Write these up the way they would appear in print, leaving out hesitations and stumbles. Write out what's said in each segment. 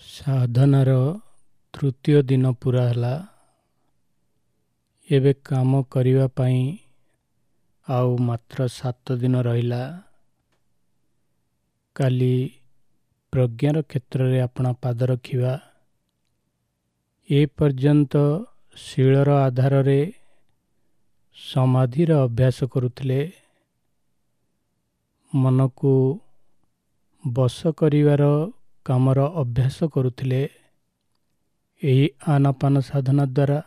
ସାଧନାର ତୃତୀୟ ଦିନ ପୂରା ହେଲା। ଏବେ କାମ କରିବା ପାଇଁ ଆଉ ମାତ୍ର 7 ଦିନ ରହିଲା। କାଲି ପ୍ରଜ୍ଞାର କ୍ଷେତ୍ରରେ ଆପଣା ପାଦ ରଖିବା। ଏ ପର୍ଯ୍ୟନ୍ତ ଶୀଳର ଆଧାରରେ ସମାଧିର ଅଭ୍ୟାସ କରୁଥିଲେ। ମନକୁ ବଶ କରିବାର କାମର ଅଭ୍ୟାସ କରୁଥିଲେ ଏହି ଆନାପାନ ସାଧନା ଦ୍ୱାରା।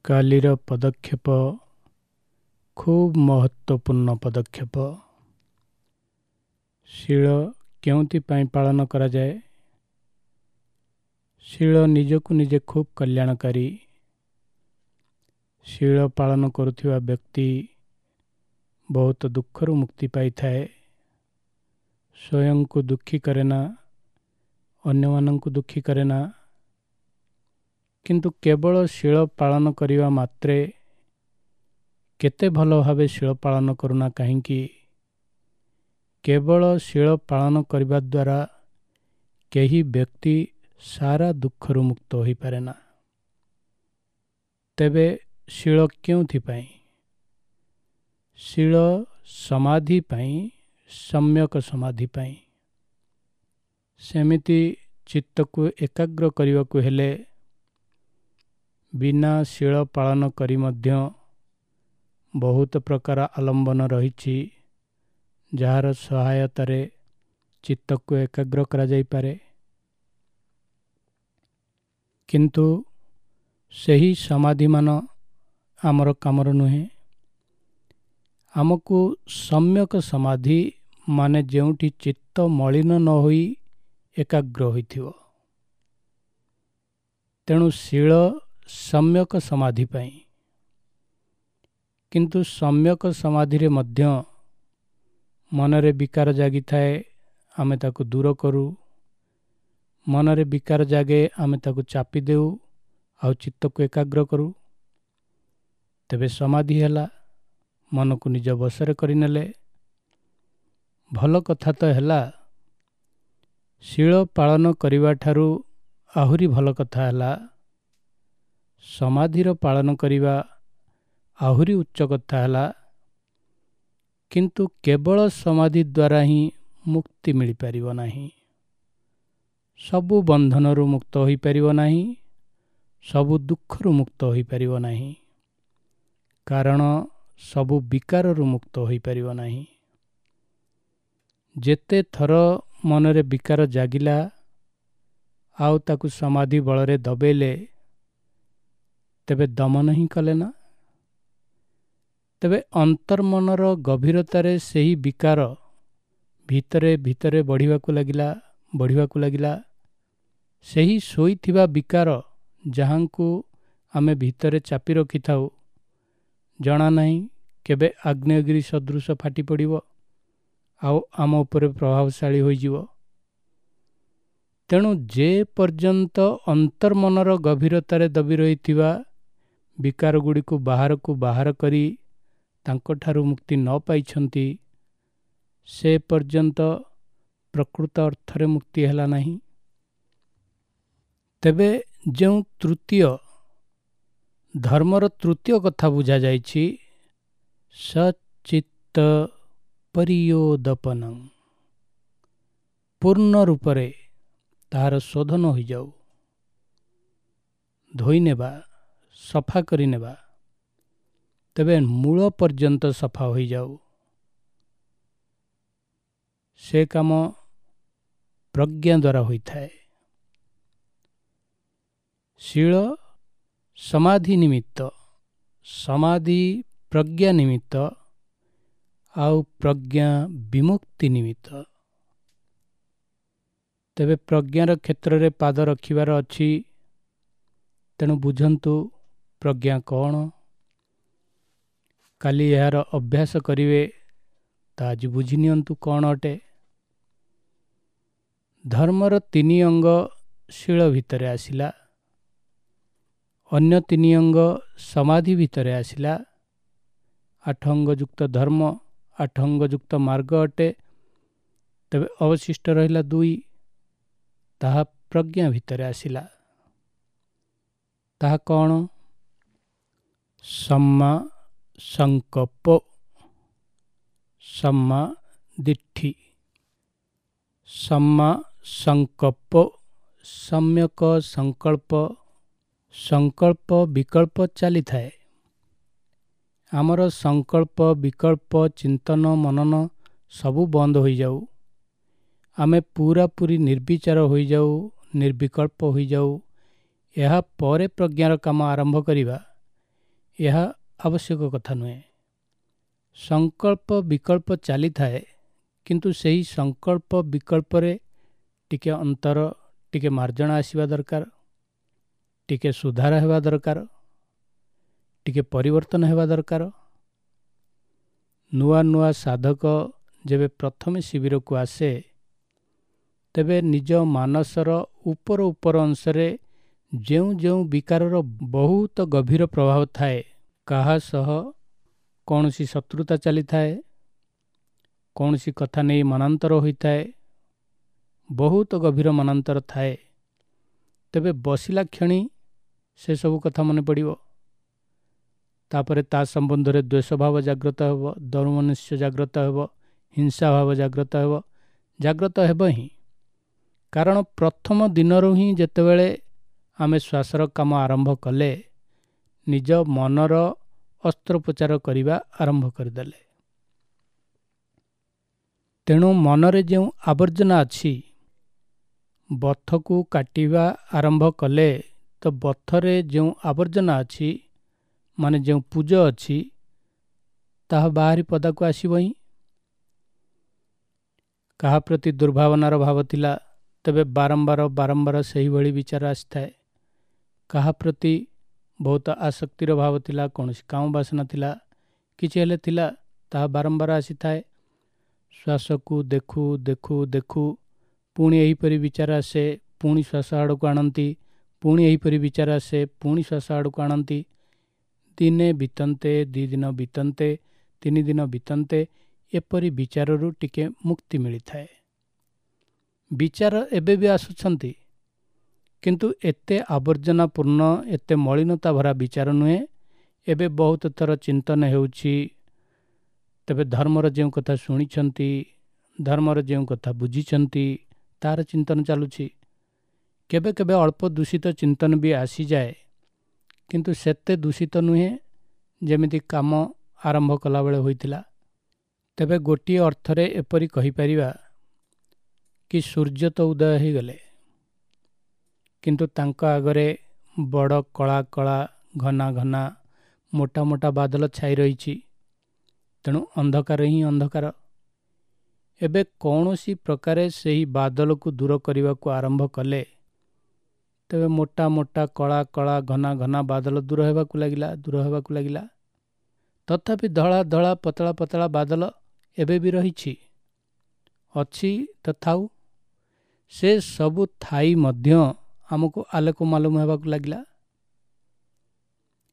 କାଲିର ପଦକ୍ଷେପ ଖୁବ୍ ମହତ୍ତ୍ୱପୂର୍ଣ୍ଣ ପଦକ୍ଷେପ। ଶୀଳ କେଉଁଥିପାଇଁ ପାଳନ କରାଯାଏ? ଶୀଳ ନିଜକୁ ନିଜେ ଖୁବ୍ କଲ୍ୟାଣକାରୀ। ଶୀଳ ପାଳନ କରୁଥିବା ବ୍ୟକ୍ତି ବହୁତ ଦୁଃଖରୁ ମୁକ୍ତି ପାଇଥାଏ। ସ୍ୱୟଂକୁ ଦୁଃଖୀ କରେ ନା, ଅନ୍ୟମାନଙ୍କୁ ଦୁଃଖୀ କରେ ନା। କିନ୍ତୁ କେବଳ ଶୀଳ ପାଳନ କରିବା ମାତ୍ରେ, କେତେ ଭଲ ଭାବେ ଶୀଳ ପାଳନ କରୁନା କାହିଁକି, କେବଳ ଶୀଳ ପାଳନ କରିବା ଦ୍ୱାରା କେହି ବ୍ୟକ୍ତି ସାରା ଦୁଃଖରୁ ମୁକ୍ତ ହୋଇପାରେ ନା। ତେବେ ଶୀଳ କେଉଁଥିପାଇଁ? ଶୀଳ ସମାଧି ପାଇଁ, ସମ୍ୟକ ସମାଧି ପାଇଁ। ସେମିତି ଚିତ୍ତକୁ ଏକାଗ୍ର କରିବାକୁ ହେଲେ ବିନା ଶୀଳ ପାଳନ କରି ମଧ୍ୟ ବହୁତ ପ୍ରକାର ଆଲମ୍ବନ ରହିଛି, ଯାହାର ସହାୟତାରେ ଚିତ୍ତକୁ ଏକାଗ୍ର କରାଯାଇପାରେ। କିନ୍ତୁ ସେହି ସମାଧିମାନ ଆମର କାମର ନୁହେଁ। ଆମକୁ ସମ୍ୟକ ସମାଧି ମାନେ ଯେଉଁଠି ଚିତ୍ତ ମଳିନ ନ ହୋଇ ଏକାଗ୍ର ହୋଇଥିବ। ତେଣୁ ଶୀଳ ସମ୍ୟକ ସମାଧି ପାଇଁ। କିନ୍ତୁ ସମ୍ୟକ ସମାଧିରେ ମଧ୍ୟ ମନରେ ବିକାର ଜାଗିଥାଏ, ଆମେ ତାକୁ ଦୂର କରୁ। ମନରେ ବିକାର ଜାଗେ, ଆମେ ତାକୁ ଚାପି ଦେଉ ଆଉ ଚିତ୍ତକୁ ଏକାଗ୍ର କରୁ। ତେବେ ସମାଧି ହେଲା, ମନକୁ ନିଜ ବଶରେ କରିନେଲେ। ଭଲ କଥା ତ ହେଲା, ଶୀଳ ପାଳନ କରିବା ଠାରୁ ଆହୁରି ଭଲ କଥା ହେଲା ସମାଧିର ପାଳନ କରିବା, ଆହୁରି ଉଚ୍ଚ କଥା ହେଲା। କିନ୍ତୁ କେବଳ ସମାଧି ଦ୍ୱାରା ହିଁ ମୁକ୍ତି ମିଳିପାରିବ ନାହିଁ, ସବୁ ବନ୍ଧନରୁ ମୁକ୍ତ ହୋଇପାରିବ ନାହିଁ, ସବୁ ଦୁଃଖରୁ ମୁକ୍ତ ହୋଇପାରିବ ନାହିଁ, କାରଣ ସବୁ ବିକାରରୁ ମୁକ୍ତ ହୋଇପାରିବ ନାହିଁ। ଯେତେ ଥର ମନରେ ବିକାର ଜାଗିଲା ଆଉ ତାକୁ ସମାଧି ବଳରେ ଦବେଇଲେ, ତେବେ ଦମନ ହିଁ କଲେ ନା। ତେବେ ଅନ୍ତର୍ମନର ଗଭୀରତାରେ ସେହି ବିକାର ଭିତରେ ଭିତରେ ବଢ଼ିବାକୁ ଲାଗିଲା, ବଢ଼ିବାକୁ ଲାଗିଲା। ସେହି ଶୋଇଥିବା ବିକାର, ଯାହାଙ୍କୁ ଆମେ ଭିତରେ ଚାପି ରଖିଥାଉ, ଜଣା ନାହିଁ କେବେ ଆଗ୍ନେୟଗିରି ସଦୃଶ ଫାଟି ପଡ଼ିବ ଆଉ ଆମ ଉପରେ ପ୍ରଭାବଶାଳୀ ହୋଇଯିବ। ତେଣୁ ଯେ ପର୍ଯ୍ୟନ୍ତ ଅନ୍ତର୍ମନର ଗଭୀରତାରେ ଦବି ରହିଥିବା ବିକାର ଗୁଡ଼ିକୁ ବାହାରକୁ ବାହାର କରି ତାଙ୍କଠାରୁ ମୁକ୍ତି ନ ପାଇଛନ୍ତି, ସେ ପର୍ଯ୍ୟନ୍ତ ପ୍ରକୃତ ଅର୍ଥରେ ମୁକ୍ତି ହେଲା ନାହିଁ। ତେବେ ଯେଉଁ ତୃତୀୟ ଧର୍ମର ତୃତୀୟ କଥା ବୁଝାଯାଇଛି, ସଚିତ୍ତ ପରିୟୋଦପନଂ, ପୂର୍ଣ୍ଣ ରୂପରେ ତାହାର ଶୋଧନ ହୋଇଯାଉ, ଧୋଇନେବା, ସଫା କରିନେବା, ତେବେ ମୂଳ ପର୍ଯ୍ୟନ୍ତ ସଫା ହୋଇଯାଉ। ସେ କାମ ପ୍ରଜ୍ଞା ଦ୍ୱାରା ହୋଇଥାଏ। ଶୀଳ ସମାଧି ନିମିତ୍ତ, ସମାଧି ପ୍ରଜ୍ଞା ନିମିତ୍ତ, ଆଉ ପ୍ରଜ୍ଞା ବିମୁକ୍ତି ନିମିତ୍ତ। ତେବେ ପ୍ରଜ୍ଞାର କ୍ଷେତ୍ରରେ ପାଦ ରଖିବାର ଅଛି। ତେଣୁ ବୁଝନ୍ତୁ ପ୍ରଜ୍ଞା କ'ଣ। କାଲି ଏହାର ଅଭ୍ୟାସ କରିବେ, ତା ଆଜି ବୁଝି ନିଅନ୍ତୁ କ'ଣ ଅଟେ। ଧର୍ମର 3 ଅଙ୍ଗ ଶୀଳ ଭିତରେ ଆସିଲା, ଅନ୍ୟ 3 ଅଙ୍ଗ ସମାଧି ଭିତରେ ଆସିଲା। 8 ଅଙ୍ଗଯୁକ୍ତ ଧର୍ମ, 8 ଅଙ୍ଗଯୁକ୍ତ ମାର୍ଗ ଅଟେ। ତେବେ ଅବଶିଷ୍ଟ ରହିଲା 2। ତାହା ପ୍ରଜ୍ଞା ଭିତରେ ଆସିଲା। ତାହା କ'ଣ? ସମ୍ମା ସଂକଳ୍ପ, ସମ୍ମା ଦିଷ୍ଠି। ସମ୍ମା ସଂକଳ୍ପ, ସମ୍ୟକ ସଂକଳ୍ପ। ସଂକଳ୍ପ ବିକଳ୍ପ ଚାଲିଥାଏ। ଆମର ସଂକଳ୍ପ ବିକଳ୍ପ ଚିନ୍ତନ ମନନ ସବୁ ବନ୍ଦ ହୋଇଯାଉ, ଆମେ ପୁରାପୁରି ନିର୍ବିଚାର ହୋଇଯାଉ, ନିର୍ବିକଳ୍ପ ହୋଇଯାଉ, ଏହା ପରେ ପ୍ରଜ୍ଞାର କାମ ଆରମ୍ଭ କରିବା, ଏହା ଆବଶ୍ୟକ କଥା ନୁହେଁ। ସଂକଳ୍ପ ବିକଳ୍ପ ଚାଲିଥାଏ, କିନ୍ତୁ ସେହି ସଂକଳ୍ପ ବିକଳ୍ପରେ ଟିକେ ଅନ୍ତର, ଟିକେ ମାର୍ଜଣା ଆସିବା ଦରକାର, ଟିକେ ସୁଧାର ହେବା ଦରକାର, ଟିକେ ପରିବର୍ତ୍ତନ ହେବା ଦରକାର। ନୂଆ ନୂଆ ସାଧକ ଯେବେ ପ୍ରଥମେ ଶିବିରକୁ ଆସେ, ତେବେ ନିଜ ମାନସର ଉପର ଉପର ଅଂଶରେ ଯେଉଁ ଯେଉଁ ବିକାରର ବହୁତ ଗଭୀର ପ୍ରଭାବ ଥାଏ, କାହା ସହ କୌଣସି ଶତ୍ରୁତା ଚାଲିଥାଏ, କୌଣସି କଥା ନେଇ ମନାନ୍ତର ହୋଇଥାଏ, ବହୁତ ଗଭୀର ମନାନ୍ତର ଥାଏ, ତେବେ ବସିଲା କ୍ଷଣି ସେସବୁ କଥା ମନେ ପଡ଼ିବ। ତାପରେ ତା ସମ୍ବନ୍ଧରେ ଦ୍ୱେଷଭାବ ଜାଗ୍ରତ ହେବ, ଦୌର୍ମନସ୍ୟ ଜାଗ୍ରତ ହେବ, ହିଂସା ଭାବ ଜାଗ୍ରତ ହେବ, ଜାଗ୍ରତ ହେବ ହିଁ। କାରଣ ପ୍ରଥମ ଦିନରୁ ହିଁ ଯେତେବେଳେ ଆମେ ଶ୍ୱାସର କାମ ଆରମ୍ଭ କଲେ, ନିଜ ମନର ଅସ୍ତ୍ରୋପଚାର କରିବା ଆରମ୍ଭ କରିଦେଲେ। ତେଣୁ ମନରେ ଯେଉଁ ଆବର୍ଜନା ଅଛି, ବଥକୁ କାଟିବା ଆରମ୍ଭ କଲେ ତ ବଥରେ ଯେଉଁ ଆବର୍ଜନା ଅଛି, ମାନେ ଯେଉଁ ପୂଜ ଅଛି, ତାହା ବାହାରି ପଦାକୁ ଆସିବ ହିଁ। କାହା ପ୍ରତି ଦୁର୍ଭାବନାର ଭାବ ଥିଲା, ତେବେ ବାରମ୍ବାର ବାରମ୍ବାର ସେହିଭଳି ବିଚାର ଆସିଥାଏ। କାହା ପ୍ରତି ବହୁତ ଆସକ୍ତିର ଭାବ ଥିଲା, କୌଣସି କାମ ବାସନା ଥିଲା, କିଛି ହେଲେ ଥିଲା, ତାହା ବାରମ୍ବାର ଆସିଥାଏ। ଶ୍ୱାସକୁ ଦେଖୁ ଦେଖୁ ଦେଖୁ ପୁଣି ଏହିପରି ବିଚାର ଆସେ, ପୁଣି ଶ୍ୱାସ ଆଡ଼କୁ ଆଣନ୍ତି, ପୁଣି ଏହିପରି ବିଚାର ଆସେ, ପୁଣି ଶ୍ୱାସ ଆଡ଼କୁ ଆଣନ୍ତି। ଦିନେ ବିତନ୍ତେ, 2 ଦିନ ବିତନ୍ତେ, 3 ଦିନ ବିତନ୍ତେ, ଏପରି ବିଚାରରୁ ଟିକେ ମୁକ୍ତି ମିଳିଥାଏ। ବିଚାର ଏବେ ବି ଆସୁଛନ୍ତି, କିନ୍ତୁ ଏତେ ଆବର୍ଜନାପୂର୍ଣ୍ଣ, ଏତେ ମଳିନତା ଭରା ବିଚାର ନୁହେଁ। ଏବେ ବହୁତ ଥର ଚିନ୍ତନ ହେଉଛି, ତେବେ ଧର୍ମର ଯେଉଁ କଥା ଶୁଣିଛନ୍ତି, ଧର୍ମର ଯେଉଁ କଥା ବୁଝିଛନ୍ତି, ତାର ଚିନ୍ତନ ଚାଲୁଛି। କେବେ କେବେ ଅଳ୍ପ ଦୂଷିତ ଚିନ୍ତନ ବି ଆସିଯାଏ, କିନ୍ତୁ ସେତେ ଦୂଷିତ ନୁହେଁ ଯେମିତି କାମ ଆରମ୍ଭ କଲାବେଳେ ହୋଇଥିଲା। ତେବେ ଗୋଟିଏ ଅର୍ଥରେ ଏପରି କହିପାରିବା କି ସୂର୍ଯ୍ୟ ତ ଉଦୟ ହୋଇଗଲେ, କିନ୍ତୁ ତାଙ୍କ ଆଗରେ ବଡ଼ କଳା କଳା, ଘନା ଘନା, ମୋଟା ମୋଟା ବାଦଲ ଛାଇ ରହିଛି। ତେଣୁ ଅନ୍ଧକାର ହିଁ ଅନ୍ଧକାର। ଏବେ କୌଣସି ପ୍ରକାରେ ସେହି ବାଦଲକୁ ଦୂର କରିବାକୁ ଆରମ୍ଭ କଲେ, ତେବେ ମୋଟା ମୋଟା, କଳା କଳା, ଘନା ଘନା ବାଦଲ ଦୂର ହେବାକୁ ଲାଗିଲା, ଦୂର ହେବାକୁ ଲାଗିଲା। ତଥାପି ଧଳା ଧଳା, ପତଳା ପତଳା ବାଦଲ ଏବେ ବି ରହିଛି, ଅଛି ତ ଥାଉ। ସେ ସବୁ ଥାଇ ମଧ୍ୟ ଆମକୁ ଆଲୋକ ମାଲୁମ ହେବାକୁ ଲାଗିଲା।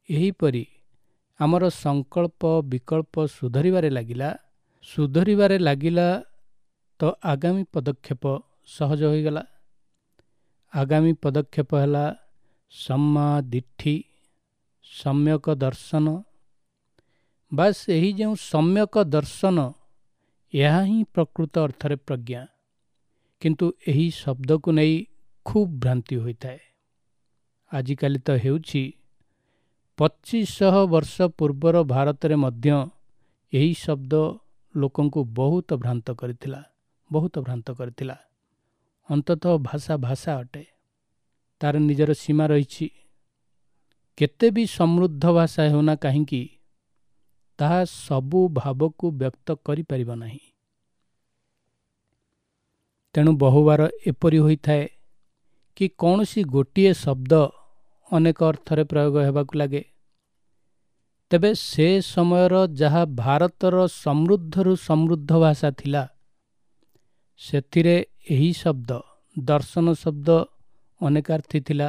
ଏହିପରି ଆମର ସଂକଳ୍ପ ବିକଳ୍ପ ସୁଧରିବାରେ ଲାଗିଲା, ସୁଧରିବାରେ ଲାଗିଲା ତ ଆଗାମୀ ପଦକ୍ଷେପ ସହଜ ହୋଇଗଲା। ଆଗାମୀ ପଦକ୍ଷେପ ହେଲା ସମ୍ମା ଦିଷ୍ଠି, ସମ୍ୟକ ଦର୍ଶନ। ବାସ୍, ଏହି ଯେଉଁ ସମ୍ୟକ ଦର୍ଶନ, ଏହା ହିଁ ପ୍ରକୃତ ଅର୍ଥରେ ପ୍ରଜ୍ଞା। କିନ୍ତୁ ଏହି ଶବ୍ଦକୁ ନେଇ ଖୁବ୍ ଭ୍ରାନ୍ତି ହୋଇଥାଏ। ଆଜିକାଲି ତ ହେଉଛି, 2500 ବର୍ଷ ପୂର୍ବର ଭାରତରେ ମଧ୍ୟ ଏହି ଶବ୍ଦ ଲୋକଙ୍କୁ ବହୁତ ଭ୍ରାନ୍ତ କରିଥିଲା, ବହୁତ ଭ୍ରାନ୍ତ କରିଥିଲା। ଅନ୍ତତଃ ଭାଷା ଭାଷା ଅଟେ, ତାର ନିଜର ସୀମା ରହିଛି। କେତେ ବି ସମୃଦ୍ଧ ଭାଷା ହେଉନା କାହିଁକି, ତାହା ସବୁ ଭାବକୁ ବ୍ୟକ୍ତ କରିପାରିବ ନାହିଁ। ତେଣୁ ବହୁବାର ଏପରି ହୋଇଥାଏ କି କୌଣସି ଗୋଟିଏ ଶବ୍ଦ ଅନେକ ଅର୍ଥରେ ପ୍ରୟୋଗ ହେବାକୁ ଲାଗେ। ତେବେ ସେ ସମୟର ଯାହା ଭାରତର ସମୃଦ୍ଧରୁ ସମୃଦ୍ଧ ଭାଷା ଥିଲା, ସେଥିରେ ଏହି ଶବ୍ଦ, ଦର୍ଶନ ଶବ୍ଦ ଅନେକାର୍ଥୀ ଥିଲା,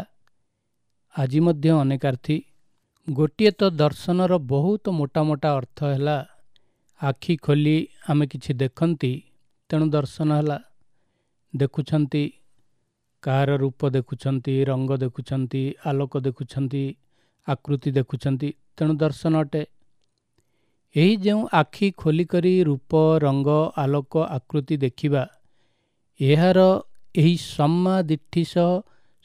ଆଜି ମଧ୍ୟ ଅନେକାର୍ଥୀ। ଗୋଟିଏ ତ ଦର୍ଶନର ବହୁତ ମୋଟା ମୋଟା ଅର୍ଥ ହେଲା ଆଖି ଖୋଲି ଆମେ କିଛି ଦେଖନ୍ତି, ତେଣୁ ଦର୍ଶନ ହେଲା। ଦେଖୁଛନ୍ତି, କାହାର ରୂପ ଦେଖୁଛନ୍ତି, ରଙ୍ଗ ଦେଖୁଛନ୍ତି, ଆଲୋକ ଦେଖୁଛନ୍ତି, ଆକୃତି ଦେଖୁଛନ୍ତି, ତେଣୁ ଦର୍ଶନ ଅଟେ। ଏହି ଯେଉଁ ଆଖି ଖୋଲିକରି ରୂପ, ରଙ୍ଗ, ଆଲୋକ, ଆକୃତି ଦେଖିବା, ଏହାର ଏହି ସମ୍ମାଦିଷ୍ଠି ସହ,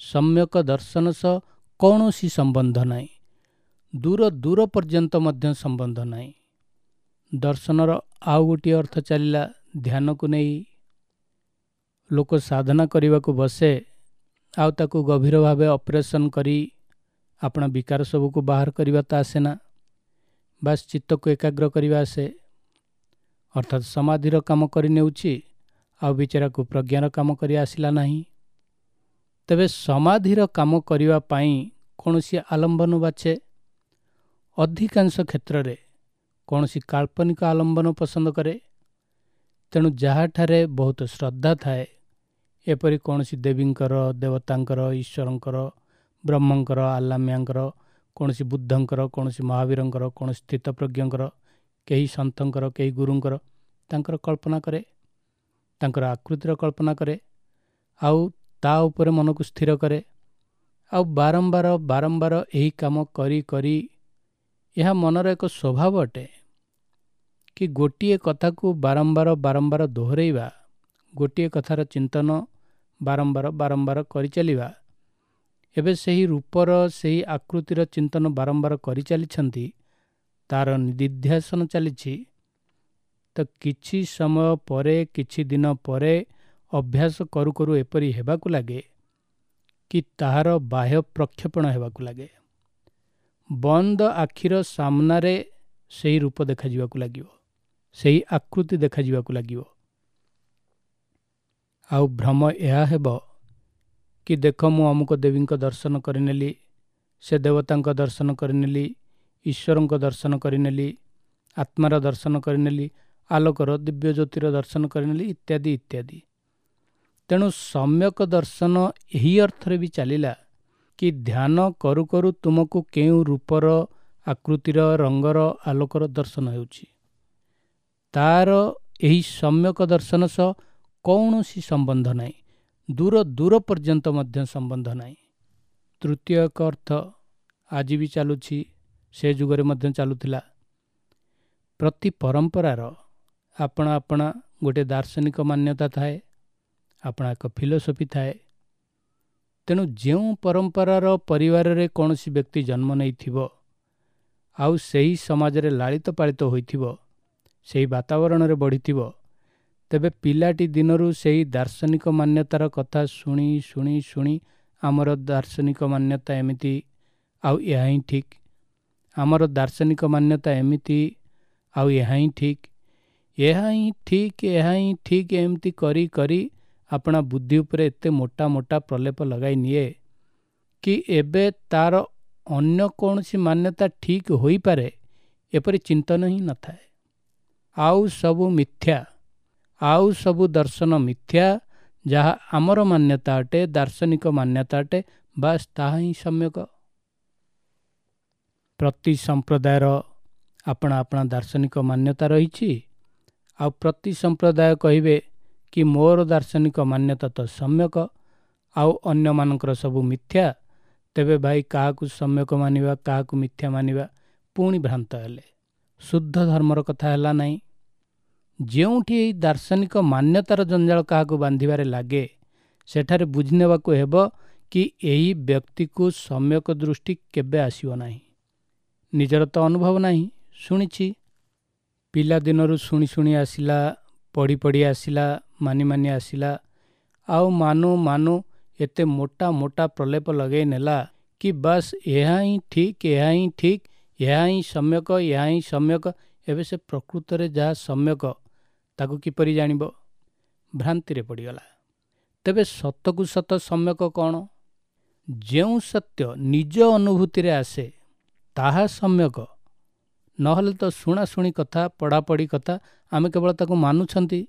ସମ୍ୟକ ଦର୍ଶନ ସହ କୌଣସି ସମ୍ବନ୍ଧ ନାହିଁ। ଦୂର ଦୂର ପର୍ଯ୍ୟନ୍ତ ମଧ୍ୟ ସମ୍ବନ୍ଧ ନାହିଁ। ଦର୍ଶନର ଆଉ ଗୋଟିଏ ଅର୍ଥ ଚାଲିଲା ଧ୍ୟାନକୁ ନେଇ। ଲୋକ ସାଧନା କରିବାକୁ ବସେ ଆଉ ତାକୁ ଗଭୀର ଭାବେ ଅପରେସନ୍ କରି ଆପଣା ବିକାର ସବୁକୁ ବାହାର କରିବା ତ ଆସେ ନା, ବାସ୍ ଚିତ୍ତକୁ ଏକାଗ୍ର କରିବା ଆସେ। ଅର୍ଥାତ୍ ସମାଧିର କାମ କରିନେଉଛି, ଆଉ ବିଚାରାକୁ ପ୍ରଜ୍ଞାର କାମ କରି ଆସିଲା ନାହିଁ। ତେବେ ସମାଧିର କାମ କରିବା ପାଇଁ କୌଣସି ଆଲମ୍ବନ ବାଛେ। ଅଧିକାଂଶ କ୍ଷେତ୍ରରେ କୌଣସି କାଳ୍ପନିକ ଆଲମ୍ବନ ପସନ୍ଦ କରେ। ତେଣୁ ଯାହାଠାରେ ବହୁତ ଶ୍ରଦ୍ଧା ଥାଏ, ଏପରି କୌଣସି ଦେବୀଙ୍କର, ଦେବତାଙ୍କର, ଈଶ୍ୱରଙ୍କର, ବ୍ରହ୍ମଙ୍କର, ଆଲ୍ଲାମିଆଙ୍କର, କୌଣସି ବୁଦ୍ଧଙ୍କର, କୌଣସି ମହାବୀରଙ୍କର, କୌଣସି ସ୍ଥିତପ୍ରଜ୍ଞଙ୍କର, କେହି ସନ୍ଥଙ୍କର, କେହି ଗୁରୁଙ୍କର, ତାଙ୍କର କଳ୍ପନା କରେ, ତାଙ୍କର ଆକୃତିର କଳ୍ପନା କରେ, ଆଉ ତା ଉପରେ ମନକୁ ସ୍ଥିର କରେ। ଆଉ ବାରମ୍ବାର ବାରମ୍ବାର ଏହି କାମ କରି କରି ଏହା ମନର ଏକ ସ୍ୱଭାବ ଅଟେ କି ଗୋଟିଏ କଥାକୁ ବାରମ୍ବାର ବାରମ୍ବାର ଦୋହରାଇବା, ଗୋଟିଏ କଥାର ଚିନ୍ତନ ବାରମ୍ବାର ବାରମ୍ବାର କରିଚାଲିବା। ଏବେ ସେହି ରୂପର, ସେହି ଆକୃତିର ଚିନ୍ତନ ବାରମ୍ବାର କରିଚାଲିଛନ୍ତି, ତାର ନିଦିଧ୍ୟାସନ ଚାଲିଛି। ତ କିଛି ସମୟ ପରେ, କିଛି ଦିନ ପରେ ଅଭ୍ୟାସ କରୁ କରୁ ଏପରି ହେବାକୁ ଲାଗେ କି ତାହାର ବାହ୍ୟ ପ୍ରକ୍ଷେପଣ ହେବାକୁ ଲାଗେ। ବନ୍ଦ ଆଖିର ସାମ୍ନାରେ ସେହି ରୂପ ଦେଖାଯିବାକୁ ଲାଗିବ, ସେହି ଆକୃତି ଦେଖାଯିବାକୁ ଲାଗିବ। ଆଉ ଭ୍ରମ ଏହା ହେବ କି ଦେଖ, ମୁଁ ଅମୁକ ଦେବୀଙ୍କ ଦର୍ଶନ କରିନେଲି, ସେ ଦେବତାଙ୍କ ଦର୍ଶନ କରିନେଲି, ଈଶ୍ୱରଙ୍କ ଦର୍ଶନ କରିନେଲି, ଆତ୍ମାର ଦର୍ଶନ କରିନେଲି, ଆଲୋକର, ଦିବ୍ୟ ଜ୍ୟୋତିର ଦର୍ଶନ କରିନେଲି, ଇତ୍ୟାଦି ଇତ୍ୟାଦି। ତେଣୁ ସମ୍ୟକ ଦର୍ଶନ ଏହି ଅର୍ଥରେ ବି ଚାଲିଲା କି ଧ୍ୟାନ କରୁ କରୁ ତୁମକୁ କେଉଁ ରୂପର, ଆକୃତିର, ରଙ୍ଗର, ଆଲୋକର ଦର୍ଶନ ହେଉଛି, ତାର ଏହି ସମ୍ୟକ ଦର୍ଶନ ସହ କୌଣସି ସମ୍ବନ୍ଧ ନାହିଁ, ଦୂର ଦୂର ପର୍ଯ୍ୟନ୍ତ ମଧ୍ୟ ସମ୍ବନ୍ଧ ନାହିଁ। ତୃତୀୟ ଏକ ଅର୍ଥ ଆଜି ବି ଚାଲୁଛି, ସେ ଯୁଗରେ ମଧ୍ୟ ଚାଲୁଥିଲା। ପ୍ରତି ପରମ୍ପରାର ଆପଣା ଆପଣା ଗୋଟିଏ ଦାର୍ଶନିକ ମାନ୍ୟତା ଥାଏ, ଆପଣା ଏକ ଫିଲୋସଫି ଥାଏ। ତେଣୁ ଯେଉଁ ପରମ୍ପରାର ପରିବାରରେ କୌଣସି ବ୍ୟକ୍ତି ଜନ୍ମ ନେଇଥିବ ଆଉ ସେହି ସମାଜରେ ଲାଳିତ ପାଳିତ ହୋଇଥିବ, ସେହି ବାତାବରଣରେ ବଢ଼ିଥିବ, ତେବେ ପିଲାଟି ଦିନରୁ ସେହି ଦାର୍ଶନିକ ମାନ୍ୟତାର କଥା ଶୁଣି ଶୁଣି ଶୁଣି ଆମର ଦାର୍ଶନିକ ମାନ୍ୟତା ଏମିତି ଆଉ ଏହା ହିଁ ଠିକ୍, ଆମର ଦାର୍ଶନିକ ମାନ୍ୟତା ଏମିତି ଆଉ ଏହା ହିଁ ଠିକ୍, ଏହା ହିଁ ଠିକ୍, ଏହା ହିଁ ଠିକ୍, ଏମିତି କରି କରି ଆପଣା ବୁଦ୍ଧି ଉପରେ ଏତେ ମୋଟା ମୋଟା ପ୍ରଲେପ ଲଗାଇ ନିଏ କି ଏବେ ତାର ଅନ୍ୟ କୌଣସି ମାନ୍ୟତା ଠିକ୍ ହୋଇପାରେ ଏପରି ଚିନ୍ତନ ହିଁ ନଥାଏ। ଆଉ ସବୁ ମିଥ୍ୟା, ଆଉ ସବୁ ଦର୍ଶନ ମିଥ୍ୟା, ଯାହା ଆମର ମାନ୍ୟତା ଅଟେ, ଦାର୍ଶନିକ ମାନ୍ୟତା ଅଟେ, ବାସ୍ ତାହା ହିଁ ସମ୍ୟକ। ପ୍ରତି ସମ୍ପ୍ରଦାୟର ଆପଣା ଆପଣା ଦାର୍ଶନିକ ମାନ୍ୟତା ରହିଛି, ଆଉ ପ୍ରତି ସମ୍ପ୍ରଦାୟ କହିବେ କି ମୋର ଦାର୍ଶନିକ ମାନ୍ୟତା ତ ସମ୍ୟକ, ଆଉ ଅନ୍ୟମାନଙ୍କର ସବୁ ମିଥ୍ୟା। ତେବେ ଭାଇ କାହାକୁ ସମ୍ୟକ ମାନିବା, କାହାକୁ ମିଥ୍ୟା ମାନିବା, ପୁଣି ଭ୍ରାନ୍ତ ହେଲେ। ଶୁଦ୍ଧ ଧର୍ମର କଥା ହେଲା ନାହିଁ। ଯେଉଁଠି ଏହି ଦାର୍ଶନିକ ମାନ୍ୟତାର ଜଞ୍ଜାଳ କାହାକୁ ବାନ୍ଧିବାରେ ଲାଗେ, ସେଠାରେ ବୁଝିନେବାକୁ ହେବ କି ଏହି ବ୍ୟକ୍ତିକୁ ସମ୍ୟକ ଦୃଷ୍ଟି କେବେ ଆସିବ ନାହିଁ। ନିଜର ତ ଅନୁଭବ ନାହିଁ, ଶୁଣିଛି, ପିଲାଦିନରୁ ଶୁଣି ଶୁଣି ଆସିଲା, ପଢ଼ି ପଢ଼ି ଆସିଲା, ମାନି ମାନି ଆସିଲା, ଆଉ ମାନୁ ମାନୁ ଏତେ ମୋଟା ମୋଟା ପ୍ରଲେପ ଲଗାଇ ନେଲା କି ବାସ୍ ଏହା ହିଁ ଠିକ୍, ଏହା ହିଁ ଠିକ୍, ଏହା ହିଁ ସମ୍ୟକ, ଏହା ହିଁ ସମ୍ୟକ। ଏବେ ସେ ପ୍ରକୃତରେ ଯାହା ସମ୍ୟକ ତାକୁ କିପରି ଜାଣିବ? ଭ୍ରାନ୍ତିରେ ପଡ଼ିଗଲା। ତେବେ ସତକୁ ସତ ସମ୍ୟକ କ'ଣ? ଯେଉଁ ସତ୍ୟ ନିଜ ଅନୁଭୂତିରେ ଆସେ ତାହା ସମ୍ୟକ, ନହେଲେ ତ ଶୁଣାଶୁଣି କଥା, ପଢ଼ାପଢ଼ି କଥା, ଆମେ କେବଳ ତାକୁ ମାନୁଛନ୍ତି,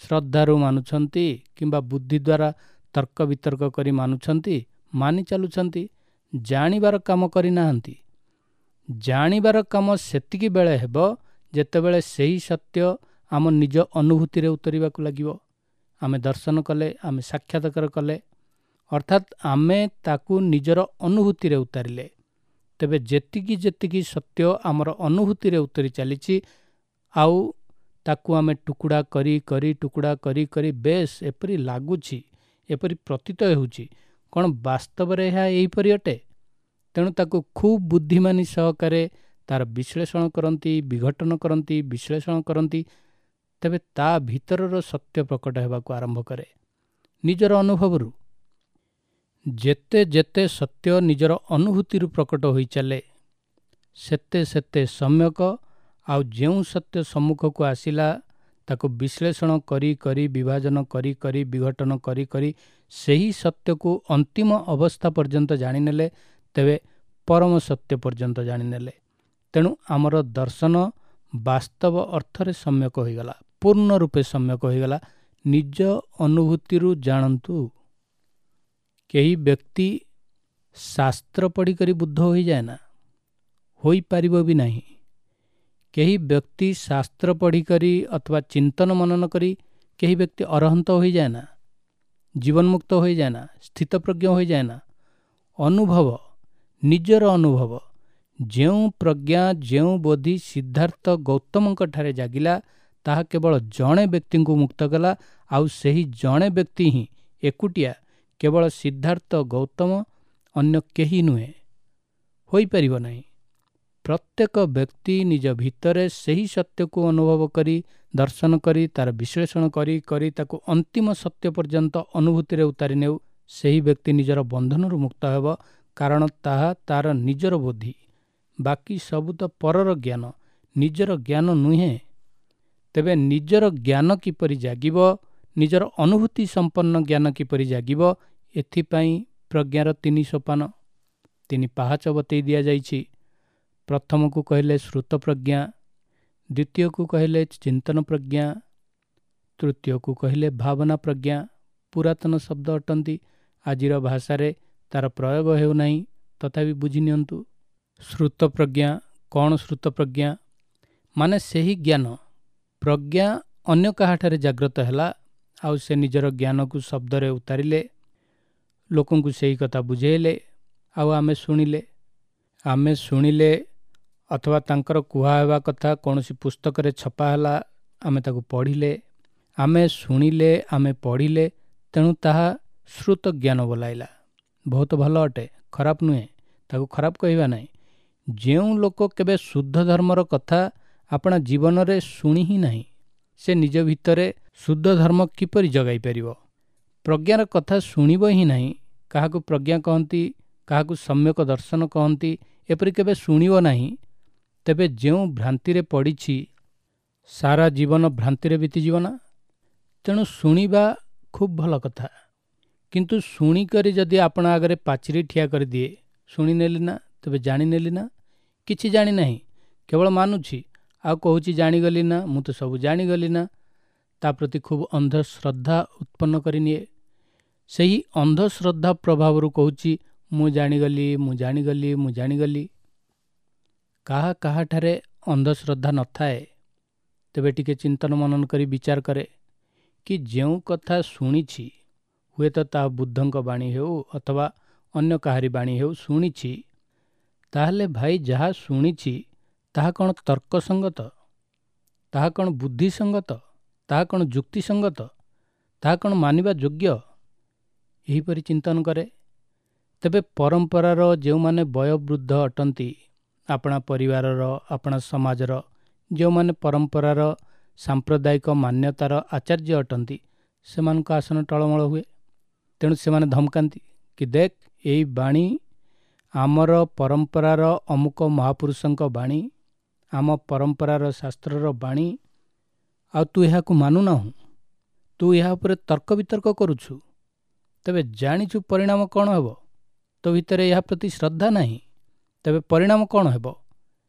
ଶ୍ରଦ୍ଧାରୁ ମାନୁଛନ୍ତି କିମ୍ବା ବୁଦ୍ଧି ଦ୍ୱାରା ତର୍କ ବିତର୍କ କରି ମାନୁଛନ୍ତି, ମାନି ଚାଲୁଛନ୍ତି, ଜାଣିବାର କାମ କରିନାହାନ୍ତି। ଜାଣିବାର କାମ ସେତିକି ବେଳେ ହେବ ଯେତେବେଳେ ସେହି ସତ୍ୟ ଆମ ନିଜ ଅନୁଭୂତିରେ ଉତରିବାକୁ ଲାଗିବ। ଆମେ ଦର୍ଶନ କଲେ, ଆମେ ସାକ୍ଷାତକାର କଲେ, ଅର୍ଥାତ୍ ଆମେ ତାକୁ ନିଜର ଅନୁଭୂତିରେ ଉତାରିଲେ। ତେବେ ଯେତିକି ଯେତିକି ସତ୍ୟ ଆମର ଅନୁଭୂତିରେ ଉତରି ଚାଲିଛି, ଆଉ ତାକୁ ଆମେ ଟୁକୁଡ଼ା କରି କରି ଟୁକୁଡ଼ା କରି କରି ବେଶ ଏପରି ଲାଗୁଛି, ଏପରି ପ୍ରତୀତ ହେଉଛି, କ'ଣ ବାସ୍ତବରେ ଏହା ଏହିପରି ଅଟେ? ତେଣୁ ତାକୁ ଖୁବ୍ ବୁଦ୍ଧିମାନୀ ସହକାରେ ତାର ବିଶ୍ଳେଷଣ କରନ୍ତି, ବିଘଟନ କରନ୍ତି, ବିଶ୍ଳେଷଣ କରନ୍ତି। ତେବେ ତା ଭିତରର ସତ୍ୟ ପ୍ରକଟ ହେବାକୁ ଆରମ୍ଭ କରେ ନିଜର ଅନୁଭବରୁ। ଯେତେ ଯେତେ ସତ୍ୟ ନିଜର ଅନୁଭୂତିରୁ ପ୍ରକଟ ହୋଇ ଚାଲେ, ସେତେ ସେତେ ସମ୍ୟକ। ଆଉ ଯେଉଁ ସତ୍ୟ ସମ୍ମୁଖକୁ ଆସିଲା ତାକୁ ବିଶ୍ଳେଷଣ କରି କରି, ବିଭାଜନ କରି କରି, ବିଘଟନ କରି କରି ସେହି ସତ୍ୟକୁ ଅନ୍ତିମ ଅବସ୍ଥା ପର୍ଯ୍ୟନ୍ତ ଜାଣିନେଲେ, ତେବେ ପରମ ସତ୍ୟ ପର୍ଯ୍ୟନ୍ତ ଜାଣିନେଲେ। ତେଣୁ ଆମର ଦର୍ଶନ ବାସ୍ତବ ଅର୍ଥରେ ସମ୍ୟକ ହୋଇଗଲା, ପୂର୍ଣ୍ଣ ରୂପେ ସମ୍ୟକ ହୋଇଗଲା। ନିଜ ଅନୁଭୂତିରୁ ଜାଣନ୍ତୁ। କେହି ବ୍ୟକ୍ତି ଶାସ୍ତ୍ର ପଢ଼ିକରି ବୁଦ୍ଧ ହୋଇଯାଏ ନା, ହୋଇପାରିବ ବି ନାହିଁ। କେହି ବ୍ୟକ୍ତି ଶାସ୍ତ୍ର ପଢ଼ିକରି ଅଥବା ଚିନ୍ତନ ମନନ କରି କେହି ବ୍ୟକ୍ତି ଅରହନ୍ତ ହୋଇଯାଏ ନା, ଜୀବନମୁକ୍ତ ହୋଇଯାଏ ନା, ସ୍ଥିତପ୍ରଜ୍ଞ ହୋଇଯାଏ ନା। ଅନୁଭବ, ନିଜର ଅନୁଭବ, ଯେଉଁ ପ୍ରଜ୍ଞା, ଯେଉଁ ବୋଧି ସିଦ୍ଧାର୍ଥ ଗୌତମଙ୍କ ଠାରେ ଜାଗିଲା, ତାହା କେବଳ ଜଣେ ବ୍ୟକ୍ତିଙ୍କୁ ମୁକ୍ତ କଲା। ଆଉ ସେହି ଜଣେ ବ୍ୟକ୍ତି ହିଁ ଏକୁଟିଆ, କେବଳ ସିଦ୍ଧାର୍ଥ ଗୌତମ, ଅନ୍ୟ କେହି ନୁହେଁ, ହୋଇପାରିବ ନାହିଁ। ପ୍ରତ୍ୟେକ ବ୍ୟକ୍ତି ନିଜ ଭିତରେ ସେହି ସତ୍ୟକୁ ଅନୁଭବ କରି, ଦର୍ଶନ କରି, ତାର ବିଶ୍ଳେଷଣ କରି କରି ତାକୁ ଅନ୍ତିମ ସତ୍ୟ ପର୍ଯ୍ୟନ୍ତ ଅନୁଭୂତିରେ ଉତାରି ନେଉ, ସେହି ବ୍ୟକ୍ତି ନିଜର ବନ୍ଧନରୁ ମୁକ୍ତ ହେବ। କାରଣ ତାହା ତାର ନିଜର ବୋଧି, ବାକି ସବୁ ତ ପରର ଜ୍ଞାନ, ନିଜର ଜ୍ଞାନ ନୁହେଁ। ତେବେ ନିଜର ଜ୍ଞାନ କିପରି ଜାଗିବ, ନିଜର ଅନୁଭୂତି ସମ୍ପନ୍ନ ଜ୍ଞାନ କିପରି ଜାଗିବ, ଏଥିପାଇଁ ପ୍ରଜ୍ଞାର 3 ସୋପାନ, 3 ପାହାଚ ବତେଇ ଦିଆଯାଇଛି। ପ୍ରଥମକୁ କହିଲେ ଶ୍ରୁତ ପ୍ରଜ୍ଞା, ଦ୍ୱିତୀୟକୁ କହିଲେ ଚିନ୍ତନ ପ୍ରଜ୍ଞା, ତୃତୀୟକୁ କହିଲେ ଭାବନା ପ୍ରଜ୍ଞା। ପୁରାତନ ଶବ୍ଦ ଅଟନ୍ତି, ଆଜିର ଭାଷାରେ ତାର ପ୍ରୟୋଗ ହେଉନାହିଁ, ତଥାପି ବୁଝି ନିଅନ୍ତୁ। ଶ୍ରୁତ ପ୍ରଜ୍ଞା କ'ଣ? ଶ୍ରୁତ ପ୍ରଜ୍ଞା ମାନେ ସେହି ଜ୍ଞାନ, ପ୍ରଜ୍ଞା ଅନ୍ୟ କାହାଠାରେ ଜାଗ୍ରତ ହେଲା, ଆଉ ସେ ନିଜର ଜ୍ଞାନକୁ ଶବ୍ଦରେ ଉତାରିଲେ, ଲୋକଙ୍କୁ ସେହି କଥା ବୁଝେଇଲେ, ଆଉ ଆମେ ଶୁଣିଲେ। ଆମେ ଶୁଣିଲେ ଅଥବା ତାଙ୍କର କୁହା ହେବା କଥା କୌଣସି ପୁସ୍ତକରେ ଛପା ହେଲା, ଆମେ ତାକୁ ପଢ଼ିଲେ। ଆମେ ଶୁଣିଲେ, ଆମେ ପଢ଼ିଲେ, ତେଣୁ ତାହା ଶ୍ରୁତ ଜ୍ଞାନ ବୋଲାଇଲା। ବହୁତ ଭଲ ଅଟେ, ଖରାପ ନୁହେଁ, ତାକୁ ଖରାପ କହିବା ନାହିଁ। ଯେଉଁ ଲୋକ କେବେ ଶୁଦ୍ଧ ଧର୍ମର କଥା ଆପଣା ଜୀବନରେ ଶୁଣି ହିଁ ନାହିଁ, ସେ ନିଜ ଭିତରେ ଶୁଦ୍ଧ ଧର୍ମ କିପରି ଜଗାଇ ପାରିବ? ପ୍ରଜ୍ଞାର କଥା ଶୁଣିବ ହିଁ ନାହିଁ। କାହାକୁ ପ୍ରଜ୍ଞା କହନ୍ତି, କାହାକୁ ସମ୍ୟକ ଦର୍ଶନ କହନ୍ତି, ଏପରି କେବେ ଶୁଣିବ ନାହିଁ, ତେବେ ଯେଉଁ ଭ୍ରାନ୍ତିରେ ପଡ଼ିଛି ସାରା ଜୀବନ ଭ୍ରାନ୍ତିରେ ବିତିଯିବ ନା। ତେଣୁ ଶୁଣିବା ଖୁବ୍ ଭଲ କଥା, କିନ୍ତୁ ଶୁଣିକରି ଯଦି ଆପଣ ଆଗରେ ପାଚେରୀ ଠିଆ କରିଦିଏ, ଶୁଣିନେଲି ନା, ତେବେ ଜାଣିନେଲି ନା, କିଛି ଜାଣିନାହିଁ, କେବଳ ମାନୁଛି, ଆଉ କହୁଛି ଜାଣିଗଲି ନା, ମୁଁ ତ ସବୁ ଜାଣିଗଲି ନା, ତା ପ୍ରତି ଖୁବ୍ ଅନ୍ଧଶ୍ରଦ୍ଧା ଉତ୍ପନ୍ନ କରିନିଏ। ସେହି ଅନ୍ଧଶ୍ରଦ୍ଧା ପ୍ରଭାବରୁ କହୁଛି ମୁଁ ଜାଣିଗଲି, ମୁଁ ଜାଣିଗଲି, ମୁଁ ଜାଣିଗଲି। କାହା କାହାଠାରେ ଅନ୍ଧଶ୍ରଦ୍ଧା ନଥାଏ, ତେବେ ଟିକେ ଚିନ୍ତନ ମନନ କରି ବିଚାର କରେ କି ଯେଉଁ କଥା ଶୁଣିଛି, ହୁଏତ ତାହା ବୁଦ୍ଧଙ୍କ ବାଣୀ ହେଉ ଅଥବା ଅନ୍ୟ କାହାରି ବାଣୀ ହେଉ, ଶୁଣିଛି, ତାହେଲେ ଭାଇ ଯାହା ଶୁଣିଛି ତାହା କ'ଣ ତର୍କସଙ୍ଗତ? ତାହା କ'ଣ ବୁଦ୍ଧିସଙ୍ଗତ? ତାହା କ'ଣ ଯୁକ୍ତିସଙ୍ଗତ? ତାହା କ'ଣ ମାନିବା ଯୋଗ୍ୟ? ଏହିପରି ଚିନ୍ତନ କରେ। ତେବେ ପରମ୍ପରାର ଯେଉଁମାନେ ବୟୋବୃଦ୍ଧ ଅଟନ୍ତି, ଆପଣା ପରିବାରର, ଆପଣା ସମାଜର ଯେଉଁମାନେ ପରମ୍ପରାର ସାମ୍ପ୍ରଦାୟିକ ମାନ୍ୟତାର ଆଚାର୍ଯ୍ୟ ଅଟନ୍ତି, ସେମାନଙ୍କ ଆସନ ଟଳମଳ ହୁଏ। ତେଣୁ ସେମାନେ ଧମକାନ୍ତି କି ଦେଖ, ଏଇ ବାଣୀ ଆମର ପରମ୍ପରାର ଅମୁକ ମହାପୁରୁଷଙ୍କ ବାଣୀ, ଆମ ପରମ୍ପରାର ଶାସ୍ତ୍ରର ବାଣୀ, ଆଉ ତୁ ଏହାକୁ ମାନୁନାହୁଁ, ତୁ ଏହା ଉପରେ ତର୍କ ବିତର୍କ କରୁଛୁ, ତେବେ ଜାଣିଛୁ ପରିଣାମ କ'ଣ ହେବ? ତୋ ଭିତରେ ଏହା ପ୍ରତି ଶ୍ରଦ୍ଧା ନାହିଁ, ତେବେ ପରିଣାମ କ'ଣ ହେବ?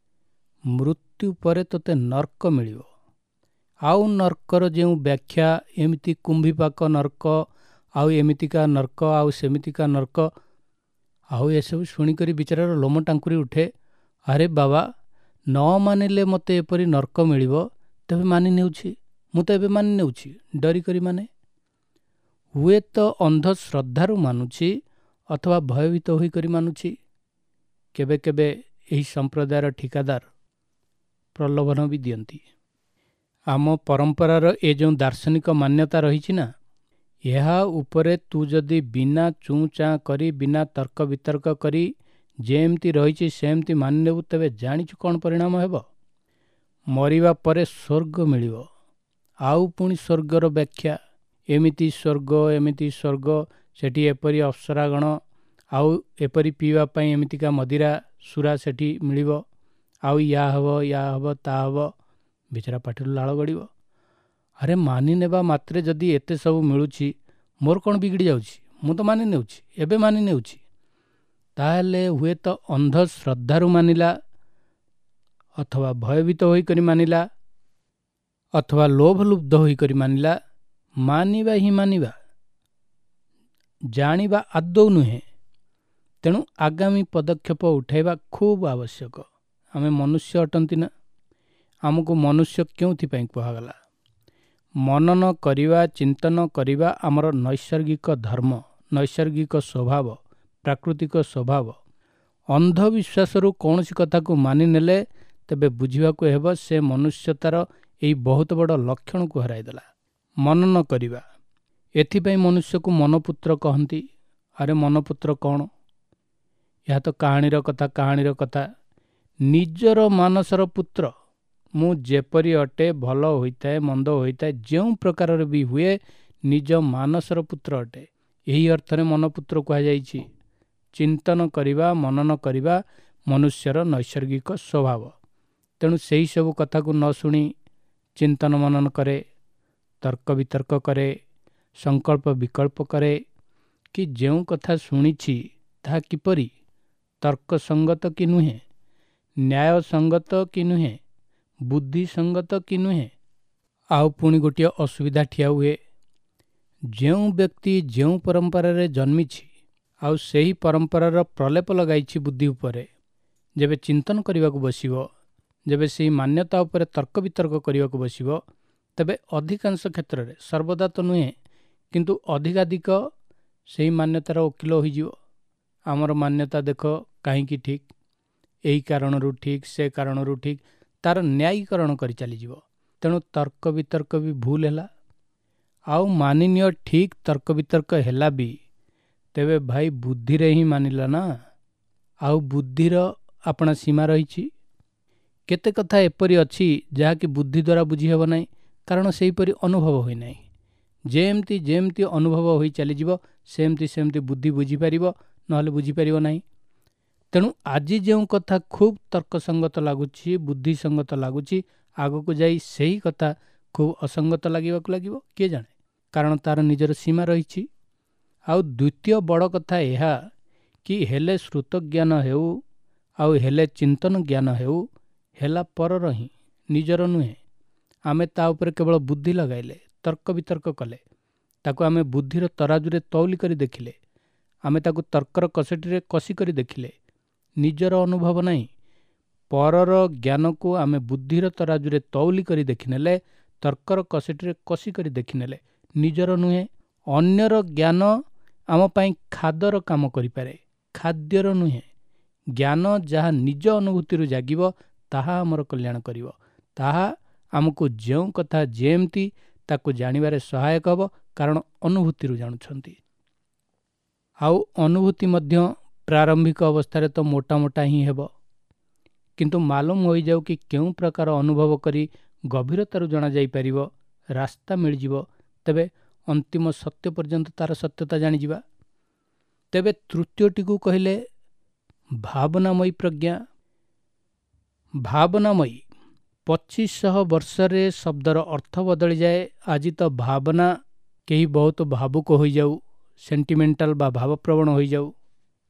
ମୃତ୍ୟୁ ପରେ ତୋତେ ନର୍କ ମିଳିବ। ଆଉ ନର୍କର ଯେଉଁ ବ୍ୟାଖ୍ୟା, ଏମିତି କୁମ୍ଭୀପାକ ନର୍କ, ଆଉ ଏମିତିକା ନର୍କ, ଆଉ ସେମିତିକା ନର୍କ, ଆଉ ଏସବୁ ଶୁଣିକରି ବିଚାରାର ଲୋମ ଟାଙ୍କୁରି ଉଠେ। ଆରେ ବାବା, ନ ମାନିଲେ ମୋତେ ଏପରି ନର୍କ ମିଳିବ, ତେବେ ମାନି ନେଉଛି, ମୁଁ ତ ଏବେ ମାନି ନେଉଛି, ଡରିକରି ମାନେ। ହୁଏତ ଅନ୍ଧଶ୍ରଦ୍ଧାରୁ ମାନୁଛି ଅଥବା ଭୟଭୀତ ହୋଇକରି ମାନୁଛି। କେବେ କେବେ ଏହି ସମ୍ପ୍ରଦାୟର ଠିକାଦାର ପ୍ରଲୋଭନ ବି ଦିଅନ୍ତି। ଆମ ପରମ୍ପରାର ଏ ଯେଉଁ ଦାର୍ଶନିକ ମାନ୍ୟତା ରହିଛି ନା, ଏହା ଉପରେ ତୁ ଯଦି ବିନା ଚୁଁ ଚାଁ କରି, ବିନା ତର୍କ ବିତର୍କ କରି ଯେମିତି ରହିଛି ସେମିତି ମାନିନେବୁ, ତେବେ ଜାଣିଛୁ କ'ଣ ପରିଣାମ ହେବ? ମରିବା ପରେ ସ୍ୱର୍ଗ ମିଳିବ। ଆଉ ପୁଣି ସ୍ୱର୍ଗର ବ୍ୟାଖ୍ୟା, ଏମିତି ସ୍ୱର୍ଗ, ଏମିତି ସ୍ୱର୍ଗ, ସେଠି ଏପରି ଅପ୍ସରାଗଣ, ଆଉ ଏପରି ପିଇବା ପାଇଁ ଏମିତିକା ମଦିରା ସୁରା ସେଠି ମିଳିବ, ଆଉ ୟା ହେବ, ୟା ହେବ, ତା ହେବ। ବିଚରା ପାଟିରୁ ଲାଳ ଗଡ଼ିବ। ଆରେ ମାନିନେବା ମାତ୍ରେ ଯଦି ଏତେ ସବୁ ମିଳୁଛି, ମୋର କ'ଣ ବିଗିଡ଼ି ଯାଉଛି? ମୁଁ ତ ମାନି ନେଉଛି, ଏବେ ମାନି ନେଉଛି। ତାହେଲେ ହୁଏତ ଅନ୍ଧଶ୍ରଦ୍ଧାରୁ ମାନିଲା, ଅଥବା ଭୟଭୀତ ହୋଇକରି ମାନିଲା, ଅଥବା ଲୋଭଲୁବ୍ଧ ହୋଇକରି ମାନିଲା। ମାନିବା ହିଁ ମାନିବା, ଜାଣିବା ଆଦୌ ନୁହେଁ। ତେଣୁ ଆଗାମୀ ପଦକ୍ଷେପ ଉଠାଇବା ଖୁବ୍ ଆବଶ୍ୟକ। ଆମେ ମନୁଷ୍ୟ ଅଟନ୍ତି ନା, ଆମକୁ ମନୁଷ୍ୟ କେଉଁଥିପାଇଁ କୁହାଗଲା? ମନନ କରିବା, ଚିନ୍ତନ କରିବା ଆମର ନୈସର୍ଗିକ ଧର୍ମ, ନୈସର୍ଗିକ ସ୍ୱଭାବ, ପ୍ରାକୃତିକ ସ୍ୱଭାବ। ଅନ୍ଧବିଶ୍ୱାସରୁ କୌଣସି କଥାକୁ ମାନିନେଲେ ତେବେ ବୁଝିବାକୁ ହେବ ସେ ମନୁଷ୍ୟତାର ଏହି ବହୁତ ବଡ଼ ଲକ୍ଷଣକୁ ହରାଇଦେଲା। ମନନ କରିବା, ଏଥିପାଇଁ ମନୁଷ୍ୟକୁ ମନପୁତ୍ର କହନ୍ତି। ଆରେ ମନପୁତ୍ର କ'ଣ? ଏହା ତ କାହାଣୀର କଥା, କାହାଣୀର କଥା। ନିଜର ମାନସର ପୁତ୍ର। ମୁଁ ଯେପରି ଅଟେ, ଭଲ ହୋଇଥାଏ, ମନ୍ଦ ହୋଇଥାଏ, ଯେଉଁ ପ୍ରକାରର ବି ହୁଏ, ନିଜ ମାନସର ପୁତ୍ର ଅଟେ। ଏହି ଅର୍ଥରେ ମନପୁତ୍ର କୁହାଯାଇଛି। ଚିନ୍ତନ କରିବା, ମନନ କରିବା ମନୁଷ୍ୟର ନୈସର୍ଗିକ ସ୍ୱଭାବ। ତେଣୁ ସେହି ସବୁ କଥାକୁ ନ ଶୁଣି ଚିନ୍ତନ ମନନ କରେ, ତର୍କ ବିତର୍କ କରେ, ସଂକଳ୍ପ ବିକଳ୍ପ କରେ କି ଯେଉଁ କଥା ଶୁଣିଛି ତାହା କିପରି ତର୍କସଙ୍ଗତ କି ନୁହେଁ, ନ୍ୟାୟସଙ୍ଗତ କି ନୁହେଁ, ବୁଦ୍ଧିସଙ୍ଗତ କି ନୁହେଁ। ଆଉ ପୁଣି ଗୋଟିଏ ଅସୁବିଧା ଠିଆ ହୁଏ। ଯେଉଁ ବ୍ୟକ୍ତି ଯେଉଁ ପରମ୍ପରାରେ ଜନ୍ମିଛି ଆଉ ସେହି ପରମ୍ପରାର ପ୍ରଲେପ ଲଗାଇଛି ବୁଦ୍ଧି ଉପରେ, ଯେବେ ଚିନ୍ତନ କରିବାକୁ ବସିବ, ଯେବେ ସେହି ମାନ୍ୟତା ଉପରେ ତର୍କ ବିତର୍କ କରିବାକୁ ବସିବ, ତେବେ ଅଧିକାଂଶ କ୍ଷେତ୍ରରେ, ସର୍ବଦା ତ ନୁହେଁ, କିନ୍ତୁ ଅଧିକାଧିକ ସେହି ମାନ୍ୟତାର ଓକିଲ ହୋଇଯିବ। ଆମର ମାନ୍ୟତା ଦେଖ କାହିଁକି ଠିକ୍, ଏହି କାରଣରୁ ଠିକ୍, ସେ କାରଣରୁ ଠିକ୍, ତାର ନ୍ୟାୟୀକରଣ କରି ଚାଲିଯିବ। ତେଣୁ ତର୍କ ବିତର୍କ ବି ଭୁଲ ହେଲା। ଆଉ ମାନିନିଅ ଠିକ୍ ତର୍କ ବିତର୍କ ହେଲା ବି, ତେବେ ଭାଇ ବୁଦ୍ଧିରେ ହିଁ ମାନିଲା ନା, ଆଉ ବୁଦ୍ଧିର ଆପଣା ସୀମା ରହିଛି। କେତେ କଥା ଏପରି ଅଛି ଯାହାକି ବୁଦ୍ଧି ଦ୍ୱାରା ବୁଝି ହେବ ନାହିଁ, କାରଣ ସେହିପରି ଅନୁଭବ ହୋଇନାହିଁ। ଯେମିତି ଯେମିତି ଅନୁଭବ ହୋଇ ଚାଲିଯିବ, ସେମିତି ସେମିତି ବୁଦ୍ଧି ବୁଝିପାରିବ, ନହେଲେ ବୁଝିପାରିବ ନାହିଁ। ତେଣୁ ଆଜି ଯେଉଁ କଥା ଖୁବ୍ ତର୍କସଙ୍ଗତ ଲାଗୁଛି, ବୁଦ୍ଧିସଙ୍ଗତ ଲାଗୁଛି, ଆଗକୁ ଯାଇ ସେହି କଥା ଖୁବ୍ ଅସଙ୍ଗତ ଲାଗିବାକୁ ଲାଗିବ, କିଏ ଜାଣେ, କାରଣ ତାର ନିଜର ସୀମା ରହିଛି। ଆଉ ଦ୍ୱିତୀୟ ବଡ଼ କଥା ଏହା କି ହେଲେ ଶ୍ରୁତଜ୍ଞାନ ହେଉ ଆଉ ହେଲେ ଚିନ୍ତନ ଜ୍ଞାନ ହେଉ, ହେଲା ପରର ହିଁ, ନିଜର ନୁହେଁ। ଆମେ ତା ଉପରେ କେବଳ ବୁଦ୍ଧି ଲଗାଇଲେ, ତର୍କ ବିତର୍କ କଲେ, ତାକୁ ଆମେ ବୁଦ୍ଧିର ତରାଜୁରେ ତଉଲି କରି ଦେଖିଲେ, ଆମେ ତାକୁ ତର୍କର କଷଟିରେ କଷି କରି ଦେଖିଲେ, ନିଜର ଅନୁଭବ ନାହିଁ। ପରର ଜ୍ଞାନକୁ ଆମେ ବୁଦ୍ଧିର ତରାଜୁରେ ତଉଲି କରି ଦେଖିନେଲେ, ତର୍କର କଷଟିରେ କଷି କରି ଦେଖିନେଲେ, ନିଜର ନୁହେଁ। ଅନ୍ୟର ଜ୍ଞାନ ଆମ ପାଇଁ ଖାଦର କାମ କରିପାରେ, ଖାଦ୍ୟର ନୁହେଁ। ଜ୍ଞାନ ଯାହା ନିଜ ଅନୁଭୂତିରୁ ଜାଗିବ ତାହା ଆମର କଲ୍ୟାଣ କରିବ, ତାହା ଆମକୁ ଯେଉଁ କଥା ଯେମିତି ତାକୁ ଜାଣିବାରେ ସହାୟକ ହେବ, କାରଣ ଅନୁଭୂତିରୁ ଜାଣୁଛନ୍ତି। ଆଉ ଅନୁଭୂତି ମଧ୍ୟ ପ୍ରାରମ୍ଭିକ ଅବସ୍ଥାରେ ତ ମୋଟା ମୋଟା ହିଁ ହେବ, କିନ୍ତୁ ମାଲୁମ ହୋଇଯାଉ କି କେଉଁ ପ୍ରକାର ଅନୁଭବ କରି ଗଭୀରତାରୁ ଜଣାଯାଇପାରିବ, ରାସ୍ତା ମିଳିଯିବ, ତେବେ ଅନ୍ତିମ ସତ୍ୟ ପର୍ଯ୍ୟନ୍ତ ତାର ସତ୍ୟତା ଜାଣିଯିବା। ତେବେ ତୃତୀୟଟିକୁ କହିଲେ ଭାବନାମୟୀ ପ୍ରଜ୍ଞା। ଭାବନାମୟୀ 2500 ବର୍ଷରେ ଶବ୍ଦର ଅର୍ଥ ବଦଳିଯାଏ। ଆଜି ତ ଭାବନା, କେହି ବହୁତ ଭାବୁକ ହୋଇଯାଉ, ସେଣ୍ଟିମେଣ୍ଟାଲ ବା ଭାବପ୍ରବଣ ହୋଇଯାଉ,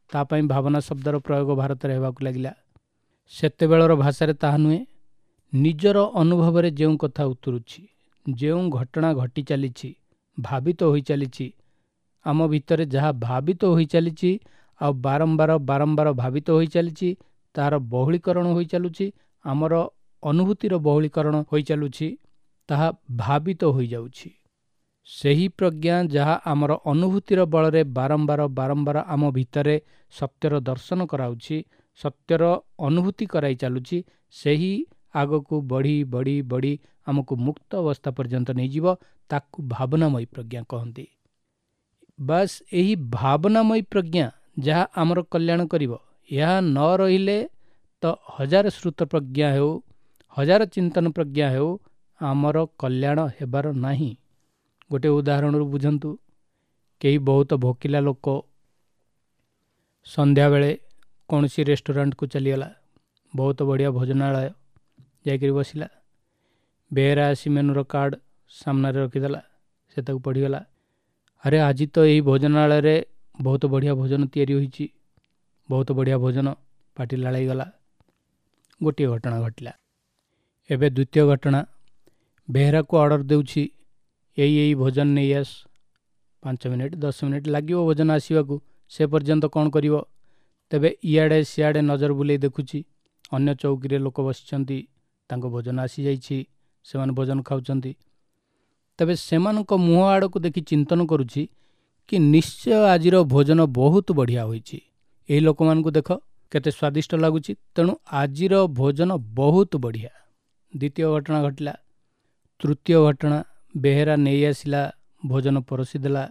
ତା ପାଇଁ ଭାବନା ଶବ୍ଦର ପ୍ରୟୋଗ ଭାରତରେ ହେବାକୁ ଲାଗିଲା। ସେତେବେଳର ଭାଷାରେ ତାହା ନୁହେଁ। ନିଜର ଅନୁଭବରେ ଯେଉଁ କଥା ଉତୁରୁଛି, ଯେଉଁ ଘଟଣା ଘଟି ଚାଲିଛି, ଭାବିତ ହୋଇ ଚାଲିଛି, ଆମ ଭିତରେ ଯାହା ଭାବିତ ହୋଇ ଚାଲିଛି ଆଉ ବାରମ୍ବାର ବାରମ୍ବାର ଭାବିତ ହୋଇ ଚାଲିଛି, ତାହାର ବହୁଳୀକରଣ ହୋଇ ଚାଲୁଛି, ଆମର ଅନୁଭୂତିର ବହୁଳୀକରଣ ହୋଇ ଚାଲୁଛି, ତାହା ଭାବିତ ହୋଇଯାଉଛି। ସେହି ପ୍ରଜ୍ଞା ଯାହା ଆମର ଅନୁଭୂତିର ବଳରେ ବାରମ୍ବାର ବାରମ୍ବାର ଆମ ଭିତରେ ସତ୍ୟର ଦର୍ଶନ କରାଉଛି, ସତ୍ୟର ଅନୁଭୂତି କରାଇ ଚାଲୁଛି, ସେହି ଆଗକୁ ବଢ଼ି ବଢ଼ି ବଢ଼ି ଆମକୁ ମୁକ୍ତ ଅବସ୍ଥା ପର୍ଯ୍ୟନ୍ତ ନେଇଯିବ, ତାକୁ ଭାବନାମୟୀ ପ୍ରଜ୍ଞା କହନ୍ତି। ବାସ୍, ଏହି ଭାବନାମୟୀ ପ୍ରଜ୍ଞା ଯାହା ଆମର କଲ୍ୟାଣ କରିବ। ଏହା ନ ରହିଲେ ତ ହଜାର ଶ୍ରୁତ ପ୍ରଜ୍ଞା ହେଉ, ହଜାର ଚିନ୍ତନ ପ୍ରଜ୍ଞା ହେଉ, ଆମର କଲ୍ୟାଣ ହେବାର ନାହିଁ। ଗୋଟେ ଉଦାହରଣରୁ ବୁଝନ୍ତୁ। କେହି ବହୁତ ଭୋକିଲା ଲୋକ ସନ୍ଧ୍ୟାବେଳେ କୌଣସି ରେଷ୍ଟୁରାଣ୍ଟକୁ ଚାଲିଗଲା, ବହୁତ ବଢ଼ିଆ ଭୋଜନାଳୟ ଯାଇକରି ବସିଲା। ବେହେରା ଆସି ମେନୁର କାର୍ଡ଼ ସାମ୍ନାରେ ରଖିଦେଲା। ସେ ତାକୁ ପଢ଼ିଗଲା। ଆରେ, ଆଜି ତ ଏହି ଭୋଜନାଳୟରେ ବହୁତ ବଢ଼ିଆ ଭୋଜନ ତିଆରି ହୋଇଛି, ବହୁତ ବଢ଼ିଆ ଭୋଜନ। ପାଟି ଲାଳେଇଗଲା। ଗୋଟିଏ ଘଟଣା ଘଟିଲା। ଏବେ ଦ୍ୱିତୀୟ ଘଟଣା। ବେହେରାକୁ ଅର୍ଡ଼ର ଦେଉଛି, ଏଇ ଏଇ ଭୋଜନ ନେଇ ଆସ। 5 ମିନିଟ୍ 10 ମିନିଟ୍ ଲାଗିବ ଭୋଜନ ଆସିବାକୁ। ସେ ପର୍ଯ୍ୟନ୍ତ କ'ଣ କରିବ? ତେବେ ଇଆଡ଼େ ସିଆଡ଼େ ନଜର ବୁଲେଇ ଦେଖୁଛି, ଅନ୍ୟ ଚୌକିରେ ଲୋକ ବସିଛନ୍ତି, ତାଙ୍କ ଭୋଜନ ଆସିଯାଇଛି, ସେମାନେ ଭୋଜନ ଖାଉଛନ୍ତି। ତେବେ ସେମାନଙ୍କ ମୁହଁ ଆଡ଼କୁ ଦେଖି ଚିନ୍ତନ କରୁଛି କି ନିଶ୍ଚୟ ଆଜିର ଭୋଜନ ବହୁତ ବଢ଼ିଆ ହୋଇଛି। ଏହି ଲୋକମାନଙ୍କୁ ଦେଖ, କେତେ ସ୍ୱାଦିଷ୍ଟ ଲାଗୁଛି, ତେଣୁ ଆଜିର ଭୋଜନ ବହୁତ ବଢ଼ିଆ। ଦ୍ୱିତୀୟ ଘଟଣା ଘଟିଲା। ତୃତୀୟ ଘଟଣା, ବେହେରା ନେଇ ଆସିଲା ଭୋଜନ, ପରସି ଦେଲା।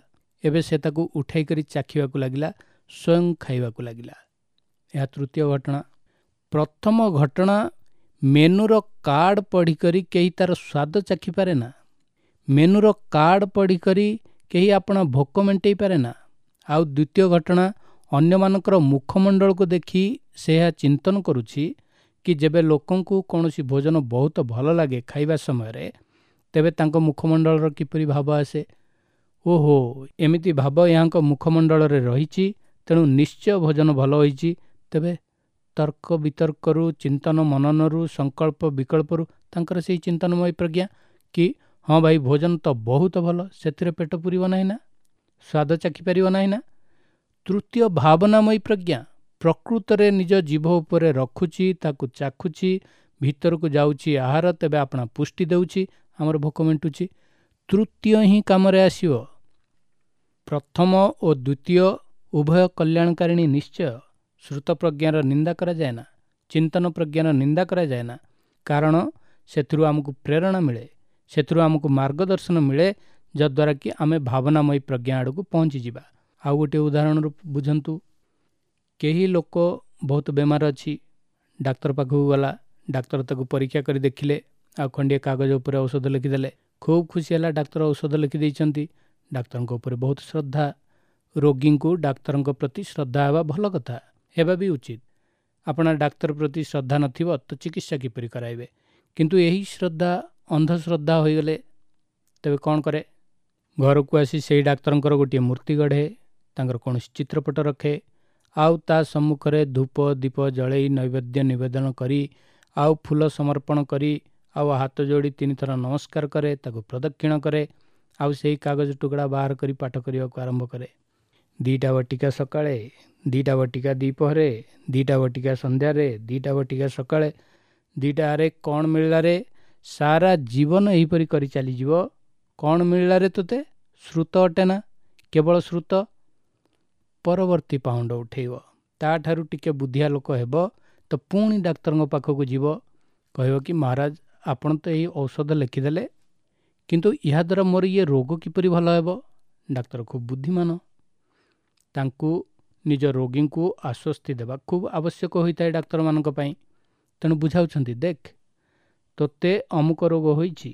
ଏବେ ସେ ତାକୁ ଉଠାଇ କରି ଚାଖିବାକୁ ଲାଗିଲା, ସ୍ୱୟଂ ଖାଇବାକୁ ଲାଗିଲା। ଏହା ତୃତୀୟ ଘଟଣା। ପ୍ରଥମ ଘଟଣା, ମେନୁର କାର୍ଡ଼ ପଢ଼ିକରି କେହି ତାର ସ୍ୱାଦ ଚାଖିପାରେ ନା। ମେନୁର କାର୍ଡ଼ ପଢ଼ିକରି କେହି ଆପଣା ଭୋକ ମେଣ୍ଟେଇ ପାରେ ନା। ଆଉ ଦ୍ୱିତୀୟ ଘଟଣା, ଅନ୍ୟମାନଙ୍କର ମୁଖମଣ୍ଡଳକୁ ଦେଖି ସେ ଏହା ଚିନ୍ତନ କରୁଛି କି ଯେବେ ଲୋକଙ୍କୁ କୌଣସି ଭୋଜନ ବହୁତ ଭଲ ଲାଗେ ଖାଇବା ସମୟରେ, ତେବେ ତାଙ୍କ ମୁଖମଣ୍ଡଳର କିପରି ଭାବ ଆସେ। ଓହୋ, ଏମିତି ଭାବ ଏହାଙ୍କ ମୁଖମଣ୍ଡଳରେ ରହିଛି, ତେଣୁ ନିଶ୍ଚୟ ଭୋଜନ ଭଲ ହୋଇଛି। ତେବେ ତର୍କ ବିତର୍କରୁ, ଚିନ୍ତନ ମନନରୁ, ସଂକଳ୍ପ ବିକଳ୍ପରୁ ତାଙ୍କର ସେଇ ଚିନ୍ତନମୟୀ ପ୍ରଜ୍ଞା କି ହଁ ଭାଇ, ଭୋଜନ ତ ବହୁତ ଭଲ, ସେଥିରେ ପେଟ ପୁରିବ ନାହିଁ ନା, ସ୍ୱାଦ ଚାଖିପାରିବ ନାହିଁ ନା। ତୃତୀୟ ଭାବନାମୟୀ ପ୍ରଜ୍ଞା ପ୍ରକୃତରେ ନିଜ ଜିଭ ଉପରେ ରଖୁଛି, ତାକୁ ଚାଖୁଛି, ଭିତରକୁ ଯାଉଛି ଆହାର, ତେବେ ଆପଣା ପୁଷ୍ଟି ଦେଉଛି, ଆମର ଭୋକ ମେଣ୍ଟୁଛି। ତୃତୀୟ ହିଁ କାମରେ ଆସିବ। ପ୍ରଥମ ଓ ଦ୍ୱିତୀୟ ଉଭୟ କଲ୍ୟାଣକାରିଣୀ ନିଶ୍ଚୟ। ଶ୍ରୁତ ପ୍ରଜ୍ଞାର ନିନ୍ଦା କରାଯାଏ ନା, ଚିନ୍ତନ ପ୍ରଜ୍ଞାର ନିନ୍ଦା କରାଯାଏ ନା, କାରଣ ସେଥିରୁ ଆମକୁ ପ୍ରେରଣା ମିଳେ, ସେଥିରୁ ଆମକୁ ମାର୍ଗଦର୍ଶନ ମିଳେ, ଯଦ୍ୱାରା କି ଆମେ ଭାବନାମୟୀ ପ୍ରଜ୍ଞା ଆଡ଼କୁ ପହଞ୍ଚିଯିବା। ଆଉ ଗୋଟିଏ ଉଦାହରଣରୁ ବୁଝନ୍ତୁ। କେହି ଲୋକ ବହୁତ ବେମାର ଅଛି, ଡାକ୍ତର ପାଖକୁ ଗଲା। ଡାକ୍ତର ତାକୁ ପରୀକ୍ଷା କରି ଦେଖିଲେ ଆଉ ଖଣ୍ଡିଏ କାଗଜ ଉପରେ ଔଷଧ ଲେଖିଦେଲେ। ଖୁବ୍ ଖୁସି ହେଲା, ଡାକ୍ତର ଔଷଧ ଲେଖିଦେଇଛନ୍ତି। ଡାକ୍ତରଙ୍କ ଉପରେ ବହୁତ ଶ୍ରଦ୍ଧା। ରୋଗୀଙ୍କୁ ଡାକ୍ତରଙ୍କ ପ୍ରତି ଶ୍ରଦ୍ଧା ହେବା ଭଲ କଥା, ହେବା ବି ଉଚିତ। ଆପଣ ଡାକ୍ତର ପ୍ରତି ଶ୍ରଦ୍ଧା ନଥିବ ତ ଚିକିତ୍ସା କିପରି କରାଇବେ? କିନ୍ତୁ ଏହି ଶ୍ରଦ୍ଧା ଅନ୍ଧଶ୍ରଦ୍ଧା ହୋଇଗଲେ ତେବେ କ'ଣ କରେ? ଘରକୁ ଆସି ସେଇ ଡାକ୍ତରଙ୍କର ଗୋଟିଏ ମୂର୍ତ୍ତି ଗଢ଼େ, ତାଙ୍କର କୌଣସି ଚିତ୍ରପଟ ରଖେ, ଆଉ ତା ସମ୍ମୁଖରେ ଧୂପ ଦୀପ ଜଳେଇ, ନୈବେଦ୍ୟ ନିବେଦନ କରି, ଆଉ ଫୁଲ ସମର୍ପଣ କରି, ଆଉ ହାତ ଯୋଡ଼ି ତିନିଥର ନମସ୍କାର କରେ, ତାକୁ ପ୍ରଦକ୍ଷିଣ କରେ, ଆଉ ସେଇ କାଗଜ ଟୁକୁଡ଼ା ବାହାର କରି ପାଠ କରିବାକୁ ଆରମ୍ଭ କରେ। 2ଟା ବଟିକା ସକାଳେ, 2ଟା ବଟିକା ଦ୍ୱିପହରେ, 2ଟା ବଟିକା ସନ୍ଧ୍ୟାରେ, 2ଟା ବଟିକା ସକାଳେ, 2ଟା। ଆରେ, କ'ଣ ମିଳିଲାରେ? ସାରା ଜୀବନ ଏହିପରି କରି ଚାଲିଯିବ, କ'ଣ ମିଳିଲାରେ ତୋତେ? ଶ୍ରୁତ ଅଟେ ନା, କେବଳ ଶ୍ରୁତ। ପରବର୍ତ୍ତୀ ପାହୁଣ୍ଡ ଉଠେଇବ, ତାଠାରୁ ଟିକେ ବୁଦ୍ଧିଆ ଲୋକ ହେବ ତ ପୁଣି ଡାକ୍ତରଙ୍କ ପାଖକୁ ଯିବ। କହିବ କି ମହାରାଜ, ଆପଣ ତ ଏଇ ଔଷଧ ଲେଖିଦେଲେ, କିନ୍ତୁ ଏହାଦ୍ୱାରା ମୋର ଇଏ ରୋଗ କିପରି ଭଲ ହେବ? ଡାକ୍ତର ଖୁବ୍ ବୁଦ୍ଧିମାନ। ତାଙ୍କୁ ନିଜ ରୋଗୀଙ୍କୁ ଆଶ୍ୱସ୍ତି ଦେବା ଖୁବ୍ ଆବଶ୍ୟକ ହୋଇଥାଏ ଡାକ୍ତରମାନଙ୍କ ପାଇଁ। ତେଣୁ ବୁଝାଉଛନ୍ତି, ଦେଖ, ତୋତେ ଅମୁକ ରୋଗ ହୋଇଛି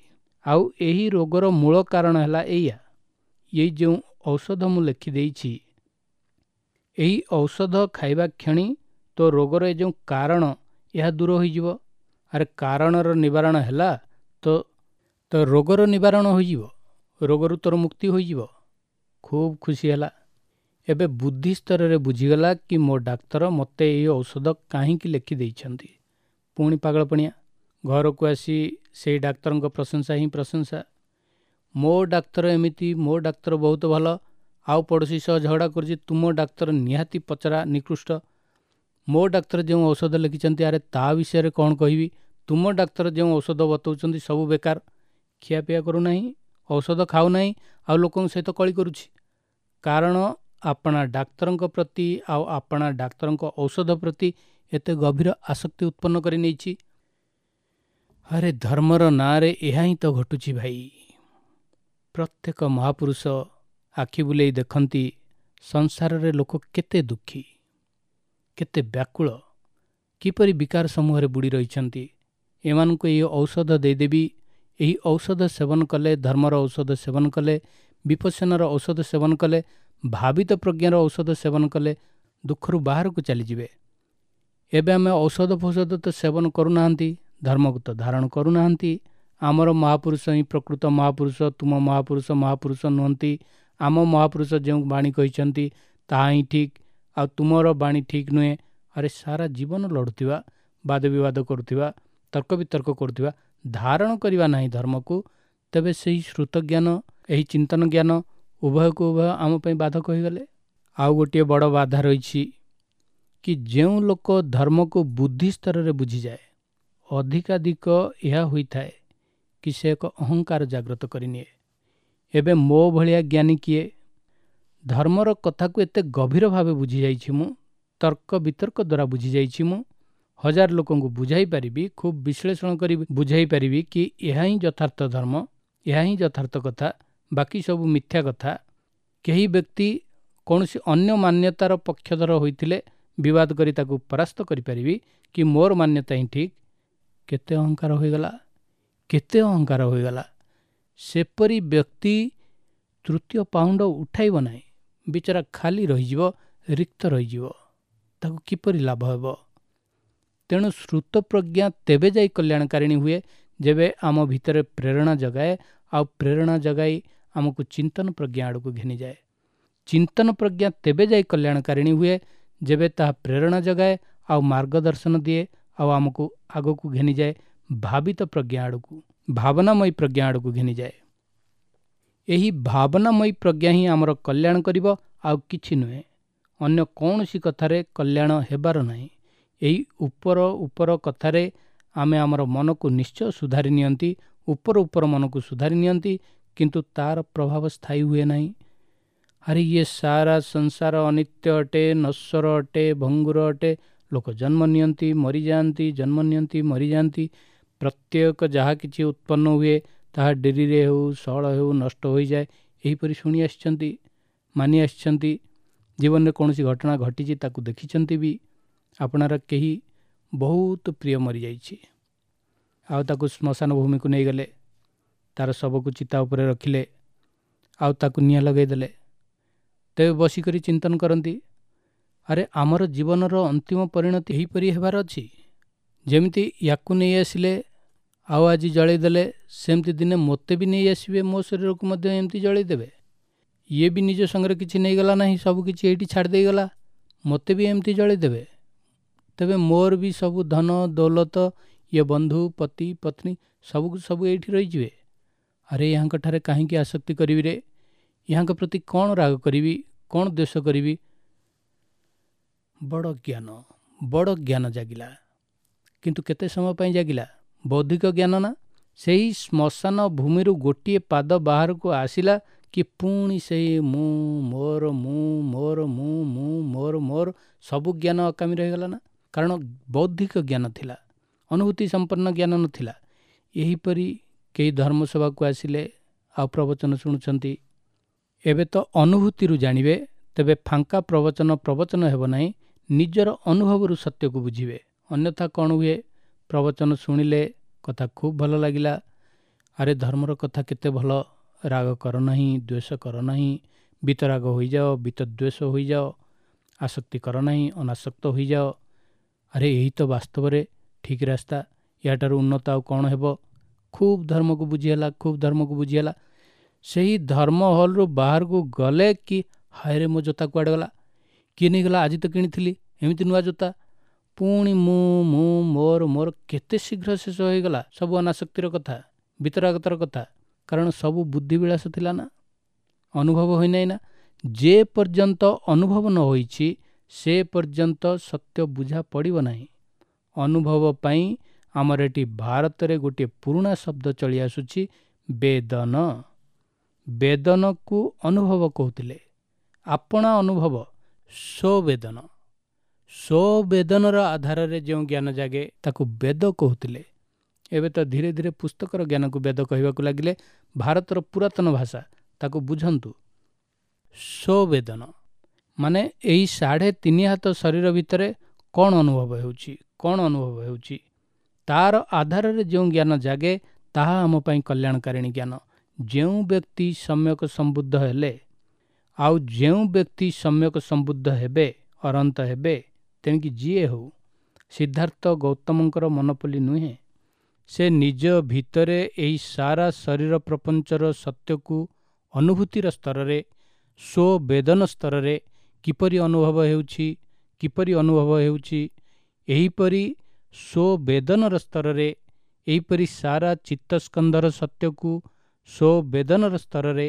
ଆଉ ଏହି ରୋଗର ମୂଳ କାରଣ ହେଲା ଏଇଆ। ଏଇ ଯେଉଁ ଔଷଧ ମୁଁ ଲେଖିଦେଇଛି, ଏହି ଔଷଧ ଖାଇବା କ୍ଷଣି ତୋ ରୋଗର ଏ ଯେଉଁ କାରଣ, ଏହା ଦୂର ହୋଇଯିବ। ଆରେ, କାରଣର ନିବାରଣ ହେଲା ତ ତ ରୋଗର ନିବାରଣ ହୋଇଯିବ, ରୋଗରୁ ତୋର ମୁକ୍ତି ହୋଇଯିବ। ଖୁବ୍ ଖୁସି ହେଲା। ଏବେ ବୁଦ୍ଧି ସ୍ତରରେ ବୁଝିଗଲା କି ମୋ ଡାକ୍ତର ମୋତେ ଏହି ଔଷଧ କାହିଁକି ଲେଖିଦେଇଛନ୍ତି। ପୁଣି ପାଗଳପଣିଆ। ଘରକୁ ଆସି ସେଇ ଡାକ୍ତରଙ୍କ ପ୍ରଶଂସା ହିଁ ପ୍ରଶଂସା। ମୋ ଡାକ୍ତର ଏମିତି, ମୋ ଡାକ୍ତର ବହୁତ ଭଲ। ଆଉ ପଡ଼ୋଶୀ ସହ ଝଗଡ଼ା କରୁଛି, ତୁମ ଡାକ୍ତର ନିହାତି ପଚରା, ନିକୃଷ୍ଟ। ମୋ ଡାକ୍ତର ଯେଉଁ ଔଷଧ ଲେଖିଛନ୍ତି, ଆରେ ତା ବିଷୟରେ କ'ଣ କହିବି? ତୁମ ଡାକ୍ତର ଯେଉଁ ଔଷଧ ବତାଉଛନ୍ତି ସବୁ ବେକାର। ଖିଆପିଆ କରୁନାହିଁ, ଔଷଧ ଖାଉନାହିଁ ଆଉ ଲୋକଙ୍କ ସହିତ କଳି କରୁଛି। କାରଣ ଆପଣା ଡାକ୍ତରଙ୍କ ପ୍ରତି ଆଉ ଆପଣା ଡାକ୍ତରଙ୍କ ଔଷଧ ପ୍ରତି ଏତେ ଗଭୀର ଆସକ୍ତି ଉତ୍ପନ୍ନ କରି ନେଇଛି। ଆରେ ଧର୍ମର ନାଁରେ ଏହା ହିଁ ତ ଘଟୁଛି ଭାଇ। ପ୍ରତ୍ୟେକ ମହାପୁରୁଷ ଆଖି ବୁଲେଇ ଦେଖନ୍ତି ସଂସାରରେ ଲୋକ କେତେ ଦୁଃଖୀ, କେତେ ବ୍ୟାକୁଳ, କିପରି ବିକାର ସମୂହରେ ବୁଡ଼ି ରହିଛନ୍ତି। ଏମାନଙ୍କୁ ଏହି ଔଷଧ ଦେଇଦେବି, ଏହି ଔଷଧ ସେବନ କଲେ, ଧର୍ମର ଔଷଧ ସେବନ କଲେ, ବିପස්සନାର ଔଷଧ ସେବନ କଲେ, ଭାବିତ ପ୍ରଜ୍ଞାର ଔଷଧ ସେବନ କଲେ ଦୁଃଖରୁ ବାହାରକୁ ଚାଲିଯିବେ। ଏବେ ଆମେ ଔଷଧ ଫୌଷଧ ତ ସେବନ କରୁନାହାନ୍ତି, ଧର୍ମକୁ ତ ଧାରଣ କରୁନାହାନ୍ତି। ଆମର ମହାପୁରୁଷ ହିଁ ପ୍ରକୃତ ମହାପୁରୁଷ, ତୁମ ମହାପୁରୁଷ ମହାପୁରୁଷ ନୁହନ୍ତି। ଆମ ମହାପୁରୁଷ ଯେଉଁ ବାଣୀ କହିଛନ୍ତି ତାହା ହିଁ ଠିକ୍, ଆଉ ତୁମର ବାଣୀ ଠିକ୍ ନୁହେଁ। ଆରେ ସାରା ଜୀବନ ଲଢ଼ୁଥିବା, ବାଦ ବିବାଦ କରୁଥିବା, ତର୍କ ବିତର୍କ କରୁଥିବା, ଧାରଣ କରିବା ନାହିଁ ଧର୍ମକୁ, ତେବେ ସେହି ଶ୍ରୁତ ଜ୍ଞାନ, ଏହି ଚିନ୍ତନ ଜ୍ଞାନ ଉଭୟକୁ ଉଭୟ ଆମ ପାଇଁ ବାଧକ ହୋଇଗଲେ। ଆଉ ଗୋଟିଏ ବଡ଼ ବାଧା ରହିଛି କି ଯେଉଁ ଲୋକ ଧର୍ମକୁ ବୁଦ୍ଧି ସ୍ତରରେ ବୁଝିଯାଏ, ଅଧିକାଧିକ ଏହା ହୋଇଥାଏ କି ସେ ଏକ ଅହଙ୍କାର ଜାଗ୍ରତ କରିନିଏ। ଏବେ ମୋ ଭଳିଆ ଜ୍ଞାନୀ କିଏ? ଧର୍ମର କଥାକୁ ଏତେ ଗଭୀର ଭାବେ ବୁଝିଯାଇଛି ମୁଁ, ତର୍କ ବିତର୍କ ଦ୍ୱାରା ବୁଝିଯାଇଛି ମୁଁ, ହଜାର ଲୋକଙ୍କୁ ବୁଝାଇ ପାରିବି, ଖୁବ୍ ବିଶ୍ଳେଷଣ କରି ବୁଝାଇ ପାରିବି କି ଏହା ହିଁ ଯଥାର୍ଥ ଧର୍ମ, ଏହା ହିଁ ଯଥାର୍ଥ କଥା, ବାକି ସବୁ ମିଥ୍ୟା କଥା। କେହି ବ୍ୟକ୍ତି କୌଣସି ଅନ୍ୟ ମାନ୍ୟତାର ପକ୍ଷଧର ହୋଇଥିଲେ ବିବାଦ କରି ତାକୁ ପରାସ୍ତ କରିପାରିବି କି ମୋର ମାନ୍ୟତା ହିଁ ଠିକ୍। କେତେ ଅହଙ୍କାର ହୋଇଗଲା, କେତେ ଅହଙ୍କାର ହୋଇଗଲା। ସେପରି ବ୍ୟକ୍ତି ତୃତୀୟ ପାହୁଣ୍ଡ ଉଠାଇବ ନାହିଁ, ବିଚରା ଖାଲି ରହିଯିବ, ରିକ୍ତ ରହିଯିବ, ତାକୁ କିପରି ଲାଭ ହେବ? ତେଣୁ ଶ୍ରୁତ ପ୍ରଜ୍ଞା ତେବେ ଯାଇ କଲ୍ୟାଣକାରିଣୀ ହୁଏ ଯେବେ ଆମ ଭିତରେ ପ୍ରେରଣା ଜଗାଏ, ଆଉ ପ୍ରେରଣା ଜଗାଇ ଆମକୁ ଚିନ୍ତନ ପ୍ରଜ୍ଞା ଆଡ଼କୁ ଘେନିଯାଏ। ଚିନ୍ତନ ପ୍ରଜ୍ଞା ତେବେ ଯାଇ କଲ୍ୟାଣକାରିଣୀ ହୁଏ ଯେବେ ତାହା ପ୍ରେରଣା ଜଗାଏ ଆଉ ମାର୍ଗଦର୍ଶନ ଦିଏ, ଆଉ ଆମକୁ ଆଗକୁ ଘେନିଯାଏ ଭାବିତ ପ୍ରଜ୍ଞା ଆଡ଼କୁ, ଭାବନାମୟୀ ପ୍ରଜ୍ଞା ଆଡ଼କୁ ଘେନିଯାଏ। ଏହି ଭାବନାମୟୀ ପ୍ରଜ୍ଞା ହିଁ ଆମର କଲ୍ୟାଣ କରିବ, ଆଉ କିଛି ନୁହେଁ। ଅନ୍ୟ କୌଣସି କଥାରେ କଲ୍ୟାଣ ହେବାର ନାହିଁ। ଏହି ଉପର ଉପର କଥାରେ ଆମେ ଆମର ମନକୁ ନିଶ୍ଚୟ ସୁଧାରି ନିଅନ୍ତି, ଉପର ଉପର ମନକୁ ସୁଧାରି ନିଅନ୍ତି, କିନ୍ତୁ ତାର ପ୍ରଭାବ ସ୍ଥାୟୀ ହୁଏ ନାହିଁ। ଆରେ ଇଏ ସାରା ସଂସାର ଅନିତ୍ୟ ଅଟେ, ନଶ୍ୱର ଅଟେ, ଭଙ୍ଗୁର ଅଟେ। ଲୋକ ଜନ୍ମ ନିଅନ୍ତି, ମରିଯାଆନ୍ତି, ଜନ୍ମ ନିଅନ୍ତି, ମରିଯାଆନ୍ତି। ପ୍ରତ୍ୟେକ ଯାହା କିଛି ଉତ୍ପନ୍ନ ହୁଏ ତାହା ଡେରିରେ ହେଉ, ସହଳ ହେଉ, ନଷ୍ଟ ହୋଇଯାଏ। ଏହିପରି ଶୁଣି ଆସିଛନ୍ତି, ମାନି ଆସିଛନ୍ତି। ଜୀବନରେ କୌଣସି ଘଟଣା ଘଟିଛି ତାକୁ ଦେଖିଛନ୍ତି ବି। ଆପଣାର କେହି ବହୁତ ପ୍ରିୟ ମରିଯାଇଛି, ଆଉ ତାକୁ ଶ୍ମଶାନ ଭୂମିକୁ ନେଇଗଲେ, ତାର ଶବକୁ ଚିତା ଉପରେ ରଖିଲେ, ଆଉ ତାକୁ ନିଆଁ ଲଗାଇଦେଲେ। ତେବେ ବସିକରି ଚିନ୍ତନ କରନ୍ତି, ଆରେ ଆମର ଜୀବନର ଅନ୍ତିମ ପରିଣତି ଏହିପରି ହେବାର ଅଛି। ଯେମିତି ୟାକୁ ନେଇ ଆସିଲେ ଆଉ ଆଜି ଜଳେଇ ଦେଲେ, ସେମିତି ଦିନେ ମୋତେ ବି ନେଇ ଆସିବେ, ମୋ ଶରୀରକୁ ମଧ୍ୟ ଏମିତି ଜଳେଇ ଦେବେ। ଇଏ ବି ନିଜ ସଙ୍ଗରେ କିଛି ନେଇଗଲା ନାହିଁ, ସବୁ କିଛି ଏଇଠି ଛାଡ଼ି ଦେଇଗଲା, ମୋତେ ବି ଏମିତି ଜଳେଇ ଦେବେ। ତେବେ ମୋର ବି ସବୁ ଧନ ଦୌଲତ, ଇଏ ବନ୍ଧୁ, ପତି ପତ୍ନୀ ସବୁକୁ ସବୁ ଏଇଠି ରହିଯିବେ। ଆରେ ୟାଙ୍କଠାରେ କାହିଁକି ଆସକ୍ତି କରିବି ରେ? ୟାଙ୍କ ପ୍ରତି କ'ଣ ରାଗ କରିବି, କ'ଣ ଦ୍ୱେଷ କରିବି? ବଡ଼ ଜ୍ଞାନ, ବଡ଼ ଜ୍ଞାନ ଜାଗିଲା, କିନ୍ତୁ କେତେ ସମୟ ପାଇଁ ଜାଗିଲା? ବୌଦ୍ଧିକ ଜ୍ଞାନ ନା? ସେହି ଶ୍ମଶାନ ଭୂମିରୁ ଗୋଟିଏ ପାଦ ବାହାରକୁ ଆସିଲା କି ପୁଣି ସେଇ ମୁଁ ମୋର, ମୁଁ ମୋର, ମୁଁ ମୁଁ ମୋର ମୋର ସବୁ ଜ୍ଞାନ ଅକାମୀ ରହିଗଲା ନା? କାରଣ ବୌଦ୍ଧିକ ଜ୍ଞାନ ଥିଲା, ଅନୁଭୂତି ସମ୍ପନ୍ନ ଜ୍ଞାନ ନଥିଲା। ଏହିପରି କେହି ଧର୍ମସଭାକୁ ଆସିଲେ ଆଉ ପ୍ରବଚନ ଶୁଣୁଛନ୍ତି, ଏବେ ତ ଅନୁଭୂତିରୁ ଜାଣିବେ, ତେବେ ଫାଙ୍କା ପ୍ରବଚନ ପ୍ରବଚନ ହେବ ନାହିଁ, ନିଜର ଅନୁଭବରୁ ସତ୍ୟକୁ ବୁଝିବେ। ଅନ୍ୟଥା କ'ଣ ହୁଏ? ପ୍ରବଚନ ଶୁଣିଲେ କଥା ଖୁବ୍ ଭଲ ଲାଗିଲା, ଆରେ ଧର୍ମର କଥା କେତେ ଭଲ, ରାଗ କର ନାହିଁ, ଦ୍ୱେଷ କର ନାହିଁ, ବିତରାଗ ହୋଇଯାଅ, ବିତଦ୍ୱେଷ ହୋଇଯାଅ, ଆସକ୍ତି କର ନାହିଁ, ଅନାସକ୍ତ ହୋଇଯାଅ। ଆରେ ଏହି ତ ବାସ୍ତବରେ ଠିକ୍ ରାସ୍ତା, ୟାଠାରୁ ଉନ୍ନତ ଆଉ କ'ଣ ହେବ? ଖୁବ୍ ଧର୍ମକୁ ବୁଝିହେଲା, ଖୁବ୍ ଧର୍ମକୁ ବୁଝିହେଲା। ସେହି ଧର୍ମ ହଲ୍ରୁ ବାହାରକୁ ଗଲେ କି ହାୟରେ ମୋ ଜୋତା କୁଆଡ଼େ ଗଲା, କିଏ ନେଇଗଲା, ଆଜି ତ କିଣିଥିଲି ଏମିତି ନୂଆ ଜୋତା। ପୁଣି ମୁଁ ମୁଁ ମୋର ମୋର କେତେ ଶୀଘ୍ର ଶେଷ ହୋଇଗଲା ସବୁ ଅନାସକ୍ତିର କଥା, ବିତରାଗତର କଥା। କାରଣ ସବୁ ବୁଦ୍ଧିବିଳାସ ଥିଲା ନା, ଅନୁଭବ ହୋଇନାହିଁ ନା। ଯେ ପର୍ଯ୍ୟନ୍ତ ଅନୁଭବ ନ ହୋଇଛି ସେ ପର୍ଯ୍ୟନ୍ତ ସତ୍ୟ ବୁଝା ପଡ଼ିବ ନାହିଁ। ଅନୁଭବ ପାଇଁ ଆମର ଏଠି ଭାରତରେ ଗୋଟିଏ ପୁରୁଣା ଶବ୍ଦ ଚଳି ଆସୁଛି, ବେଦନ। ବେଦନକୁ ଅନୁଭବ କହୁଥିଲେ। ଆପଣା ଅନୁଭବ ସ୍ୱବେଦନ, ସ୍ୱବେଦନର ଆଧାରରେ ଯେଉଁ ଜ୍ଞାନ ଜାଗେ ତାକୁ ବେଦ କହୁଥିଲେ। ଏବେ ତ ଧୀରେ ଧୀରେ ପୁସ୍ତକର ଜ୍ଞାନକୁ ବେଦ କହିବାକୁ ଲାଗିଲେ। ଭାରତର ପୁରାତନ ଭାଷା, ତାକୁ ବୁଝନ୍ତୁ। ସ୍ୱବେଦନ ମାନେ ଏଇ 3.5 ହାତ ଶରୀର ଭିତରେ କ'ଣ ଅନୁଭବ ହେଉଛି, କ'ଣ ଅନୁଭବ ହେଉଛି, ତାର ଆଧାରରେ ଯେଉଁ ଜ୍ଞାନ ଜାଗେ ତାହା ଆମ ପାଇଁ କଲ୍ୟାଣକାରିଣୀ ଜ୍ଞାନ। ଯେଉଁ ବ୍ୟକ୍ତି ସମ୍ୟକ ସମ୍ବୁଦ୍ଧ ହେଲେ ଆଉ ଯେଉଁ ବ୍ୟକ୍ତି ସମ୍ୟକ ସମ୍ବୁଦ୍ଧ ହେବେ, ଅରନ୍ତ ହେବେ, ତେଣିକି ଯିଏ ହେଉ, ସିଦ୍ଧାର୍ଥ ଗୌତମଙ୍କର ମନୋପଲି ନୁହେଁ, ସେ ନିଜ ଭିତରେ ଏହି ସାରା ଶରୀର ପ୍ରପଞ୍ଚର ସତ୍ୟକୁ ଅନୁଭୂତିର ସ୍ତରରେ, ସ୍ୱବେଦନ ସ୍ତରରେ କିପରି ଅନୁଭବ ହେଉଛି, କିପରି ଅନୁଭବ ହେଉଛି, ଏହିପରି ସ୍ୱବେଦନର ସ୍ତରରେ, ଏହିପରି ସାରା ଚିତ୍ତସ୍କନ୍ଧର ସତ୍ୟକୁ ସ୍ୱବେଦନର ସ୍ତରରେ,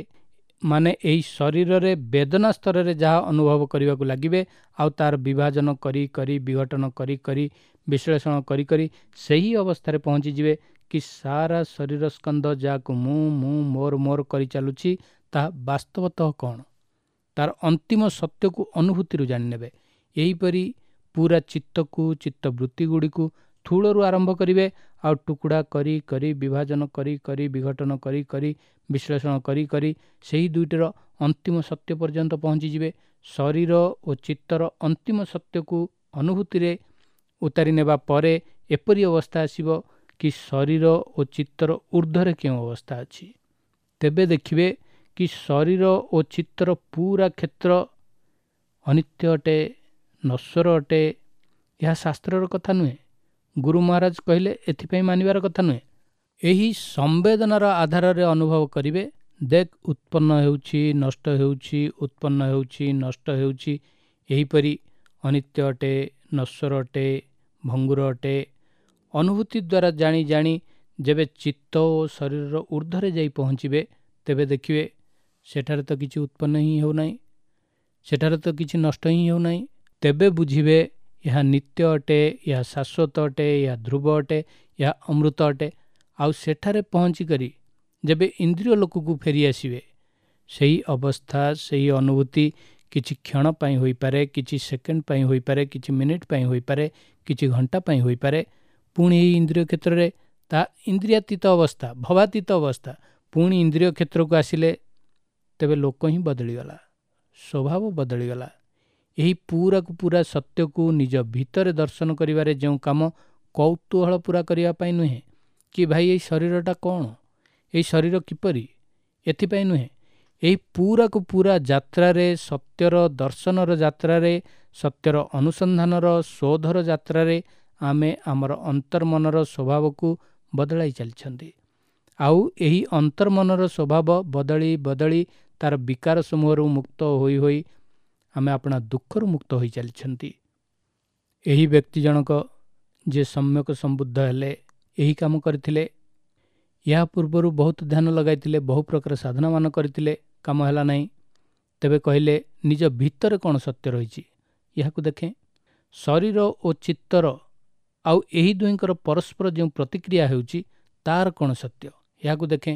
ମାନେ ଏହି ଶରୀରରେ ବେଦନା ସ୍ତରରେ ଯାହା ଅନୁଭବ କରିବାକୁ ଲାଗିବେ, ଆଉ ତାର ବିଭାଜନ କରି କରି, ବିଘଟନ କରି କରି, ବିଶ୍ଳେଷଣ କରି କରି ସେହି ଅବସ୍ଥାରେ ପହଞ୍ଚିଯିବେ କି ସାରା ଶରୀର ସ୍କନ୍ଧ ଯାହାକୁ ମୁଁ ମୁଁ ମୋର ମୋର କରି ଚାଲୁଛି ତାହା ବାସ୍ତବତଃ କ'ଣ, ତାର ଅନ୍ତିମ ସତ୍ୟକୁ ଅନୁଭୂତିରୁ ଜାଣିନେବେ। ଏହିପରି ପୁରା ଚିତ୍ତକୁ, ଚିତ୍ତବୃତ୍ତିଗୁଡ଼ିକୁ ଥୂଳରୁ ଆରମ୍ଭ କରିବେ ଆଉ ଟୁକୁଡ଼ା କରି କରି, ବିଭାଜନ କରି କରି, ବିଘଟନ କରି କରି, ବିଶ୍ଳେଷଣ କରି କରି ସେହି ଦୁଇଟିର ଅନ୍ତିମ ସତ୍ୟ ପର୍ଯ୍ୟନ୍ତ ପହଞ୍ଚିଯିବେ। ଶରୀର ଓ ଚିତ୍ତର ଅନ୍ତିମ ସତ୍ୟକୁ ଅନୁଭୂତିରେ ଉତାରି ନେବା ପରେ ଏପରି ଅବସ୍ଥା ଆସିବ କି ଶରୀର ଓ ଚିତ୍ତର ଉର୍ଦ୍ଧ୍ୱରେ କେଉଁ ଅବସ୍ଥା ଅଛି। ତେବେ ଦେଖିବେ କି ଶରୀର ଓ ଚିତ୍ତର ପୁରା କ୍ଷେତ୍ର ଅନିତ୍ୟ ଅଟେ, ନଶ୍ୱର ଅଟେ। ଏହା ଶାସ୍ତ୍ରର କଥା ନୁହେଁ, ଗୁରୁ ମହାରାଜ କହିଲେ ଏଥିପାଇଁ ମାନିବାର କଥା ନୁହେଁ। ଏହି ସମ୍ବେଦନାର ଆଧାରରେ ଅନୁଭବ କରିବେ, ଦେଖ ଉତ୍ପନ୍ନ ହେଉଛି, ନଷ୍ଟ ହେଉଛି, ଉତ୍ପନ୍ନ ହେଉଛି, ନଷ୍ଟ ହେଉଛି, ଏହିପରି ଅନିତ୍ୟ ଅଟେ, ନଶ୍ୱର ଅଟେ, ଭଙ୍ଗୁର ଅଟେ। ଅନୁଭୂତି ଦ୍ୱାରା ଜାଣି ଜାଣି ଯେବେ ଚିତ୍ତ ଓ ଶରୀରର ଉର୍ଦ୍ଧ୍ୱରେ ଯାଇ ପହଞ୍ଚିବେ, ତେବେ ଦେଖିବେ ସେଠାରେ ତ କିଛି ଉତ୍ପନ୍ନ ହିଁ ହେଉନାହିଁ, ସେଠାରେ ତ କିଛି ନଷ୍ଟ ହିଁ ହେଉନାହିଁ। ତେବେ ବୁଝିବେ ଏହା ନିତ୍ୟ ଅଟେ, ଏହା ଶାଶ୍ୱତ ଅଟେ, ଏହା ଧ୍ରୁବ ଅଟେ, ଏହା ଅମୃତ ଅଟେ। ଆଉ ସେଠାରେ ପହଞ୍ଚିକରି ଯେବେ ଇନ୍ଦ୍ରିୟ ଲୋକକୁ ଫେରି ଆସିବେ, ସେହି ଅବସ୍ଥା, ସେହି ଅନୁଭୂତି କିଛି କ୍ଷଣ ପାଇଁ ହୋଇପାରେ, କିଛି ସେକେଣ୍ଡ ପାଇଁ ହୋଇପାରେ, କିଛି ମିନିଟ୍ ପାଇଁ ହୋଇପାରେ, କିଛି ଘଣ୍ଟା ପାଇଁ ହୋଇପାରେ। ପୁଣି ଏହି ଇନ୍ଦ୍ରିୟ କ୍ଷେତ୍ରରେ ତାହା ଇନ୍ଦ୍ରିୟାତୀତ ଅବସ୍ଥା, ଭବାତୀତ ଅବସ୍ଥା। ପୁଣି ଇନ୍ଦ୍ରିୟ କ୍ଷେତ୍ରକୁ ଆସିଲେ ତେବେ ଲୋକ ହିଁ ବଦଳିଗଲା, ସ୍ୱଭାବ ବଦଳିଗଲା। ଏହି ପୁରାକୁ ପୁରା ସତ୍ୟକୁ ନିଜ ଭିତରେ ଦର୍ଶନ କରିବାରେ ଯେଉଁ କାମ କୌତୂହଳ ପୁରା କରିବା ପାଇଁ ନୁହେଁ କି ଭାଇ ଏଇ ଶରୀରଟା କ'ଣ, ଏଇ ଶରୀର କିପରି, ଏଥିପାଇଁ ନୁହେଁ। ଏହି ପୁରାକୁ ପୁରା ଯାତ୍ରାରେ, ସତ୍ୟର ଦର୍ଶନର ଯାତ୍ରାରେ, ସତ୍ୟର ଅନୁସନ୍ଧାନର ଶୋଧର ଯାତ୍ରାରେ ଆମେ ଆମର ଅନ୍ତର୍ମନର ସ୍ୱଭାବକୁ ବଦଳାଇ ଚାଲିଛନ୍ତି। ଆଉ ଏହି ଅନ୍ତର୍ମନର ସ୍ୱଭାବ ବଦଳି ବଦଳି ତାର ବିକାର ସମୂହରୁ ମୁକ୍ତ ହୋଇ ହୋଇ ଆମେ ଆପଣା ଦୁଃଖରୁ ମୁକ୍ତ ହୋଇ ଚାଲିଛନ୍ତି। ଏହି ବ୍ୟକ୍ତି ଜଣକ ଯିଏ ସମ୍ୟକ ସମ୍ବୁଦ୍ଧ ହେଲେ ଏହି କାମ କରିଥିଲେ। ଏହା ପୂର୍ବରୁ ବହୁତ ଧ୍ୟାନ ଲଗାଇଥିଲେ, ବହୁ ପ୍ରକାର ସାଧନାମାନ କରିଥିଲେ, କାମ ହେଲା ନାହିଁ। ତେବେ କହିଲେ ନିଜ ଭିତରେ କ'ଣ ସତ୍ୟ ରହିଛି ଏହାକୁ ଦେଖେ। ଶରୀର ଓ ଚିତ୍ତର ଆଉ ଏହି ଦୁହିଁଙ୍କର ପରସ୍ପର ଯେଉଁ ପ୍ରତିକ୍ରିୟା ହେଉଛି ତାର କ'ଣ ସତ୍ୟ ଏହାକୁ ଦେଖେ।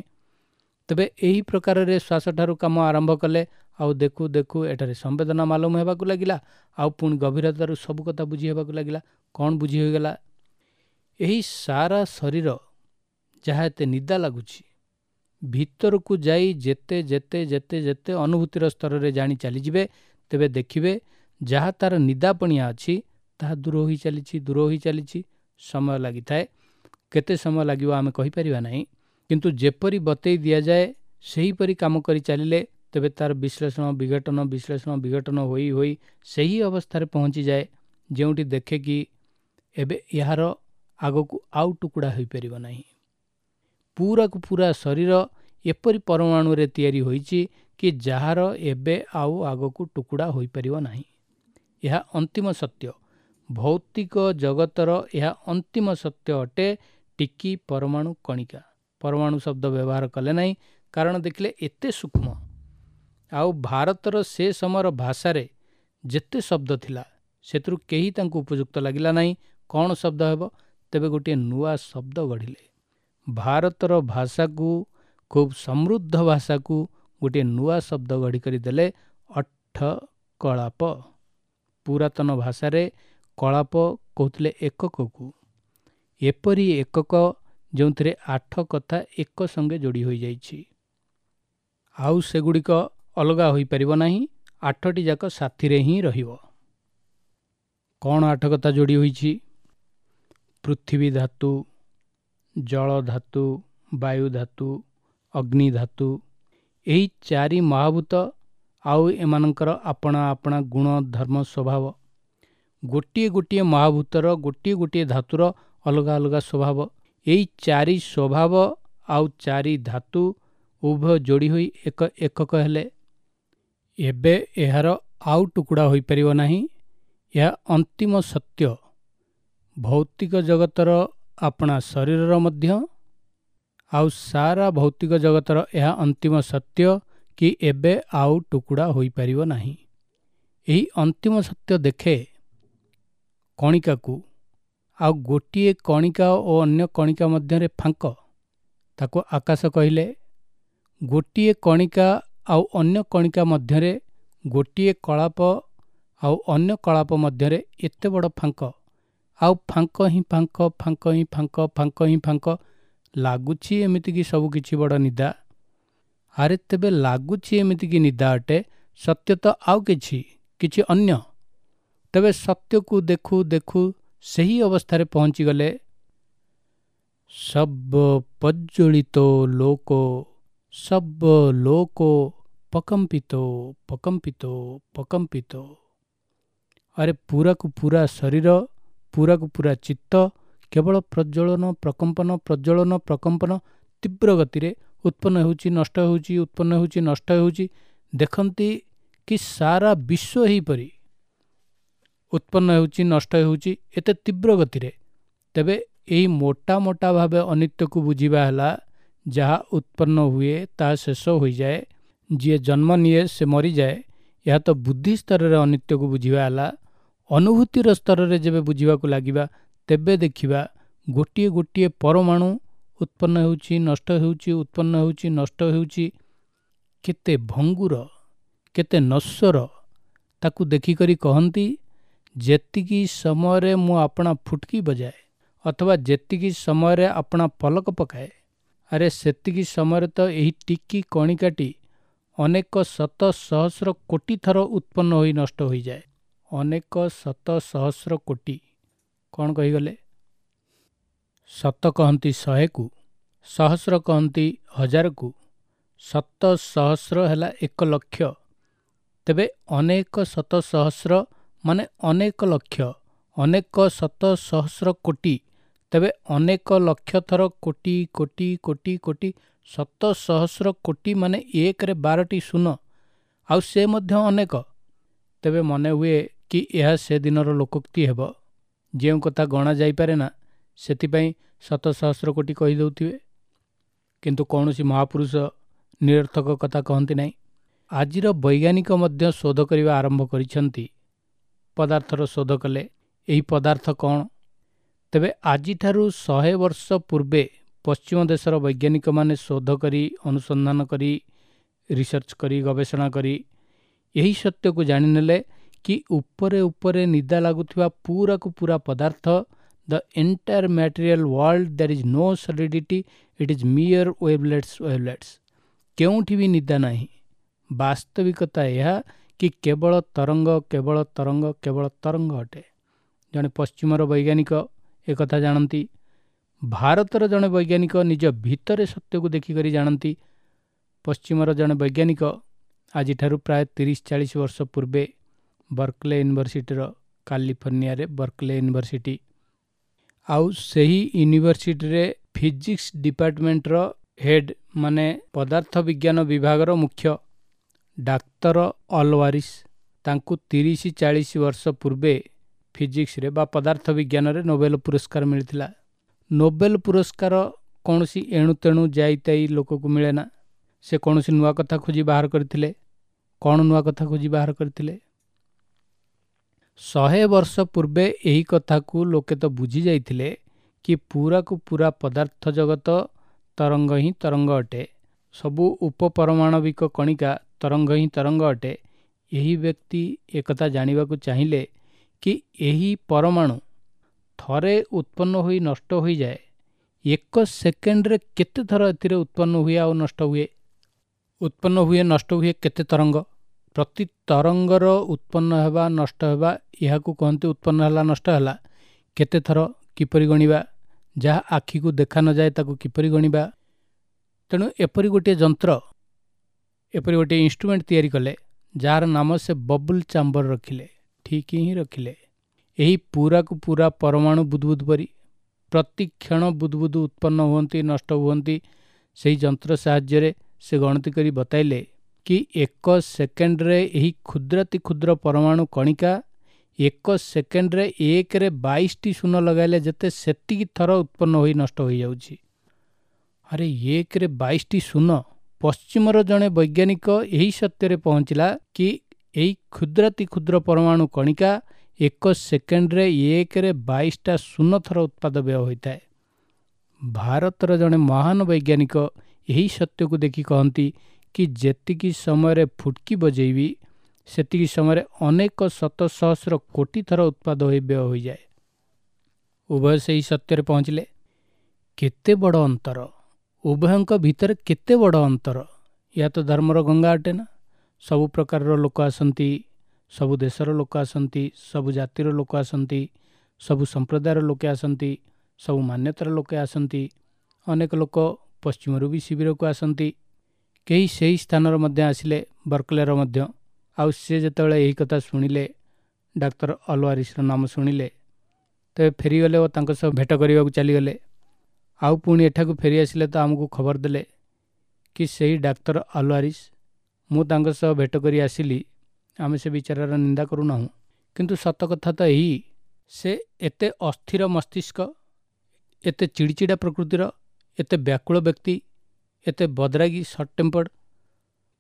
ତେବେ ଏହି ପ୍ରକାରରେ ଶ୍ୱାସଠାରୁ କାମ ଆରମ୍ଭ କଲେ ଆଉ ଦେଖୁ ଦେଖୁ ଏଠାରେ ସମ୍ବେଦନା ମାଲୁମ ହେବାକୁ ଲାଗିଲା, ଆଉ ପୁଣି ଗଭୀରତାରୁ ସବୁ କଥା ବୁଝି ହେବାକୁ ଲାଗିଲା। କ'ଣ ବୁଝି ହୋଇଗଲା? ଏହି ସାରା ଶରୀର ଯାହା ଏତେ ନିଦା ଲାଗୁଛି, ଭିତରକୁ ଯାଇ ଯେତେ ଯେତେ ଯେତେ ଯେତେ ଅନୁଭୂତିର ସ୍ତରରେ ଜାଣି ଚାଲିଯିବେ, ତେବେ ଦେଖିବେ ଯାହା ତାର ନିଦାପଣିଆ ଅଛି ତାହା ଦୂର ହୋଇ ଚାଲିଛି, ଦୂର ହୋଇ ଚାଲିଛି। ସମୟ ଲାଗିଥାଏ, କେତେ ସମୟ ଲାଗିବ ଆମେ କହିପାରିବା ନାହିଁ, କିନ୍ତୁ ଯେପରି ବତେଇ ଦିଆଯାଏ ସେହିପରି କାମ କରି ଚାଲିଲେ ତେବେ ତାର ବିଶ୍ଳେଷଣ ବିଘଟନ ବିଶ୍ଳେଷଣ ବିଘଟନ ହୋଇ ହୋଇ ସେହି ଅବସ୍ଥାରେ ପହଞ୍ଚିଯାଏ ଯେଉଁଠି ଦେଖେ କି ଏବେ ଏହାର ଆଗକୁ ଆଉ ଟୁକୁଡ଼ା ହୋଇପାରିବ ନାହିଁ। ପୁରାକୁ ପୁରା ଶରୀର ଏପରି ପରମାଣୁରେ ତିଆରି ହୋଇଛି କି ଯାହାର ଏବେ ଆଉ ଆଗକୁ ଟୁକୁଡ଼ା ହୋଇପାରିବ ନାହିଁ। ଏହା ଅନ୍ତିମ ସତ୍ୟ, ଭୌତିକ ଜଗତର ଏହା ଅନ୍ତିମ ସତ୍ୟ ଅଟେ। ଟିକି ପରମାଣୁ କଣିକା, ପରମାଣୁ ଶବ୍ଦ ବ୍ୟବହାର କଲେ ନାହିଁ, କାରଣ ଦେଖିଲେ ଏତେ ସୂକ୍ଷ୍ମ। ଆଉ ଭାରତର ସେ ସମୟର ଭାଷାରେ ଯେତେ ଶବ୍ଦ ଥିଲା ସେଥିରୁ କେହି ତାଙ୍କୁ ଉପଯୁକ୍ତ ଲାଗିଲା ନାହିଁ। କ'ଣ ଶବ୍ଦ ହେବ? ତେବେ ଗୋଟିଏ ନୂଆ ଶବ୍ଦ ଗଢ଼ିଲେ। ଭାରତର ଭାଷାକୁ, ଖୁବ୍ ସମୃଦ୍ଧ ଭାଷାକୁ ଗୋଟିଏ ନୂଆ ଶବ୍ଦ ଗଢ଼ି କରିଦେଲେ, ଅଠ କଳାପ। ପୁରାତନ ଭାଷାରେ କଳାପ କହୁଥିଲେ ଏକକକୁ। ଏପରି ଏକକ ଯେଉଁଥିରେ 8 କଥା ଏକ ସଙ୍ଗେ ଯୋଡ଼ି ହୋଇଯାଇଛି, ଆଉ ସେଗୁଡ଼ିକ ଅଲଗା ହୋଇପାରିବ ନାହିଁ। 8ଟି ଯାକ ସାଥିରେ ହିଁ ରହିବ। କ'ଣ 8 କଥା ଯୋଡ଼ି ହୋଇଛି? ପୃଥିବୀ ଧାତୁ, ଜଳ ଧାତୁ, ବାୟୁ ଧାତୁ, ଅଗ୍ନି ଧାତୁ, ଏହି 4 ମହାଭୂତ ଆଉ ଏମାନଙ୍କର ଆପଣା ଆପଣା ଗୁଣ ଧର୍ମ ସ୍ୱଭାବ। ଗୋଟିଏ ଗୋଟିଏ ମହାଭୂତର ଗୋଟିଏ ଗୋଟିଏ ଧାତୁର ଅଲଗା ଅଲଗା ସ୍ୱଭାବ। ଏହି 4 ସ୍ୱଭାବ ଆଉ 4 ଧାତୁ ଉଭୟ ଯୋଡ଼ି ହୋଇ ଏକ ଏକକ ହେଲେ। ଏବେ ଏହାର ଆଉ ଟୁକୁଡ଼ା ହୋଇପାରିବ ନାହିଁ। ଏହା ଅନ୍ତିମ ସତ୍ୟ। ଭୌତିକ ଜଗତର ଆପଣା ଶରୀରର ମଧ୍ୟ ଆଉ ସାରା ଭୌତିକ ଜଗତର ଏହା ଅନ୍ତିମ ସତ୍ୟ କି ଏବେ ଆଉ ଟୁକୁଡ଼ା ହୋଇପାରିବ ନାହିଁ। ଏହି ଅନ୍ତିମ ସତ୍ୟ ଦେଖେ କଣିକାକୁ, ଆଉ ଗୋଟିଏ କଣିକା ଓ ଅନ୍ୟ କଣିକା ମଧ୍ୟରେ ଫାଙ୍କ, ତାକୁ ଆକାଶ କହିଲେ। ଗୋଟିଏ କଣିକା ଆଉ ଅନ୍ୟ କଣିକା ମଧ୍ୟରେ, ଗୋଟିଏ କଳାପ ଆଉ ଅନ୍ୟ କଳାପ ମଧ୍ୟରେ ଏତେ ବଡ଼ ଫାଙ୍କ, ଆଉ ଫାଙ୍କ ହିଁ ଫାଙ୍କ, ଫାଙ୍କ ହିଁ ଫାଙ୍କ, ଫାଙ୍କ ହିଁ ଫାଙ୍କ। ଲାଗୁଛି ଏମିତିକି ସବୁ କିଛି ବଡ଼ ନିଦା। ଆରେ ତେବେ ଲାଗୁଛି ଏମିତିକି ନିଦା ଅଟେ, ସତ୍ୟ ତ ଆଉ କିଛି, କିଛି ଅନ୍ୟ। ତେବେ ସତ୍ୟକୁ ଦେଖୁ ଦେଖୁ ସେହି ଅବସ୍ଥାରେ ପହଞ୍ଚିଗଲେ। ସବ ପଜ୍ଜଳିତ ଲୋକ, ସବ ଲୋକ ପକମ୍ପିତ ପକମ୍ପିତ ପକମ୍ପିତ। ଆରେ ପୁରାକୁ ପୁରା ଶରୀର, ପୁରାକୁ ପୁରା ଚିତ୍ତ କେବଳ ପ୍ରଜ୍ୱଳନ ପ୍ରକମ୍ପନ ପ୍ରଜ୍ୱଳନ ପ୍ରକମ୍ପନ ତୀବ୍ର ଗତିରେ ଉତ୍ପନ୍ନ ହେଉଛି, ନଷ୍ଟ ହେଉଛି, ଉତ୍ପନ୍ନ ହେଉଛି, ନଷ୍ଟ ହେଉଛି। ଦେଖନ୍ତି କି ସାରା ବିଶ୍ୱ ଏହିପରି ଉତ୍ପନ୍ନ ହେଉଛି, ନଷ୍ଟ ହେଉଛି ଏତେ ତୀବ୍ର ଗତିରେ। ତେବେ ଏହି ମୋଟା ମୋଟା ଭାବେ ଅନିତ୍ୟକୁ ବୁଝିବା ହେଲା, ଯାହା ଉତ୍ପନ୍ନ ହୁଏ ତାହା ଶେଷ ହୋଇଯାଏ, ଯିଏ ଜନ୍ମ ନିଏ ସେ ମରିଯାଏ। ଏହା ତ ବୁଦ୍ଧି ସ୍ତରରେ ଅନିତ୍ୟକୁ ବୁଝିବା ହେଲା। ଅନୁଭୂତିର ସ୍ତରରେ ଯେବେ ବୁଝିବାକୁ ଲାଗିବା, ତେବେ ଦେଖିବା ଗୋଟିଏ ଗୋଟିଏ ପରମାଣୁ ଉତ୍ପନ୍ନ ହେଉଛି, ନଷ୍ଟ ହେଉଛି, ଉତ୍ପନ୍ନ ହେଉଛି, ନଷ୍ଟ ହେଉଛି। କେତେ ଭଙ୍ଗୁର, କେତେ ନଶ୍ୱର। ତାକୁ ଦେଖିକରି କହନ୍ତି, ଯେତିକି ସମୟରେ ମୁଁ ଆପଣା ଫୁଟକି ବଜାଏ ଅଥବା ଯେତିକି ସମୟରେ ଆପଣା ପଲକ ପକାଏ, ଆରେ ସେତିକି ସମୟରେ ତ ଏହି ଟିକି କଣିକାଟି ଅନେକ ଶତ ସହସ୍ର କୋଟି ଥର ଉତ୍ପନ୍ନ ହୋଇ ନଷ୍ଟ ହୋଇଯାଏ। ଅନେକ ଶତ ସହସ୍ର କୋଟି। କ'ଣ କହିଗଲେ? ଶତ କହନ୍ତି 100କୁ, ସହସ୍ର କହନ୍ତି 1000କୁ, ଶତ ସହସ୍ର ହେଲା 1 ଲକ୍ଷ। ତେବେ ଅନେକ ଶତ ସହସ୍ର ମାନେ ଅନେକ ଲକ୍ଷ, ଅନେକ ଶତ ସହସ୍ର କୋଟି। ତେବେ ଅନେକ ଲକ୍ଷ ଥର କୋଟି କୋଟି କୋଟି କୋଟି ଶତ ସହସ୍ର କୋଟି ମାନେ 1ରେ 12ଟି ଶୂନ, ଆଉ ସେ ମଧ୍ୟ ଅନେକ। ତେବେ ମନେ ହୁଏ କି ଏହା ସେଦିନର ଲୋକୋକ୍ତି ହେବ। ଯେଉଁ କଥା ଗଣା ଯାଇପାରେ ନା, ସେଥିପାଇଁ ଶତ ସହସ୍ର କୋଟି କହିଦେଉଥିବେ। କିନ୍ତୁ କୌଣସି ମହାପୁରୁଷ ନିରର୍ଥକ କଥା କହନ୍ତି ନାହିଁ। ଆଜିର ବୈଜ୍ଞାନିକ ମଧ୍ୟ ଶୋଧ କରିବା ଆରମ୍ଭ କରିଛନ୍ତି। ପଦାର୍ଥର ଶୋଧ କଲେ, ଏହି ପଦାର୍ଥ କ'ଣ? ତେବେ ଆଜିଠାରୁ 100 ବର୍ଷ ପୂର୍ବେ ପଶ୍ଚିମ ଦେଶର ବୈଜ୍ଞାନିକମାନେ ଶୋଧ କରି, ଅନୁସନ୍ଧାନ କରି, ରିସର୍ଚ୍ଚ କରି, ଗବେଷଣା କରି ଏହି ସତ୍ୟକୁ ଜାଣିନେଲେ କି ଉପରେ ଉପରେ ନିଦା ଲାଗୁଥିବା ପୁରାକୁ ପୁରା ପଦାର୍ଥ, the entire material world, there is no solidity, it is mere wavelets wavelets. କେଉଁଠି ବି ନିଦା ନାହିଁ। ବାସ୍ତବିକତା ଏହା କି କେବଳ ତରଙ୍ଗ, କେବଳ ତରଙ୍ଗ, କେବଳ ତରଙ୍ଗ ଅଟେ। ଜଣେ ପଶ୍ଚିମର ବୈଜ୍ଞାନିକ ଏକଥା ଜାଣନ୍ତି। ଭାରତର ଜଣେ ବୈଜ୍ଞାନିକ ନିଜ ଭିତରେ ସତ୍ୟକୁ ଦେଖିକରି ଜାଣନ୍ତି। ପଶ୍ଚିମର ଜଣେ ବୈଜ୍ଞାନିକ ଆଜିଠାରୁ ପ୍ରାୟ 30-40 ବର୍ଷ ପୂର୍ବେ ବର୍କଲେ ୟୁନିଭର୍ସିଟିର, କାଲିଫର୍ଣ୍ଣିଆରେ ବର୍କଲେ ୟୁନିଭର୍ସିଟି, ଆଉ ସେହି ୟୁନିଭର୍ସିଟିରେ ଫିଜିକ୍ସ ଡିପାର୍ଟମେଣ୍ଟର ହେଡ୍ ମାନେ ପଦାର୍ଥ ବିଜ୍ଞାନ ବିଭାଗର ମୁଖ୍ୟ ଡାକ୍ତର ଅଲୱାରିସ୍, ତାଙ୍କୁ 30-40 ବର୍ଷ ପୂର୍ବେ ଫିଜିକ୍ସରେ ବା ପଦାର୍ଥ ବିଜ୍ଞାନରେ ନୋବେଲ ପୁରସ୍କାର ମିଳିଥିଲା। ନୋବେଲ ପୁରସ୍କାର କୌଣସି ଏଣୁତେଣୁ ଯାଇତାଇ ଲୋକକୁ ମିଳେ ନା। ସେ କୌଣସି ନୂଆ କଥା ଖୋଜି ବାହାର କରିଥିଲେ। କ'ଣ ନୂଆ କଥା ଖୋଜି ବାହାର କରିଥିଲେ? 100 ବର୍ଷ ପୂର୍ବେ ଏହି କଥାକୁ ଲୋକେ ତ ବୁଝି ଯାଇଥିଲେ କି ପୁରାକୁ ପୁରା ପଦାର୍ଥ ଜଗତ ତରଙ୍ଗ ହିଁ ତରଙ୍ଗ ଅଟେ। ସବୁ ଉପପରମାଣବିକ କଣିକା ତରଙ୍ଗ ହିଁ ତରଙ୍ଗ ଅଟେ, ଏହି ବ୍ୟକ୍ତି ଏକଥା ଜାଣିବାକୁ ଚାହିଁଲେ କି ଏହି ପରମାଣୁ ଥରେ ଉତ୍ପନ୍ନ ହୋଇ ନଷ୍ଟ ହୋଇଯାଏ, ଏକ ସେକେଣ୍ଡରେ କେତେ ଥର ଏଥିରେ ଉତ୍ପନ୍ନ ହୁଏ ଆଉ ନଷ୍ଟ ହୁଏ, ଉତ୍ପନ୍ନ ହୁଏ ନଷ୍ଟ ହୁଏ କେତେ ତରଙ୍ଗ, ପ୍ରତି ତରଙ୍ଗର ଉତ୍ପନ୍ନ ହେବା ନଷ୍ଟ ହେବା, ଏହାକୁ କହନ୍ତି ଉତ୍ପନ୍ନ ହେଲା ନଷ୍ଟ ହେଲା, କେତେ ଥର କିପରି ଗଣିବା, ଯାହା ଆଖିକୁ ଦେଖା ନଯାଏ ତାକୁ କିପରି ଗଣିବା। ତେଣୁ ଏପରି ଗୋଟିଏ ଯନ୍ତ୍ର, ଏପରି ଗୋଟିଏ ଇନଷ୍ଟ୍ରୁମେଣ୍ଟ ତିଆରି କଲେ ଯାହାର ନାମ ସେ ବବୁଲ ଚାମ୍ବର ରଖିଲେ, ଠିକ୍ ହିଁ ରଖିଲେ। ଏହି ପୁରାକୁ ପୁରା ପରମାଣୁ ବୁଦବୁଦ ପରି ପ୍ରତି କ୍ଷଣ ବୁଦବୁଦ ଉତ୍ପନ୍ନ ହୁଅନ୍ତି ନଷ୍ଟ ହୁଅନ୍ତି। ସେହି ଯନ୍ତ୍ର ସାହାଯ୍ୟରେ ସେ ଗଣତି କରି ବତାଇଲେ କି ଏକ ସେକେଣ୍ଡରେ ଏହି କ୍ଷୁଦ୍ରାତି କ୍ଷୁଦ୍ର ପରମାଣୁ କଣିକା ଏକ ସେକେଣ୍ଡରେ 1ରେ 22ଟି ଶୂନ ଲଗାଇଲେ ଯେତେ ସେତିକି ଥର ଉତ୍ପନ୍ନ ହୋଇ ନଷ୍ଟ ହୋଇଯାଉଛି। ଆରେ 1ରେ 22ଟି ଶୂନ! ପଶ୍ଚିମର ଜଣେ ବୈଜ୍ଞାନିକ ଏହି ସତ୍ୟରେ ପହଞ୍ଚିଲା କି ଏହି କ୍ଷୁଦ୍ରାତି କ୍ଷୁଦ୍ର ପରମାଣୁ କଣିକା ଏକ ସେକେଣ୍ଡରେ 1ରେ 22ଟା ଶୂନ ଥର ଉତ୍ପାଦ ବ୍ୟୟ ହୋଇଥାଏ। ଭାରତର ଜଣେ ମହାନ ବୈଜ୍ଞାନିକ ଏହି ସତ୍ୟକୁ ଦେଖି କହନ୍ତି କି ଯେତିକି ସମୟରେ ଫୁଟକି ବଜେଇବି ସେତିକି ସମୟରେ ଅନେକ ଶତ ସହସ୍ର କୋଟି ଥର ଉତ୍ପାଦ ହୋଇ ବ୍ୟୟ ହୋଇଯାଏ। ଉଭୟ ସେହି ସତ୍ୟରେ ପହଞ୍ଚିଲେ। କେତେ ବଡ଼ ଅନ୍ତର ଉଭୟଙ୍କ ଭିତରେ, କେତେ ବଡ଼ ଅନ୍ତର! ଏହା ତ ଧର୍ମର ଗଙ୍ଗା ଅଟେ ନା। ସବୁ ପ୍ରକାରର ଲୋକ ଆସନ୍ତି, ସବୁ ଦେଶର ଲୋକ ଆସନ୍ତି, ସବୁ ଜାତିର ଲୋକ ଆସନ୍ତି, ସବୁ ସମ୍ପ୍ରଦାୟର ଲୋକେ ଆସନ୍ତି, ସବୁ ମାନ୍ୟତାର ଲୋକେ ଆସନ୍ତି। ଅନେକ ଲୋକ ପଶ୍ଚିମରୁ ବି ଶିବିରକୁ ଆସନ୍ତି। କେହି ସେହି ସ୍ଥାନର ମଧ୍ୟ ଆସିଲେ, ବର୍କଲେର ମଧ୍ୟ। ଆଉ ସେ ଯେତେବେଳେ ଏହି କଥା ଶୁଣିଲେ, ଡାକ୍ତର ଅଲୱାରିସର ନାମ ଶୁଣିଲେ, ତେବେ ଫେରିଗଲେ ଓ ତାଙ୍କ ସହ ଭେଟ କରିବାକୁ ଚାଲିଗଲେ। ଆଉ ପୁଣି ଏଠାକୁ ଫେରିଆସିଲେ ତ ଆମକୁ ଖବର ଦେଲେ କି ସେହି ଡାକ୍ତର ଅଲୱାରିସ, ମୁଁ ତାଙ୍କ ସହ ଭେଟ କରି ଆସିଲି। ଆମେ ସେ ବିଚାରର ନିନ୍ଦା କରୁନାହୁଁ, କିନ୍ତୁ ସତ କଥା ତ ଏହି, ସେ ଏତେ ଅସ୍ଥିର ମସ୍ତିଷ୍କ, ଏତେ ଚିଡ଼ିଚିଡ଼ା ପ୍ରକୃତିର, ଏତେ ବ୍ୟାକୁଳ ବ୍ୟକ୍ତି, ଏତେ ବଦରାଗୀ, ସର୍ଟ ଟେମ୍ପର୍ଡ,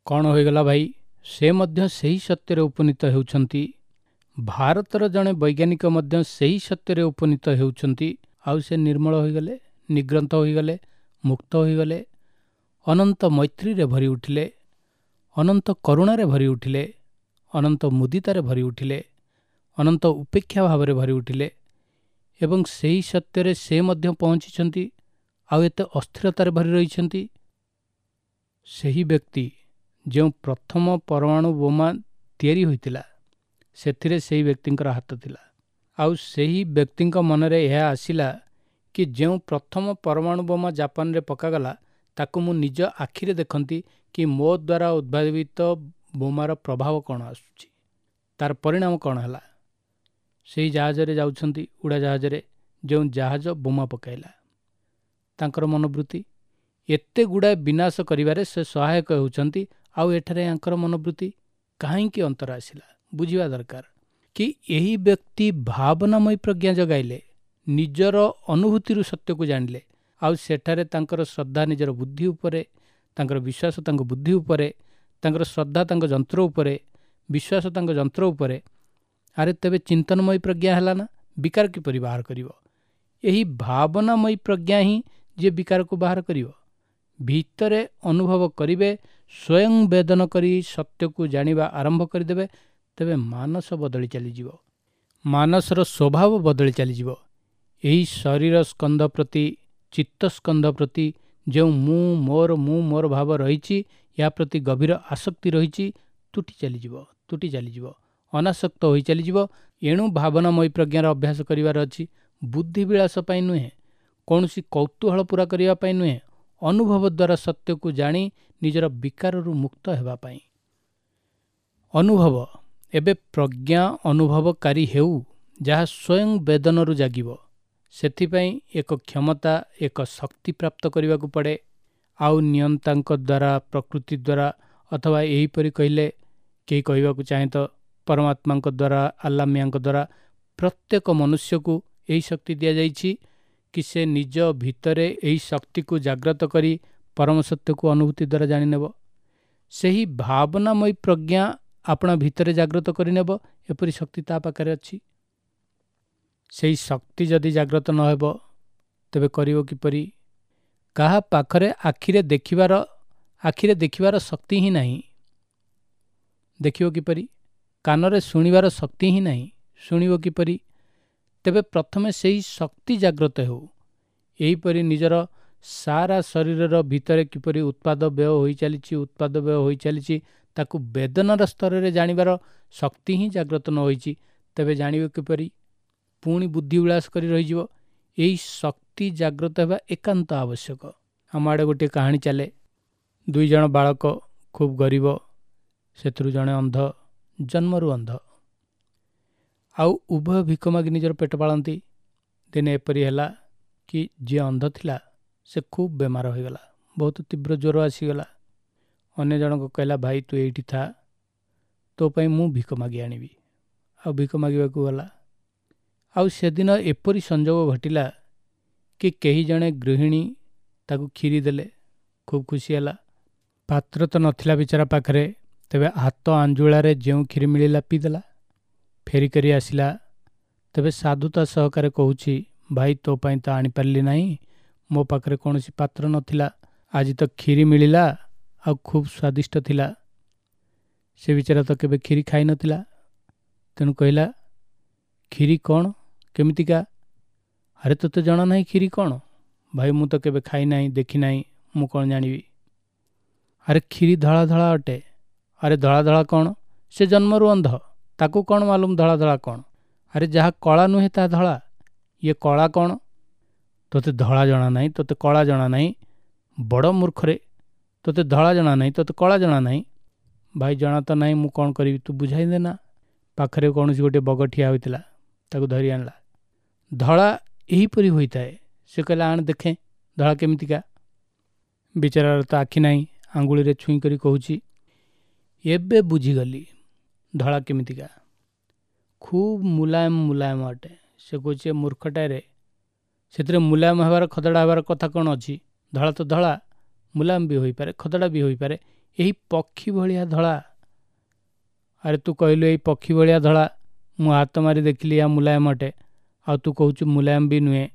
କ'ଣ ହୋଇଗଲା ଭାଇ? ସେ ମଧ୍ୟ ସେହି ସତ୍ୟରେ ଉପନୀତ ହେଉଛନ୍ତି। ଭାରତର ଜଣେ ବୈଜ୍ଞାନିକ ମଧ୍ୟ ସେହି ସତ୍ୟରେ ଉପନୀତ ହେଉଛନ୍ତି। ଆଉ ସେ ନିର୍ମଳ ହୋଇଗଲେ, ନିଗ୍ରନ୍ଥ ହୋଇଗଲେ, ମୁକ୍ତ ହୋଇଗଲେ, ଅନନ୍ତ ମୈତ୍ରୀରେ ଭରି ଉଠିଲେ, ଅନନ୍ତ କରୁଣାରେ ଭରି ଉଠିଲେ, ଅନନ୍ତ ମୁଦିତାରେ ଭରି ଉଠିଲେ, ଅନନ୍ତ ଉପେକ୍ଷା ଭାବରେ ଭରି ଉଠିଲେ ଏବଂ ସେହି ସତ୍ୟରେ ସେ ମଧ୍ୟ ପହଞ୍ଚିଛନ୍ତି। ଆଉ ଏତେ ଅସ୍ଥିରତାରେ ଭରି ରହିଛନ୍ତି। ସେହି ବ୍ୟକ୍ତି ଯେଉଁ ପ୍ରଥମ ପରମାଣୁ ବୋମା ତିଆରି ହୋଇଥିଲା ସେଥିରେ ସେହି ବ୍ୟକ୍ତିଙ୍କର ହାତ ଥିଲା। ଆଉ ସେହି ବ୍ୟକ୍ତିଙ୍କ ମନରେ ଏହା ଆସିଲା କି ଯେଉଁ ପ୍ରଥମ ପରମାଣୁ ବୋମା ଜାପାନରେ ପକାଗଲା ତାକୁ ମୁଁ ନିଜ ଆଖିରେ ଦେଖନ୍ତି କି ମୋ ଦ୍ୱାରା ଉଦ୍ଭାବିତ ବୋମାର ପ୍ରଭାବ କ'ଣ ଆସୁଛି, ତାର ପରିଣାମ କ'ଣ ହେଲା। ସେହି ଜାହାଜରେ ଯାଉଛନ୍ତି, ଉଡ଼ାଜାହାଜରେ, ଯେଉଁ ଜାହାଜ ବୋମା ପକାଇଲା। ତାଙ୍କର ମନୋବୃତ୍ତି ଏତେ ଗୁଡ଼ାଏ ବିନାଶ କରିବାରେ ସେ ସହାୟକ ହେଉଛନ୍ତି। ଆଉ ଏଠାରେ ୟାଙ୍କର ମନୋବୃତ୍ତି କାହିଁକି ଅନ୍ତର ଆସିଲା ବୁଝିବା ଦରକାର କି ଏହି ବ୍ୟକ୍ତି ଭାବନାମୟୀ ପ୍ରଜ୍ଞା ଜଗାଇଲେ, ନିଜର ଅନୁଭୂତିରୁ ସତ୍ୟକୁ ଜାଣିଲେ। ଆଉ ସେଠାରେ ତାଙ୍କର ଶ୍ରଦ୍ଧା ନିଜର ବୁଦ୍ଧି ଉପରେ, ତାଙ୍କର ବିଶ୍ୱାସ ତାଙ୍କ ବୁଦ୍ଧି ଉପରେ, ତାଙ୍କର ଶ୍ରଦ୍ଧା ତାଙ୍କ ଯନ୍ତ୍ର ଉପରେ, ବିଶ୍ୱାସ ତାଙ୍କ ଯନ୍ତ୍ର ଉପରେ। ଆରେ ତେବେ ଚିନ୍ତନମୟୀ ପ୍ରଜ୍ଞା ହେଲା ନା, ବିକାର କିପରି ବାହାର କରିବ? ଏହି ଭାବନାମୟୀ ପ୍ରଜ୍ଞା ହିଁ ଯିଏ ବିକାରକୁ ବାହାର କରିବ। ଭିତରେ ଅନୁଭବ କରିବେ, ସ୍ୱୟଂ ବେଦନ କରି ସତ୍ୟକୁ ଜାଣିବା ଆରମ୍ଭ କରିଦେବେ, ତେବେ ମାନସ ବଦଳି ଚାଲିଯିବ, ମାନସର ସ୍ୱଭାବ ବଦଳି ଚାଲିଯିବ। ଏହି ଶରୀର ସ୍କନ୍ଧ ପ୍ରତି, ଚିତ୍ତ ସ୍କନ୍ଧ ପ୍ରତି ଯେଉଁ ମୁଁ ମୋର, ମୁଁ ମୋର ଭାବ ରହିଛି, ଏହା ପ୍ରତି ଗଭୀର ଆସକ୍ତି ରହିଛି, ତୁଟି ଚାଲିଯିବ, ତୁଟି ଚାଲିଯିବ, ଅନାସକ୍ତ ହୋଇ ଚାଲିଯିବ। ଏଣୁ ଭାବନାମୟୀ ପ୍ରଜ୍ଞାର ଅଭ୍ୟାସ କରିବାର ଅଛି, ବୁଦ୍ଧିବିଳାସ ପାଇଁ ନୁହେଁ, କୌଣସି କୌତୂହଳ ପୂରା କରିବା ପାଇଁ ନୁହେଁ, ଅନୁଭବ ଦ୍ୱାରା ସତ୍ୟକୁ ଜାଣି ନିଜର ବିକାରରୁ ମୁକ୍ତ ହେବା ପାଇଁ। ଅନୁଭବ ଏବେ ପ୍ରଜ୍ଞା ଅନୁଭବକାରୀ ହେଉ, ଯାହା ସ୍ୱୟଂ ବେଦନରୁ ଜାଗିବ। ସେଥିପାଇଁ ଏକ କ୍ଷମତା, ଏକ ଶକ୍ତି ପ୍ରାପ୍ତ କରିବାକୁ ପଡ଼େ। ଆଉ ନିୟନ୍ତାଙ୍କ ଦ୍ୱାରା, ପ୍ରକୃତି ଦ୍ୱାରା, ଅଥବା ଏହିପରି କହିଲେ କେହି କହିବାକୁ ଚାହେଁ ତ ପରମାତ୍ମାଙ୍କ ଦ୍ୱାରା, ଆଲ୍ଲା ମିଆଁଙ୍କ ଦ୍ୱାରା ପ୍ରତ୍ୟେକ ମନୁଷ୍ୟକୁ ଏହି ଶକ୍ତି ଦିଆଯାଇଛି କି ସେ ନିଜ ଭିତରେ ଏହି ଶକ୍ତିକୁ ଜାଗ୍ରତ କରି ପରମ ସତ୍ୟକୁ ଅନୁଭୂତି ଦ୍ୱାରା ଜାଣିନେବ। ସେହି ଭାବନାମୟୀ ପ୍ରଜ୍ଞା ଆପଣା ଭିତରେ ଜାଗ୍ରତ କରିନେବ, ଏପରି ଶକ୍ତି ତା ପାଖରେ ଅଛି। ସେହି ଶକ୍ତି ଯଦି ଜାଗ୍ରତ ନ ହେବ ତେବେ କରିବ କିପରି? କାହା ପାଖରେ ଆଖିରେ ଦେଖିବାର, ଆଖିରେ ଦେଖିବାର ଶକ୍ତି ହିଁ ନାହିଁ, ଦେଖିବ କିପରି? କାନରେ ଶୁଣିବାର ଶକ୍ତି ହିଁ ନାହିଁ, ଶୁଣିବ କିପରି? ତେବେ ପ୍ରଥମେ ସେହି ଶକ୍ତି ଜାଗ୍ରତ ହେଉ। ଏହିପରି ନିଜର ସାରା ଶରୀରର ଭିତରେ କିପରି ଉତ୍ପାଦ ବ୍ୟୟ ହୋଇଚାଲିଛି, ଉତ୍ପାଦ ବ୍ୟୟ ହୋଇଚାଲିଛି, ତାକୁ ବେଦନାର ସ୍ତରରେ ଜାଣିବାର ଶକ୍ତି ହିଁ ଜାଗ୍ରତ ନ ହୋଇଛି, ତେବେ ଜାଣିବ କିପରି? ପୁଣି ବୁଦ୍ଧି ବିଳାସ କରି ରହିଯିବ। ଏହି ଶକ୍ତି ଜାଗ୍ରତ ହେବା ଏକାନ୍ତ ଆବଶ୍ୟକ। ଆମ ଆଡ଼େ ଗୋଟିଏ କାହାଣୀ ଚାଲେ। 2 ଜଣ ବାଳକ, ଖୁବ୍ ଗରିବ, ସେଥିରୁ ଜଣେ ଅନ୍ଧ, ଜନ୍ମରୁ ଅନ୍ଧ। ଆଉ ଉଭୟ ଭିକ ମାଗି ନିଜର ପେଟ ପାଳନ୍ତି। ଦିନେ ଏପରି ହେଲା କି ଯିଏ ଅନ୍ଧ ଥିଲା ସେ ଖୁବ୍ ବେମାର ହୋଇଗଲା, ବହୁତ ତୀବ୍ର ଜ୍ୱର ଆସିଗଲା। ଅନ୍ୟ ଜଣକ କହିଲା, ଭାଇ ତୁ ଏଇଠି ଥା, ତୋ ପାଇଁ ମୁଁ ଭିକ ମାଗି ଆଣିବି। ଆଉ ଭିକ ମାଗିବାକୁ ଗଲା। ଆଉ ସେଦିନ ଏପରି ସଂଯୋଗ ଘଟିଲା କି କେହି ଜଣେ ଗୃହିଣୀ ତାକୁ କ୍ଷୀରି ଦେଲେ। ଖୁବ୍ ଖୁସି ହେଲା। ପାତ୍ର ତ ନଥିଲା ବିଚାରା ପାଖରେ, ତେବେ ହାତ ଆଞ୍ଜୁଳାରେ ଯେଉଁ କ୍ଷୀରି ମିଳିଲା ପିଇଦେଲା। ଫେରି କରି ଆସିଲା। ତେବେ ସାଧୁତା ସହକାରେ କହୁଛି, ଭାଇ ତୋ ପାଇଁ ତ ଆଣିପାରିଲି ନାହିଁ, ମୋ ପାଖରେ କୌଣସି ପାତ୍ର ନଥିଲା, ଆଜି ତ କ୍ଷୀରି ମିଳିଲା ଆଉ ଖୁବ୍ ସ୍ୱାଦିଷ୍ଟ ଥିଲା। ସେ ବିଚାରା ତ କେବେ କ୍ଷୀରି ଖାଇନଥିଲା, ତେଣୁ କହିଲା, କ୍ଷୀରି କ'ଣ, କେମିତିକା? ଆରେ ତୋତେ ଜଣା ନାହିଁ କ୍ଷୀରି କ'ଣ? ଭାଇ ମୁଁ ତ କେବେ ଖାଇନାହିଁ, ଦେଖିନାହିଁ, ମୁଁ କ'ଣ ଜାଣିବି? ଆରେ କ୍ଷୀରି ଧଳା ଧଳା ଅଟେ। ଆରେ ଧଳା ଧଳା କ'ଣ? ସେ ଜନ୍ମରୁ ଅନ୍ଧ, ତାକୁ କ'ଣ ମାଲୁମ ଧଳା ଧଳା କ'ଣ? ଆରେ ଯାହା କଳା ନୁହେଁ ତାହା ଧଳା, ଇଏ କଳା କ'ଣ? ତୋତେ ଧଳା ଜଣା ନାହିଁ, ତୋତେ କଳା ଜଣା ନାହିଁ, ବଡ଼ ମୂର୍ଖରେ, ତୋତେ ଧଳା ଜଣା ନାହିଁ, ତୋତେ କଳା ଜଣା ନାହିଁ। ଭାଇ ଜଣା ତ ନାହିଁ, ମୁଁ କ'ଣ କରିବି, ତୁ ବୁଝାଇ ଦେ ନା। ପାଖରେ କୌଣସି ଗୋଟିଏ ବଗ ଠିଆ ହୋଇଥିଲା, ତାକୁ ଧରି ଆଣିଲା। ଧଳା ଏହିପରି ହୋଇଥାଏ। ସେ କହିଲା, ଆଣ ଦେଖେ ଧଳା କେମିତିକା। ବିଚାରାର ତ ଆଖି ନାହିଁ, ଆଙ୍ଗୁଳିରେ ଛୁଇଁ କରି କହୁଛି, ଏବେ ବୁଝିଗଲି ଧଳା କେମିତିକା, ଖୁବ୍ ମୁଲାୟମ ମୁଲାୟମ ଅଟେ। ସେ କହୁଛି, ଏ ମୂର୍ଖଟାରେ, ସେଥିରେ ମୁଲାୟମ ହେବାର ଖଦଡ଼ା ହେବାର କଥା କ'ଣ ଅଛି? ଧଳା ତ ଧଳା, ମୁଲାୟମ ବି ହୋଇପାରେ, ଖଦଡ଼ା ବି ହୋଇପାରେ। ଏହି ପକ୍ଷୀ ଭଳିଆ ଧଳା। ଆରେ ତୁ କହିଲୁ ଏଇ ପକ୍ଷୀ ଭଳିଆ ଧଳା, ମୁଁ ହାତ ମାରି ଦେଖିଲି ଏହା ମୁଲାୟମ ଅଟେ, ଆଉ ତୁ କହୁଛୁ ମୁଲାୟମ ବି ନୁହେଁ,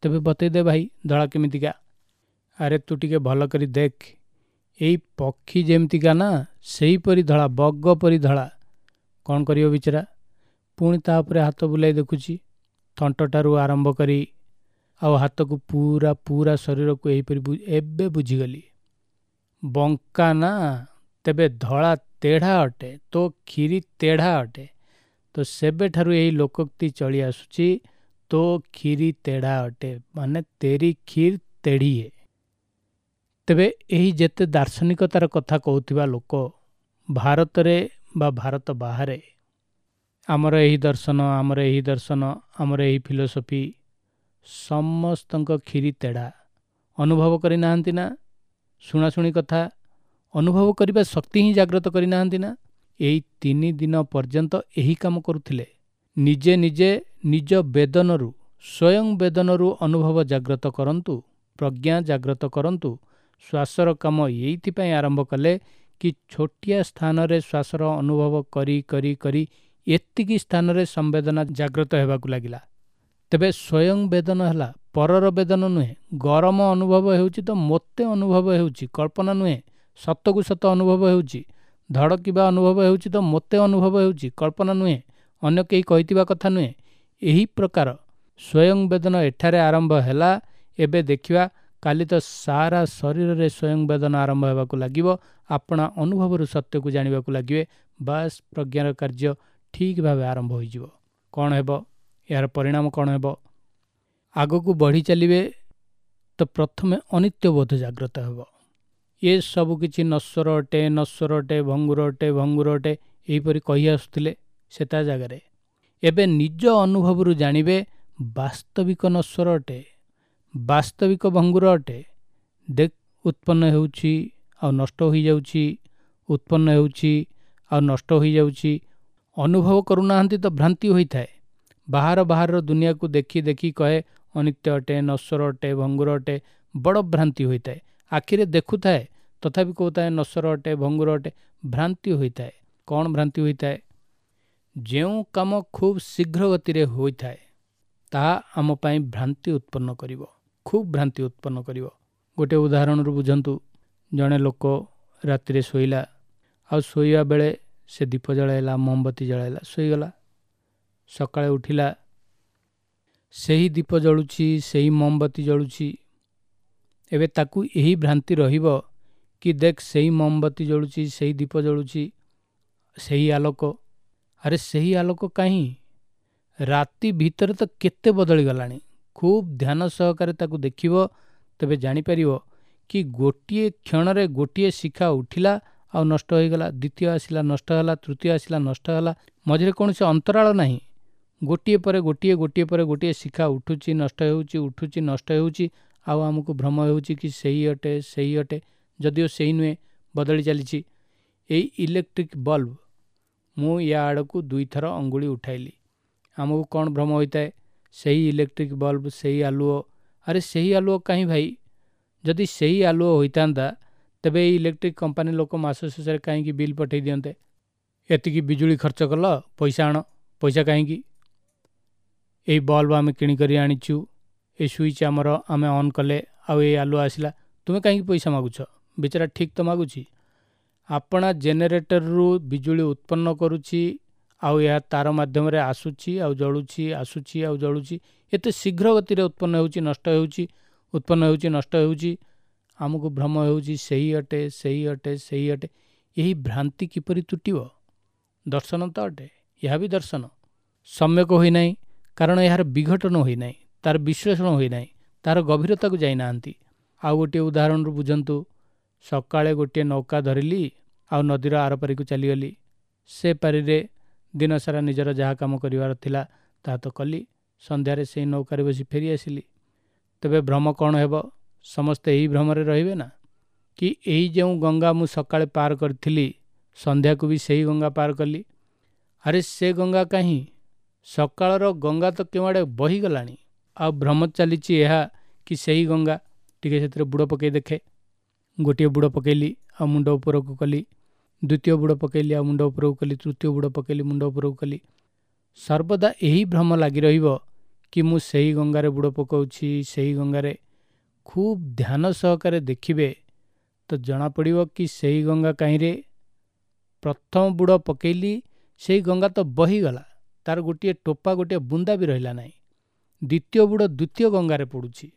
ତେବେ ବତେଇ ଦେ ଭାଇ ଧଳା କେମିତିକା। ଆରେ ତୁ ଟିକେ ଭଲ କରି ଦେଖ, ଏଇ ପକ୍ଷୀ ଯେମିତିକା ନା ସେହିପରି ଧଳା, ବଗ ପରି ଧଳା। କ'ଣ କରିବ ବିଚାରା? ପୁଣି ତା ଉପରେ ହାତ ବୁଲାଇ ଦେଖୁଛି, ଥଣ୍ଟଠାରୁ ଆରମ୍ଭ କରି ଆଉ ହାତକୁ ପୁରା ପୁରା ଶରୀରକୁ ଏହିପରି। ଏବେ ବୁଝିଗଲି, ବଙ୍କା ନା, ତେବେ ଧଳା ତେଢ଼ା ଅଟେ, ତୋ କ୍ଷୀରି ତେଢ଼ା ଅଟେ। ତ ସେବେଠାରୁ ଏହି ଲୋକୋକ୍ତି ଚଳି ଆସୁଛି, ତୋ କ୍ଷୀରି ତେଢ଼ା ଅଟେ, ମାନେ ତେରି କ୍ଷୀର ତେଢ଼ି ହେ। ତେବେ ଏହି ଯେତେ ଦାର୍ଶନିକତାର କଥା କହୁଥିବା ଲୋକ ଭାରତରେ ବା ଭାରତ ବାହାରେ, ଆମର ଏହି ଦର୍ଶନ, ଆମର ଏହି ଦର୍ଶନ, ଆମର ଏହି ଫିଲୋସଫି, ସମସ୍ତଙ୍କ କ୍ଷୀରି ତେଢ଼ା। ଅନୁଭବ କରିନାହାନ୍ତି ନା, ଶୁଣାଶୁଣି କଥା, ଅନୁଭବ କରିବା ଶକ୍ତି ହିଁ ଜାଗ୍ରତ କରିନାହାନ୍ତି ନା। ଏଇ 3 ଦିନ ପର୍ଯ୍ୟନ୍ତ ଏହି କାମ କରୁଥିଲେ। ନିଜେ ନିଜେ ନିଜ ବେଦନରୁ, ସ୍ୱୟଂ ବେଦନରୁ ଅନୁଭବ ଜାଗ୍ରତ କରନ୍ତୁ, ପ୍ରଜ୍ଞା ଜାଗ୍ରତ କରନ୍ତୁ। ଶ୍ୱାସର କାମ ଏଇଥିପାଇଁ ଆରମ୍ଭ କଲେ କି ଛୋଟିଆ ସ୍ଥାନରେ ଶ୍ୱାସର ଅନୁଭବ କରି କରି କରି ଏତିକି ସ୍ଥାନରେ ସମ୍ବେଦନା ଜାଗ୍ରତ ହେବାକୁ ଲାଗିଲା। ତେବେ ସ୍ୱୟଂ ବେଦନ ହେଲା, ପରର ବେଦନ ନୁହେଁ। ଗରମ ଅନୁଭବ ହେଉଛି ତ ମୋତେ ଅନୁଭବ ହେଉଛି, କଳ୍ପନା ନୁହେଁ, ସତକୁ ସତ ଅନୁଭବ ହେଉଛି। ଧଡ଼କିବା ଅନୁଭବ ହେଉଛି ତ ମୋତେ ଅନୁଭବ ହେଉଛି, କଳ୍ପନା ନୁହେଁ, ଅନ୍ୟ କେହି କହିଥିବା କଥା ନୁହେଁ। ଏହି ପ୍ରକାର ସ୍ୱୟଂ ବେଦନ ଏଠାରେ ଆରମ୍ଭ ହେଲା। ଏବେ ଦେଖିବା କାଲି ତ ସାରା ଶରୀରରେ ସ୍ୱୟଂ ବେଦନ ଆରମ୍ଭ ହେବାକୁ ଲାଗିବ। ଆପଣା ଅନୁଭବରୁ ସତ୍ୟକୁ ଜାଣିବାକୁ ଲାଗିବେ। ବାସ୍, ପ୍ରଜ୍ଞାର କାର୍ଯ୍ୟ ଠିକ୍ ଭାବେ ଆରମ୍ଭ ହୋଇଯିବ। କ'ଣ ହେବ ଏହାର ପରିଣାମ? କ'ଣ ହେବ? ଆଗକୁ ବଢ଼ି ଚାଲିବେ ତ ପ୍ରଥମେ ଅନିତ୍ୟବୋଧ ଜାଗ୍ରତ ହେବ। ଏ ସବୁ କିଛି ନଶ୍ୱର ଅଟେ, ନଶ୍ୱର ଅଟେ, ଭଙ୍ଗୁର ଅଟେ, ଭଙ୍ଗୁର ଅଟେ, ଏହିପରି କହି ଆସୁଥିଲେ ସେ ତା ଜାଗାରେ। ଏବେ ନିଜ ଅନୁଭବରୁ ଜାଣିବେ ବାସ୍ତବିକ ନଶ୍ୱର ଅଟେ, ବାସ୍ତବିକ ଭଙ୍ଗୁର ଅଟେ। ଦେଖ, ଉତ୍ପନ୍ନ ହେଉଛି ଆଉ ନଷ୍ଟ ହୋଇଯାଉଛି, ଉତ୍ପନ୍ନ ହେଉଛି ଆଉ ନଷ୍ଟ ହୋଇଯାଉଛି। ଅନୁଭବ କରୁନାହାନ୍ତି ତ ଭ୍ରାନ୍ତି ହୋଇଥାଏ। ବାହାର ବାହାରର ଦୁନିଆକୁ ଦେଖି ଦେଖି କହେ ଅନିତ୍ୟ ଅଟେ, ନଶ୍ୱର ଅଟେ, ଭଙ୍ଗୁର ଅଟେ, ବଡ଼ ଭ୍ରାନ୍ତି ହୋଇଥାଏ। ଆଖିରେ ଦେଖୁଥାଏ ତଥାପି କହୁଥାଏ ନଶ୍ୱର ଅଟେ, ଭଙ୍ଗୁର ଅଟେ, ଭ୍ରାନ୍ତି ହୋଇଥାଏ। କ'ଣ ଭ୍ରାନ୍ତି ହୋଇଥାଏ? ଯେଉଁ କାମ ଖୁବ୍ ଶୀଘ୍ର ଗତିରେ ହୋଇଥାଏ ତାହା ଆମ ପାଇଁ ଭ୍ରାନ୍ତି ଉତ୍ପନ୍ନ କରିବ, ଖୁବ୍ ଭ୍ରାନ୍ତି ଉତ୍ପନ୍ନ କରିବ। ଗୋଟିଏ ଉଦାହରଣରୁ ବୁଝନ୍ତୁ। ଜଣେ ଲୋକ ରାତିରେ ଶୋଇଲା, ଆଉ ଶୋଇବା ବେଳେ ସେ ଦୀପ ଜଳାଇଲା, ମହମବତୀ ଜଳାଇଲା, ଶୋଇଗଲା। ସକାଳେ ଉଠିଲା, ସେହି ଦୀପ ଜଳୁଛି, ସେହି ମହମବତୀ ଜଳୁଛି। ଏବେ ତାକୁ ଏହି ଭ୍ରାନ୍ତି ରହିବ କି ଦେଖ ସେଇ ମହମବତୀ ଜଳୁଛି, ସେଇ ଦୀପ ଜଳୁଛି, ସେହି ଆଲୋକ। ଆରେ ସେହି ଆଲୋକ କାହିଁ? ରାତି ଭିତରେ ତ କେତେ ବଦଳିଗଲାଣି। ଖୁବ୍ ଧ୍ୟାନ ସହକାରେ ତାକୁ ଦେଖିବ, ତେବେ ଜାଣିପାରିବ କି ଗୋଟିଏ କ୍ଷଣରେ ଗୋଟିଏ ଶିଖା ଉଠିଲା ଆଉ ନଷ୍ଟ ହୋଇଗଲା, ଦ୍ୱିତୀୟ ଆସିଲା ନଷ୍ଟ ହେଲା, ତୃତୀୟ ଆସିଲା ନଷ୍ଟ ହେଲା, ମଝିରେ କୌଣସି ଅନ୍ତରାଳ ନାହିଁ। ଗୋଟିଏ ପରେ ଗୋଟିଏ, ଗୋଟିଏ ପରେ ଗୋଟିଏ ଶିଖା ଉଠୁଛି, ନଷ୍ଟ ହେଉଛି, ଉଠୁଛି, ନଷ୍ଟ ହେଉଛି। ଆଉ ଆମକୁ ଭ୍ରମ ହେଉଛି କି ସେଇ ଅଟେ, ସେଇ ଅଟେ, ଯଦିଓ ସେଇ ନୁହେଁ, ବଦଳି ଚାଲିଛି। ଏଇ ଇଲେକ୍ଟ୍ରିକ୍ ବଲ୍ବ, ମୁଁ ୟା ଆଡ଼କୁ ଦୁଇଥର ଅଙ୍ଗୁଳି ଉଠାଇଲି, ଆମକୁ କ'ଣ ଭ୍ରମ ହୋଇଥାଏ? ସେଇ ଇଲେକ୍ଟ୍ରିକ୍ ବଲ୍ବ, ସେଇ ଆଲୁଅ। ଆରେ ସେହି ଆଲୁଅ କାହିଁ ଭାଇ? ଯଦି ସେଇ ଆଲୁଅ ହୋଇଥାନ୍ତା ତେବେ ଏଇ ଇଲେକ୍ଟ୍ରିକ୍ କମ୍ପାନୀ ଲୋକ ମାସ ଶେଷରେ କାହିଁକି ବିଲ୍ ପଠାଇ ଦିଅନ୍ତେ? ଏତିକି ବିଜୁଳି ଖର୍ଚ୍ଚ କଲ, ପଇସା ଆଣ। ପଇସା କାହିଁକି? ଏଇ ବଲ୍ବ ଆମେ କିଣିକରି ଆଣିଛୁ, ଏ ସୁଇଚ୍ ଆମର, ଆମେ ଅନ୍ କଲେ ଆଉ ଏଇ ଆଲୁଅ ଆସିଲା, ତୁମେ କାହିଁକି ପଇସା ମାଗୁଛ? ବିଚାରା ଠିକ୍ ତ ମାଗୁଛି। ଆପଣା ଜେନେରେଟରରୁ ବିଜୁଳି ଉତ୍ପନ୍ନ କରୁଛି, ଆଉ ଏହା ତାର ମାଧ୍ୟମରେ ଆସୁଛି ଆଉ ଜଳୁଛି, ଆସୁଛି ଆଉ ଜଳୁଛି। ଏତେ ଶୀଘ୍ର ଗତିରେ ଉତ୍ପନ୍ନ ହେଉଛି, ନଷ୍ଟ ହେଉଛି, ଉତ୍ପନ୍ନ ହେଉଛି, ନଷ୍ଟ ହେଉଛି। ଆମକୁ ଭ୍ରମ ହେଉଛି ସେଇ ଅଟେ, ସେଇ ଅଟେ, ସେଇ ଅଟେ। ଏହି ଭ୍ରାନ୍ତି କିପରି ତୁଟିବ? ଦର୍ଶନ ତ ଅଟେ, ଏହା ବି ଦର୍ଶନ ସମ୍ୟକ ହୋଇନାହିଁ, କାରଣ ଏହାର ବିଘଟନ ହୋଇନାହିଁ, ତାର ବିଶ୍ଳେଷଣ ହୋଇନାହିଁ, ତାର ଗଭୀରତାକୁ ଯାଇନାହାନ୍ତି। ଆଉ ଗୋଟିଏ ଉଦାହରଣରୁ ବୁଝନ୍ତୁ। ସକାଳେ ଗୋଟିଏ ନୌକା ଧରିଲି ଆଉ ନଦୀର ଆରପାରିକୁ ଚାଲିଗଲି। ସେ ପାରିରେ ଦିନସାରା ନିଜର ଯାହା କାମ କରିବାର ଥିଲା ତାହା ତ କଲି। ସନ୍ଧ୍ୟାରେ ସେଇ ନୌକାରେ ବସି ଫେରି ଆସିଲି। ତେବେ ଭ୍ରମ କ'ଣ ହେବ? ସମସ୍ତେ ଏହି ଭ୍ରମରେ ରହିବେ ନା କି ଏଇ ଯେଉଁ ଗଙ୍ଗା ମୁଁ ସକାଳେ ପାର କରିଥିଲି, ସନ୍ଧ୍ୟାକୁ ବି ସେଇ ଗଙ୍ଗା ପାର କଲି? ଆରେ ସେ ଗଙ୍ଗା କାହିଁ? ସକାଳର ଗଙ୍ଗା ତ କେଉଁଆଡ଼େ ବହିଗଲାଣି। ଆଉ ଭ୍ରମ ଚାଲିଛି ଏହା କି ସେଇ ଗଙ୍ଗା। ଟିକେ ସେଥିରେ ବୁଡ଼ ପକାଇ ଦେଖେ। ଗୋଟିଏ ବୁଡ଼ ପକାଇଲି ଆଉ ମୁଣ୍ଡ ଉପରକୁ କଲି, ଦ୍ୱିତୀୟ ବୁଡ଼ ପକାଇଲି ଆଉ ମୁଣ୍ଡ ଉପରକୁ କଲି, ତୃତୀୟ ବୁଡ଼ ପକାଇଲି, ମୁଣ୍ଡ ଉପରକୁ କଲି। ସର୍ବଦା ଏହି ଭ୍ରମ ଲାଗି ରହିବ କି ମୁଁ ସେଇ ଗଙ୍ଗାରେ ବୁଡ଼ ପକାଉଛି, ସେଇ ଗଙ୍ଗାରେ। ଖୁବ୍ ଧ୍ୟାନ ସହକାରେ ଦେଖିବେ ତ ଜଣାପଡ଼ିବ କି ସେଇ ଗଙ୍ଗା କାହିଁରେ? ପ୍ରଥମ ବୁଡ଼ ପକାଇଲି, ସେଇ ଗଙ୍ଗା ତ ବହିଗଲା, ତାର ଗୋଟିଏ ଟୋପା, ଗୋଟିଏ ବୁନ୍ଦା ବି ରହିଲା ନାହିଁ। ଦ୍ୱିତୀୟ ବୁଡ଼ ଦ୍ୱିତୀୟ ଗଙ୍ଗାରେ ପଡ଼ୁଛି,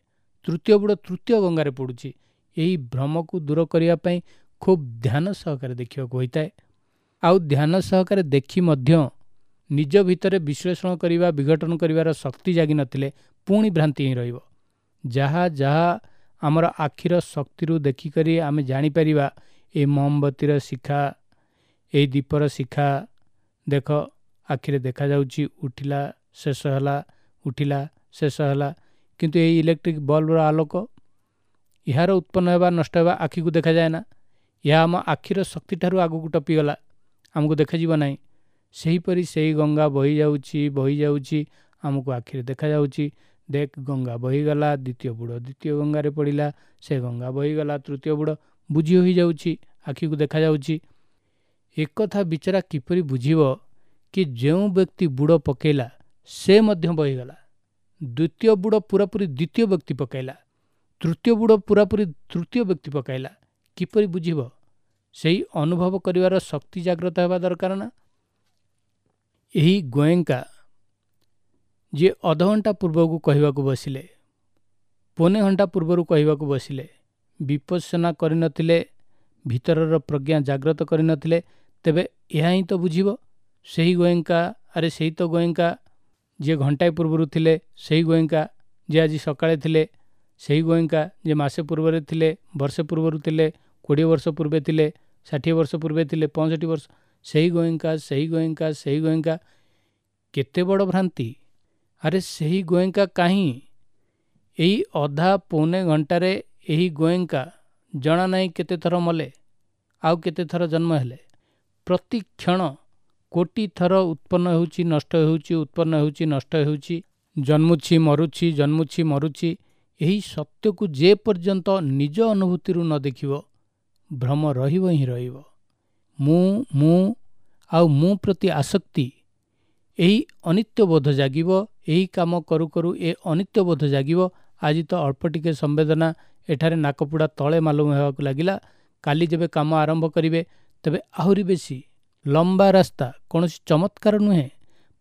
ତୃତୀୟ ବୁଡ଼ ତୃତୀୟ ଗଙ୍ଗାରେ ପଡ଼ୁଛି। ଏହି ଭ୍ରମକୁ ଦୂର କରିବା ପାଇଁ ଖୁବ୍ ଧ୍ୟାନ ସହକାରେ ଦେଖିବାକୁ ହୋଇଥାଏ। ଆଉ ଧ୍ୟାନ ସହକାରେ ଦେଖି ମଧ୍ୟ ନିଜ ଭିତରେ ବିଶ୍ଳେଷଣ କରିବା, ବିଘଟନ କରିବାର ଶକ୍ତି ଜାଗିନଥିଲେ ପୁଣି ଭ୍ରାନ୍ତି ହିଁ ରହିବ। ଯାହା ଯାହା ଆମର ଆଖିର ଶକ୍ତିରୁ ଦେଖିକରି ଆମେ ଜାଣିପାରିବା, ଏଇ ମହମବତୀର ଶିଖା, ଏଇ ଦୀପର ଶିଖା, ଦେଖ ଆଖିରେ ଦେଖାଯାଉଛି, ଉଠିଲା ଶେଷ ହେଲା, ଉଠିଲା ଶେଷ ହେଲା। କିନ୍ତୁ ଏଇ ଇଲେକ୍ଟ୍ରିକ୍ ବଲ୍ବର ଆଲୋକ, ଏହାର ଉତ୍ପନ୍ନ ହେବା ନଷ୍ଟ ହେବା ଆଖିକୁ ଦେଖାଯାଏ ନା। ଏହା ଆମ ଆଖିର ଶକ୍ତିଠାରୁ ଆଗକୁ ଟପିଗଲା, ଆମକୁ ଦେଖାଯିବ ନାହିଁ। ସେହିପରି ସେଇ ଗଙ୍ଗା ବହିଯାଉଛି, ବହିଯାଉଛି, ଆମକୁ ଆଖିରେ ଦେଖାଯାଉଛି। ଦେଖ ଗଙ୍ଗା ବହିଗଲା, ଦ୍ୱିତୀୟ ବୁଡ଼ ଦ୍ୱିତୀୟ ଗଙ୍ଗାରେ ପଡ଼ିଲା, ସେ ଗଙ୍ଗା ବହିଗଲା, ତୃତୀୟ ବୁଡ଼, ବୁଝି ହୋଇଯାଉଛି, ଆଖିକୁ ଦେଖାଯାଉଛି। ଏକଥା ବିଚାରା କିପରି ବୁଝିବ କି ଯେଉଁ ବ୍ୟକ୍ତି ବୁଡ଼ ପକାଇଲା ସେ ମଧ୍ୟ ବହିଗଲା, ଦ୍ୱିତୀୟ ବୁଡ଼ ପୁରାପୁରି ଦ୍ୱିତୀୟ ବ୍ୟକ୍ତି ପକାଇଲା, ତୃତୀୟ ବୁଡ଼ ପୁରାପୁରି ତୃତୀୟ ବ୍ୟକ୍ତି ପକାଇଲା, କିପରି ବୁଝିବ? ସେଇ ଅନୁଭବ କରିବାର ଶକ୍ତି ଜାଗ୍ରତ ହେବା ଦରକାର ନା। ଏହି ଗୋଏଙ୍କା ଯିଏ ଅଧଘଣ୍ଟା ପୂର୍ବକୁ କହିବାକୁ ବସିଲେ, ପୌନେ ଘଣ୍ଟା ପୂର୍ବରୁ କହିବାକୁ ବସିଲେ, ବିପස්සନା କରିନଥିଲେ, ଭିତରର ପ୍ରଜ୍ଞା ଜାଗ୍ରତ କରିନଥିଲେ, ତେବେ ଏହା ହିଁ ତ ବୁଝିବ। ସେହି ଗୋଏଙ୍କା, ଆରେ ସେଇ ତ ଗୋଏଙ୍କା ଯିଏ ଘଣ୍ଟାଏ ପୂର୍ବରୁ ଥିଲେ, ସେହି ଗୋଏଙ୍କା ଯିଏ ଆଜି ସକାଳେ ଥିଲେ, ସେହି ଗୋଏଙ୍କା ଯିଏ ମାସେ ପୂର୍ବରେ ଥିଲେ, ବର୍ଷେ ପୂର୍ବରୁ ଥିଲେ, 20 ବର୍ଷ ପୂର୍ବେ ଥିଲେ, 60 ବର୍ଷ ପୂର୍ବେ ଥିଲେ, 65 ବର୍ଷ, ସେହି ଗୋଏଙ୍କା, ସେହି ଗୋଏଙ୍କା, ସେହି ଗୋଏଙ୍କା। କେତେ ବଡ଼ ଭ୍ରାନ୍ତି! ଆରେ ସେହି ଗୋଏଙ୍କା କାହିଁ? ଏଇ ଅଧା ପୌନେ ଘଣ୍ଟାରେ ଏହି ଗୋଏଙ୍କା ଜଣା ନାହିଁ କେତେ ଥର ମଲେ ଆଉ କେତେ ଥର ଜନ୍ମ ହେଲେ। ପ୍ରତି କ୍ଷଣ କୋଟି ଥର ଉତ୍ପନ୍ନ ହେଉଛି, ନଷ୍ଟ ହେଉଛି, ଉତ୍ପନ୍ନ ହେଉଛି, ନଷ୍ଟ ହେଉଛି, ଜନ୍ମୁଛି ମରୁଛି, ଜନ୍ମୁଛି ମରୁଛି। ଏହି ସତ୍ୟକୁ ଯେ ପର୍ଯ୍ୟନ୍ତ ନିଜ ଅନୁଭୂତିରୁ ନ ଦେଖିବ, ଭ୍ରମ ରହିବ ହିଁ ରହିବ। ମୁଁ, ମୁଁ ଆଉ ମୁଁ ପ୍ରତି ଆସକ୍ତି, ଏହି ଅନିତ୍ୟବୋଧ ଜାଗିବ। ଏହି କାମ କରୁ କରୁ ଏ ଅନିତ୍ୟବୋଧ ଜାଗିବ। ଆଜି ତ ଅଳ୍ପ ଟିକେ ସମ୍ବେଦନା ଏଠାରେ ନାକପୁଡ଼ା ତଳେ ମାଲୁମ ହେବାକୁ ଲାଗିଲା, କାଲି ଯେବେ କାମ ଆରମ୍ଭ କରିବେ ତେବେ ଆହୁରି ବେଶୀ। ଲମ୍ବା ରାସ୍ତା, କୌଣସି ଚମତ୍କାର ନୁହେଁ।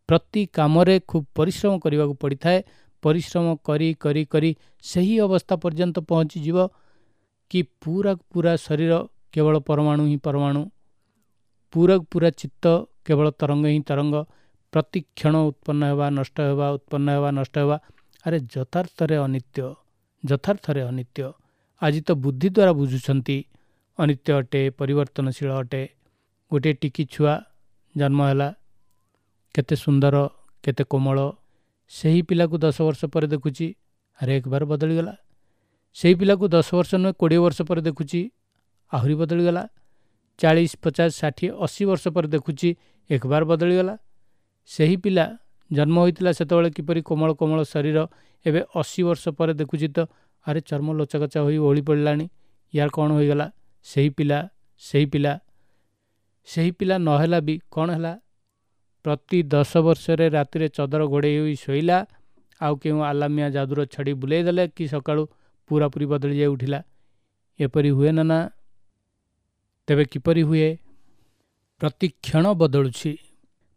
ପ୍ରତି କାମରେ ଖୁବ୍ ପରିଶ୍ରମ କରିବାକୁ ପଡ଼ିଥାଏ। ପରିଶ୍ରମ କରି କରି କରି ସେହି ଅବସ୍ଥା ପର୍ଯ୍ୟନ୍ତ ପହଞ୍ଚିଯିବ କି ପୁରା ପୁରା ଶରୀର କେବଳ ପରମାଣୁ ହିଁ ପରମାଣୁ, ପୁରା ପୁରା ଚିତ୍ତ କେବଳ ତରଙ୍ଗ ହିଁ ତରଙ୍ଗ। ପ୍ରତି କ୍ଷଣ ଉତ୍ପନ୍ନ ହେବା, ନଷ୍ଟ ହେବା, ଉତ୍ପନ୍ନ ହେବା, ନଷ୍ଟ ହେବା। ଆରେ ଯଥାର୍ଥରେ ଅନିତ୍ୟ, ଯଥାର୍ଥରେ ଅନିତ୍ୟ। ଆଜି ତ ବୁଦ୍ଧି ଦ୍ୱାରା ବୁଝୁଛନ୍ତି ଅନିତ୍ୟ ଅଟେ, ପରିବର୍ତ୍ତନଶୀଳ ଅଟେ। ଗୋଟିଏ ଟିକି ଛୁଆ ଜନ୍ମ ହେଲା, କେତେ ସୁନ୍ଦର, କେତେ କୋମଳ। ସେହି ପିଲାକୁ 10 ବର୍ଷ ପରେ ଦେଖୁଛି, ଆରେ ଏକବାର ବଦଳିଗଲା। ସେହି ପିଲାକୁ 10 ବର୍ଷ ନୁହେଁ 20 ବର୍ଷ ପରେ ଦେଖୁଛି, ଆହୁରି ବଦଳିଗଲା। 40, 50, 60, 80 ବର୍ଷ ପରେ ଦେଖୁଛି, ଏକବାର ବଦଳିଗଲା। ସେହି ପିଲା ଜନ୍ମ ହୋଇଥିଲା ସେତେବେଳେ କିପରି କୋମଳ କୋମଳ ଶରୀର, ଏବେ 80 ବର୍ଷ ପରେ ଦେଖୁଛି ତ ଆରେ ଚର୍ମ ଲୋଚାକଚା ହୋଇ ଓହଳି ପଡ଼ିଲାଣି, ୟାର କ'ଣ ହୋଇଗଲା? ସେହି ପିଲା, ସେହି ପିଲା, ସେହି ପିଲା ନହେଲା ବି କ'ଣ ହେଲା? ପ୍ରତି 10 ବର୍ଷରେ ରାତିରେ ଚଦର ଘୋଡ଼େଇ ହୋଇ ଶୋଇଲା, ଆଉ କେଉଁ ଆଲାମିଆ ଯାଦୁର ଛଡ଼ି ବୁଲେଇ ଦେଲେ କି ସକାଳୁ ପୁରାପୁରି ବଦଳି ଯାଇ ଉଠିଲା। ଏପରି ହୁଏ ନା? ନା, ତେବେ କିପରି ହୁଏ? ପ୍ରତି କ୍ଷଣ ବଦଳୁଛି,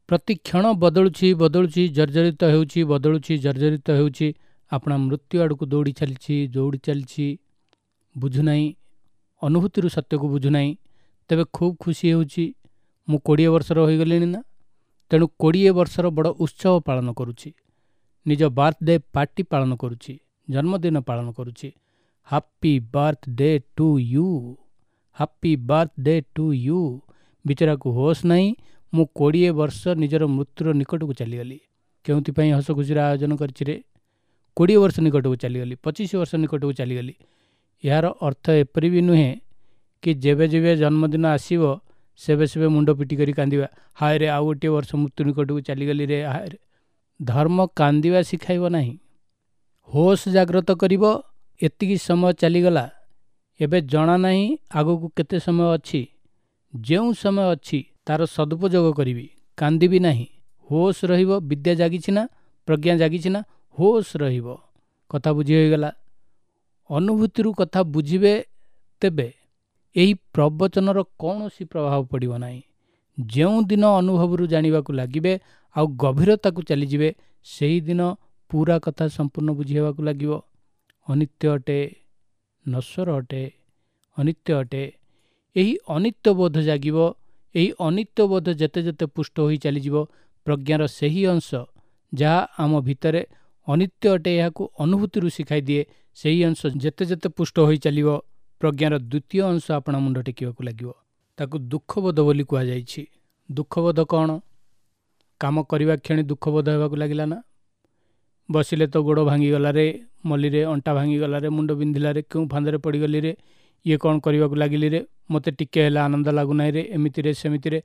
ପ୍ରତି କ୍ଷଣ ବଦଳୁଛି, ବଦଳୁଛି, ଜର୍ଜରିତ ହେଉଛି, ବଦଳୁଛି, ଜର୍ଜରିତ ହେଉଛି। ଆପଣା ମୃତ୍ୟୁ ଆଡ଼କୁ ଦୌଡ଼ି ଚାଲିଛି, ଦୌଡ଼ି ଚାଲିଛି। ବୁଝୁନାହିଁ, ଅନୁଭୂତିରୁ ସତ୍ୟକୁ ବୁଝୁନାହିଁ। ତେବେ ଖୁବ୍ ଖୁସି ହେଉଛି, ମୁଁ 20 ବର୍ଷର ହୋଇଗଲିଣି ନା, ତେଣୁ 20 ବର୍ଷର ବଡ଼ ଉତ୍ସବ ପାଳନ କରୁଛି, ନିଜ ବାର୍ଥଡେ ପାର୍ଟି ପାଳନ କରୁଛି, ଜନ୍ମଦିନ ପାଳନ କରୁଛି। Happy birthday to you, happy birthday to you. ବିଚରାକୁ ହୋସ୍ ନାହିଁ, ମୁଁ 20 ବର୍ଷ ନିଜର ମୃତ୍ୟୁର ନିକଟକୁ ଚାଲିଗଲି। କେଉଁଥିପାଇଁ ହସ ଖୁସିର ଆୟୋଜନ କରିଛି ରେ? 20 ବର୍ଷ ନିକଟକୁ ଚାଲିଗଲି, 25 ବର୍ଷ ନିକଟକୁ ଚାଲିଗଲି। ଏହାର ଅର୍ଥ ଏପରି ବି ନୁହେଁ କି ଯେବେ ଯେବେ ଜନ୍ମଦିନ ଆସିବ ସେବେ ସେବେ ମୁଣ୍ଡ ପିଟି କରି କାନ୍ଦିବା, ହାୟ ରେ ଆଉ ଗୋଟିଏ ବର୍ଷ ମୃତ୍ୟୁ ନିକଟକୁ ଚାଲିଗଲି ରେ, ହାୟ ରେ। ଧର୍ମ କାନ୍ଦିବା ଶିଖାଇବ ନାହିଁ, ହୋସ୍ ଜାଗ୍ରତ କରିବ। ଏତିକି ସମୟ ଚାଲିଗଲା, ଏବେ ଜଣା ନାହିଁ ଆଗକୁ କେତେ ସମୟ ଅଛି। ଯେଉଁ ସମୟ ଅଛି ତାର ସଦୁପଯୋଗ କରିବି, କାନ୍ଦିବି ନାହିଁ। ହୋସ୍ ରହିବ, ବିଦ୍ୟା ଜାଗିଛି ନା, ପ୍ରଜ୍ଞା ଜାଗିଛି ନା, ହୋସ୍ ରହିବ। କଥା ବୁଝି ହୋଇଗଲା? ଅନୁଭୂତିରୁ କଥା ବୁଝିବେ ତେବେ ଏହି ପ୍ରବଚନର କୌଣସି ପ୍ରଭାବ ପଡ଼ିବ ନାହିଁ। ଯେଉଁଦିନ ଅନୁଭବରୁ ଜାଣିବାକୁ ଲାଗିବେ ଆଉ ଗଭୀରତାକୁ ଚାଲିଯିବେ, ସେହିଦିନ ପୁରା କଥା ସମ୍ପୂର୍ଣ୍ଣ ବୁଝି ହେବାକୁ ଲାଗିବ। ଅନିତ୍ୟ ଅଟେ, ନଶ୍ୱର ଅଟେ, ଅନିତ୍ୟ ଅଟେ। ଏହି ଅନିତ୍ୟବୋଧ ଜାଗିବ। ଏହି ଅନିତ୍ୟବୋଧ ଯେତେ ଯେତେ ପୁଷ୍ଟ ହୋଇ ଚାଲିଯିବ, ପ୍ରଜ୍ଞାର ସେହି ଅଂଶ ଯାହା ଆମ ଭିତରେ ଅନିତ୍ୟ ଅଟେ ଏହାକୁ ଅନୁଭୂତିରୁ ଶିଖାଇ ଦିଏ, ସେହି ଅଂଶ ଯେତେ ଯେତେ ପୁଷ୍ଟ ହୋଇ ଚାଲିବ, ପ୍ରଜ୍ଞାର ଦ୍ୱିତୀୟ ଅଂଶ ଆପଣା ମୁଣ୍ଡ ଟେକିବାକୁ ଲାଗିବ। ତାକୁ ଦୁଃଖବୋଧ ବୋଲି କୁହାଯାଇଛି। ଦୁଃଖବୋଧ କ'ଣ? କାମ କରିବା କ୍ଷଣି ଦୁଃଖବୋଧ ହେବାକୁ ଲାଗିଲା ନା? ବସିଲେ ତ ଗୋଡ଼ ଭାଙ୍ଗିଗଲାରେ, ମଲିରେ, ଅଣ୍ଟା ଭାଙ୍ଗିଗଲାରେ, ମୁଣ୍ଡ ବିନ୍ଧିଲାରେ, କେଉଁ ଫାନ୍ଦରେ ପଡ଼ିଗଲିରେ, ଇଏ କ'ଣ କରିବାକୁ ଲାଗିଲିରେ, ମୋତେ ଟିକେ ହେଲେ ଆନନ୍ଦ ଲାଗୁନାହିଁରେ, ଏମିତିରେ ସେମିତିରେ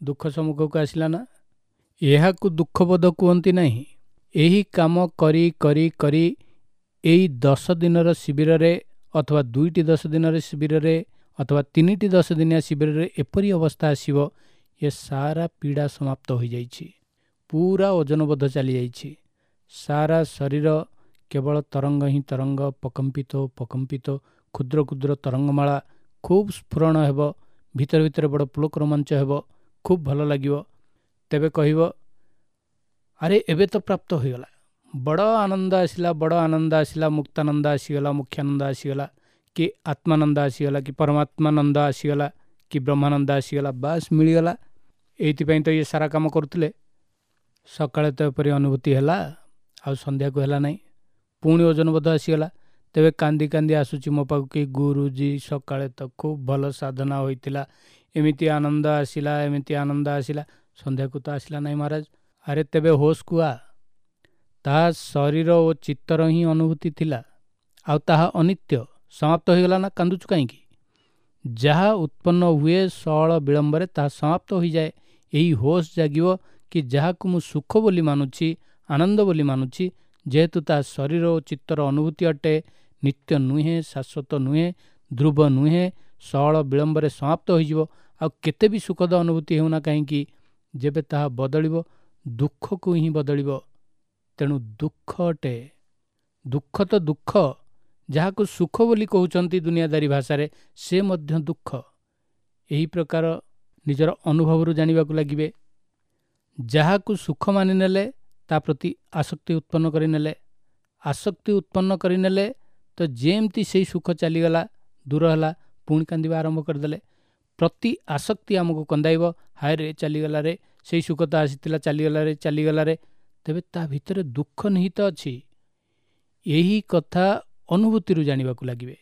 ଦୁଃଖ ସମ୍ମୁଖକୁ ଆସିଲା ନା? ଏହାକୁ ଦୁଃଖବୋଧ କୁହନ୍ତି ନାହିଁ। ଏହି କାମ କରି କରି କରି ଏଇ 10 ଦିନର ଶିବିରରେ ଅଥବା 2ଟି 10 ଦିନର ଶିବିରରେ ଅଥବା 3ଟି 10 ଦିନିଆ ଶିବିରରେ ଏପରି ଅବସ୍ଥା ଆସିବ, ଏ ସାରା ପୀଡ଼ା ସମାପ୍ତ ହୋଇଯାଇଛି, ପୁରା ଓଜନବୋଧ ଚାଲିଯାଇଛି, ସାରା ଶରୀର କେବଳ ତରଙ୍ଗ ହିଁ ତରଙ୍ଗ, ପକମ୍ପିତ ପକମ୍ପିତ କ୍ଷୁଦ୍ର କ୍ଷୁଦ୍ର ତରଙ୍ଗମାଳା। ଖୁବ୍ ସ୍ଫୁରଣ ହେବ, ଭିତରେ ଭିତରେ ବଡ଼ ପୁଲକ ରୋମାଞ୍ଚ ହେବ, ଖୁବ୍ ଭଲ ଲାଗିବ। ତେବେ କହିବ, ଆରେ ଏବେ ତ ପ୍ରାପ୍ତ ହୋଇଗଲା, ବଡ଼ ଆନନ୍ଦ ଆସିଲା, ବଡ଼ ଆନନ୍ଦ ଆସିଲା, ମୁକ୍ତାନନ୍ଦ ଆସିଗଲା, ମୁଖ୍ୟାନନ୍ଦ ଆସିଗଲା, କି ଆତ୍ମାନନ୍ଦ ଆସିଗଲା, କି ପରମାତ୍ମାନନ୍ଦ ଆସିଗଲା, କି ବ୍ରହ୍ମାନନ୍ଦ ଆସିଗଲା, ବାସ୍ ମିଳିଗଲା। ଏଇଥିପାଇଁ ତ ଇଏ ସାରା କାମ କରୁଥିଲେ। ସକାଳେ ତ ଏପରି ଅନୁଭୂତି ହେଲା, ଆଉ ସନ୍ଧ୍ୟାକୁ ହେଲା ନାହିଁ, ପୁଣି ଓଜନବୋଧ ଆସିଗଲା। ତେବେ କାନ୍ଦି କାନ୍ଦି ଆସୁଛି ମୋ ପାଖକୁ କି ଗୁରୁଜୀ ସକାଳେ ତ ଖୁବ୍ ଭଲ ସାଧନା ହୋଇଥିଲା, ଏମିତି ଆନନ୍ଦ ଆସିଲା, ଏମିତି ଆନନ୍ଦ ଆସିଲା, ସନ୍ଧ୍ୟାକୁ ତ ଆସିଲା ନାହିଁ ମହାରାଜ। ଆରେ ତେବେ ହୋସ୍ କୁଆ, ତାହା ଶରୀର ଓ ଚିତ୍ତର ହିଁ ଅନୁଭୂତି ଥିଲା, ଆଉ ତାହା ଅନିତ୍ୟ, ସମାପ୍ତ ହୋଇଗଲା ନା, କାନ୍ଦୁଛୁ କାହିଁକି? ଯାହା ଉତ୍ପନ୍ନ ହୁଏ ସଅଳ ବିଳମ୍ବରେ ତାହା ସମାପ୍ତ ହୋଇଯାଏ। ଏହି ହୋସ୍ ଜାଗିବ କି ଯାହାକୁ ମୁଁ ସୁଖ ବୋଲି ମାନୁଛି, ଆନନ୍ଦ ବୋଲି ମାନୁଛି, ଯେହେତୁ ତାହା ଶରୀର ଓ ଚିତ୍ତର ଅନୁଭୂତି ଅଟେ, ନିତ୍ୟ ନୁହେଁ, ଶାଶ୍ୱତ ନୁହେଁ, ଧ୍ରୁବ ନୁହେଁ, ସଅଳ ବିଳମ୍ବରେ ସମାପ୍ତ ହୋଇଯିବ। ଆଉ କେତେ ବି ସୁଖଦ ଅନୁଭୂତି ହେଉନା କାହିଁକି, ଯେବେ ତାହା ବଦଳିବ ଦୁଃଖକୁ ହିଁ ବଦଳିବ। ତେଣୁ ଦୁଃଖ ଅଟେ। ଦୁଃଖ ତ ଦୁଃଖ, ଯାହାକୁ ସୁଖ ବୋଲି କହୁଛନ୍ତି ଦୁନିଆଦାରୀ ଭାଷାରେ, ସେ ମଧ୍ୟ ଦୁଃଖ। ଏହି ପ୍ରକାର ନିଜର ଅନୁଭବରୁ ଜାଣିବାକୁ ଲାଗିବେ। ଯାହାକୁ ସୁଖ ମାନିନେଲେ ତା ପ୍ରତି ଆସକ୍ତି ଉତ୍ପନ୍ନ କରିନେଲେ, ଆସକ୍ତି ଉତ୍ପନ୍ନ କରିନେଲେ ତ ଯେମିତି ସେଇ ସୁଖ ଚାଲିଗଲା, ଦୂର ହେଲା, ପୁଣି କାନ୍ଦିବା ଆରମ୍ଭ କରିଦେଲେ। ପ୍ରତି ଆସକ୍ତି ଆମକୁ କନ୍ଦାଇବ, ହାୟ ରେ ଚାଲିଗଲା ରେ, ସେଇ ସୁଖ ତ ଆସିଥିଲା ଚାଲିଗଲା ରେ, ଚାଲିଗଲା ରେ। ତେବେ ତା ଭିତରେ ଦୁଃଖ ନିହିତ ଅଛି। ଏହି କଥା ଅନୁଭୂତିରୁ ଜାଣିବାକୁ ଲାଗିବେ।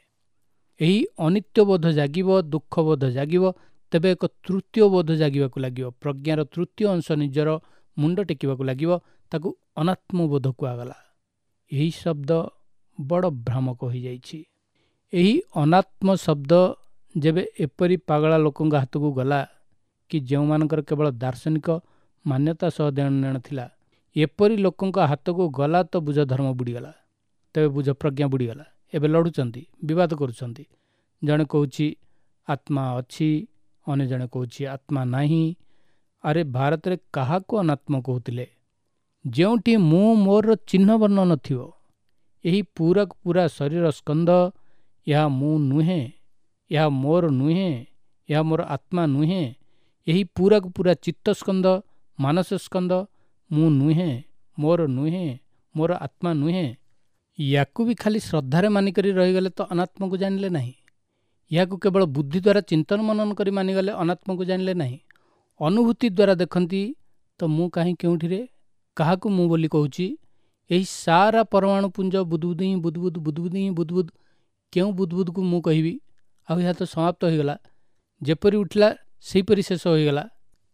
ଏହି ଅନିତ୍ୟବୋଧ ଜାଗିବ, ଦୁଃଖବୋଧ ଜାଗିବ, ତେବେ ଏକ ତୃତୀୟ ବୋଧ ଜାଗିବାକୁ ଲାଗିବ। ପ୍ରଜ୍ଞାର ତୃତୀୟ ଅଂଶ ନିଜର ମୁଣ୍ଡ ଟେକିବାକୁ ଲାଗିବ, ତାକୁ ଅନାତ୍ମବୋଧ କୁହାଗଲା। ଏହି ଶବ୍ଦ ବଡ଼ ଭ୍ରାମକ ହୋଇଯାଇଛି। ଏହି ଅନାତ୍ମ ଶବ୍ଦ ଯେବେ ଏପରି ପାଗଳା ଲୋକଙ୍କ ହାତକୁ ଗଲା କି ଯେଉଁମାନଙ୍କର କେବଳ ଦାର୍ଶନିକ ମାନ୍ୟତା ସହ ଦେଣନେଣ ଥିଲା, ଏପରି ଲୋକଙ୍କ ହାତକୁ ଗଲା ତ ବୁଝ ଧର୍ମ ବୁଡ଼ିଗଲା, ତେବେ ବୁଝ ପ୍ରଜ୍ଞା ବୁଡ଼ିଗଲା। ଏବେ ଲଢ଼ୁଛନ୍ତି, ବିବାଦ କରୁଛନ୍ତି। ଜଣେ କହୁଛି ଆତ୍ମା ଅଛି, ଅନ୍ୟ ଜଣେ କହୁଛି ଆତ୍ମା ନାହିଁ। ଆରେ ଭାରତରେ କାହାକୁ ଅନାତ୍ମ କହୁଥିଲେ? ଯେଉଁଠି ମୁଁ ମୋର ଚିହ୍ନ ବର୍ଣ୍ଣ ନଥିବ, ଏହି ପୁରାକୁ ପୁରା ଶରୀର ସ୍କନ୍ଧ, ଏହା ମୁଁ ନୁହେଁ, ଏହା ମୋର ନୁହେଁ, ଏହା ମୋର ଆତ୍ମା ନୁହେଁ। ଏହି ପୁରାକୁ ପୁରା ଚିତ୍ତସ୍କନ୍ଧ, ମାନସ ସ୍କନ୍ଧ ମୁଁ ନୁହେଁ, ମୋର ନୁହେଁ, ମୋର ଆତ୍ମା ନୁହେଁ। ୟାକୁ ବି ଖାଲି ଶ୍ରଦ୍ଧାରେ ମାନିକରି ରହିଗଲେ ତ ଅନାତ୍ମକୁ ଜାଣିଲେ ନାହିଁ। ଏହାକୁ କେବଳ ବୁଦ୍ଧି ଦ୍ୱାରା ଚିନ୍ତନ ମନନ କରି ମାନିଗଲେ ଅନାତ୍ମକୁ ଜାଣିଲେ ନାହିଁ। ଅନୁଭୂତି ଦ୍ୱାରା ଦେଖନ୍ତି ତ ମୁଁ କାହିଁ କେଉଁଠିରେ, କାହାକୁ ମୁଁ ବୋଲି କହୁଛି? ଏହି ସାରା ପରମାଣୁ ପୁଞ୍ଜ ବୁଦବୁଦ ହିଁ ବୁଦବୁଦ, ବୁଦବୁଦ ହିଁ ବୁଦବୁଦ, କେଉଁ ବୁଦବୁଦକୁ ମୁଁ କହିବି? ଆଉ ଏହା ତ ସମାପ୍ତ ହୋଇଗଲା, ଯେପରି ଉଠିଲା ସେହିପରି ଶେଷ ହୋଇଗଲା,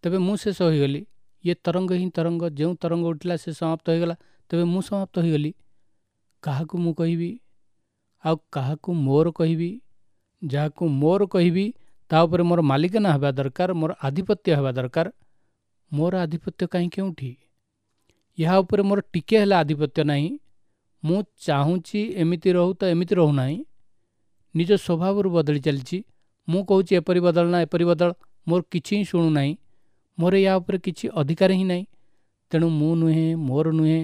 ତେବେ ମୁଁ ଶେଷ ହୋଇଗଲି। ଇଏ ତରଙ୍ଗ ହିଁ ତରଙ୍ଗ, ଯେଉଁ ତରଙ୍ଗ ଉଠିଲା ସେ ସମାପ୍ତ ହୋଇଗଲା, ତେବେ ମୁଁ ସମାପ୍ତ ହୋଇଗଲି। କାହାକୁ ମୁଁ କହିବି? ଆଉ କାହାକୁ ମୋର କହିବି? ଯାହାକୁ ମୋର କହିବି ତା ଉପରେ ମୋର ମାଲିକାନା ହେବା ଦରକାର, ମୋର ଆଧିପତ୍ୟ ହେବା ଦରକାର। ମୋର ଆଧିପତ୍ୟ କାହିଁ କେଉଁଠି? ଏହା ଉପରେ ମୋର ଟିକେ ହେଲେ ଆଧିପତ୍ୟ ନାହିଁ। ମୁଁ ଚାହୁଁଛି ଏମିତି ରହୁ ତ ଏମିତି ରହୁନାହିଁ, ନିଜ ସ୍ୱଭାବରୁ ବଦଳି ଚାଲିଛି। ମୁଁ କହୁଛି ଏପରି ବଦଳ ନା ଏପରି ବଦଳ, ମୋର କିଛି ହିଁ ଶୁଣୁନାହିଁ, ମୋର ଏହା ଉପରେ କିଛି ଅଧିକାର ହିଁ ନାହିଁ। ତେଣୁ ମୁଁ ନୁହେଁ, ମୋର ନୁହେଁ।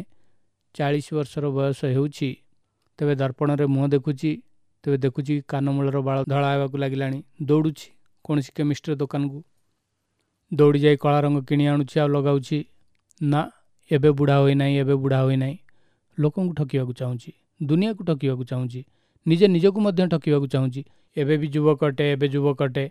40 ବର୍ଷର ବୟସ ହେଉଛି, ତେବେ ଦର୍ପଣରେ ମୁହଁ ଦେଖୁଛି, ତେବେ ଦେଖୁଛି କାନମୂଳର ବାଳ ଧଳା ହେବାକୁ ଲାଗିଲାଣି। ଦୌଡ଼ୁଛି କୌଣସି କେମିଷ୍ଟ୍ରି ଦୋକାନକୁ, ଦୌଡ଼ି ଯାଇ କଳା ରଙ୍ଗ କିଣି ଆଣୁଛି ଆଉ ଲଗାଉଛି। ନା, ଏବେ ବୁଢ଼ା ହୋଇନାହିଁ, ଏବେ ବୁଢ଼ା ହୋଇନାହିଁ। ଲୋକଙ୍କୁ ଠକିବାକୁ ଚାହୁଁଛି, ଦୁନିଆକୁ ଠକିବାକୁ ଚାହୁଁଛି, ନିଜେ ନିଜକୁ ମଧ୍ୟ ଠକିବାକୁ ଚାହୁଁଛି। ଏବେ ବି ଯୁବକ ଅଟେ, ଏବେ ଯୁବକ ଅଟେ।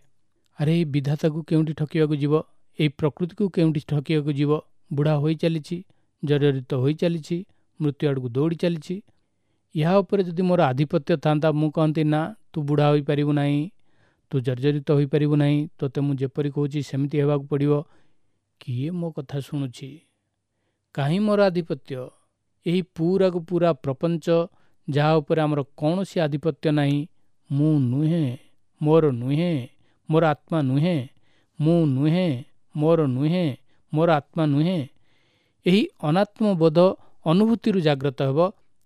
ଆରେ ଏଇ ବିଧାତାକୁ କେଉଁଠି ଠକିବାକୁ ଯିବ? ଏଇ ପ୍ରକୃତିକୁ କେଉଁଠି ଠକିବାକୁ ଯିବ? ବୁଢ଼ା ହୋଇ ଚାଲିଛି, ଜର୍ଜରିତ ହୋଇ ଚାଲିଛି, ମୃତ୍ୟୁ ଆଡ଼କୁ ଦୌଡ଼ି ଚାଲିଛି। ଏହା ଉପରେ ଯଦି ମୋର ଆଧିପତ୍ୟ ଥାନ୍ତା, ମୁଁ କହନ୍ତି ନା, ତୁ ବୁଢ଼ା ହୋଇପାରିବୁ ନାହିଁ, ତୁ ଜର୍ଜରିତ ହୋଇପାରିବୁ ନାହିଁ, ତୋତେ ମୁଁ ଯେପରି କହୁଛି ସେମିତି ହେବାକୁ ପଡ଼ିବ। କିଏ ମୋ କଥା ଶୁଣୁଛି? କାହିଁ ମୋର ଆଧିପତ୍ୟ? ଏହି ପୁରାକୁ ପୁରା ପ୍ରପଞ୍ଚ ଯାହା ଉପରେ ଆମର କୌଣସି ଆଧିପତ୍ୟ ନାହିଁ। ମୁଁ ନୁହେଁ, ମୋର ନୁହେଁ, ମୋର ଆତ୍ମା ନୁହେଁ, ମୁଁ ନୁହେଁ, ମୋର ନୁହେଁ, ମୋର ଆତ୍ମା ନୁହେଁ। ଏହି ଅନାତ୍ମବୋଧ ଅନୁଭୂତିରୁ ଜାଗ୍ରତ ହେବ।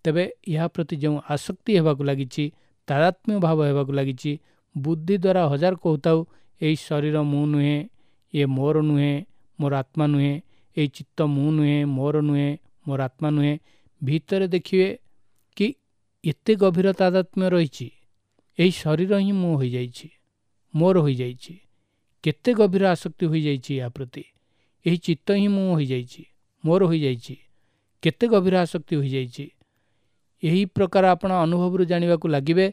ତେବେ ଏହା ପ୍ରତି ଯେଉଁ ଆସକ୍ତି ହେବାକୁ ଲାଗିଛି, ତାଦାତ୍ମ୍ୟ ଭାବ ହେବାକୁ ଲାଗିଛି, ବୁଦ୍ଧି ଦ୍ୱାରା ହଜାର କହୁଥାଉ ଏଇ ଶରୀର ମୁଁ ନୁହେଁ, ଇଏ ମୋର ନୁହେଁ, ମୋର ଆତ୍ମା ନୁହେଁ, ଏଇ ଚିତ୍ତ ମୁଁ ନୁହେଁ, ମୋର ନୁହେଁ, ମୋର ଆତ୍ମା ନୁହେଁ, ଭିତରେ ଦେଖିବେ କି ଏତେ ଗଭୀର ତାଦାତ୍ମ୍ୟ ରହିଛି। ଏହି ଶରୀର ହିଁ ମୁଁ ହୋଇଯାଇଛି, ମୋର ହୋଇଯାଇଛି। କେତେ ଗଭୀର ଆସକ୍ତି ହୋଇଯାଇଛି ଏହା ପ୍ରତି। ଏହି ଚିତ୍ତ ହିଁ ମୁଁ ହୋଇଯାଇଛି, ମୋର ହୋଇଯାଇଛି। କେତେ ଗଭୀର ଆସକ୍ତି ହୋଇଯାଇଛି। ଏହି ପ୍ରକାର ଆପଣ ଅନୁଭବରୁ ଜାଣିବାକୁ ଲାଗିବେ।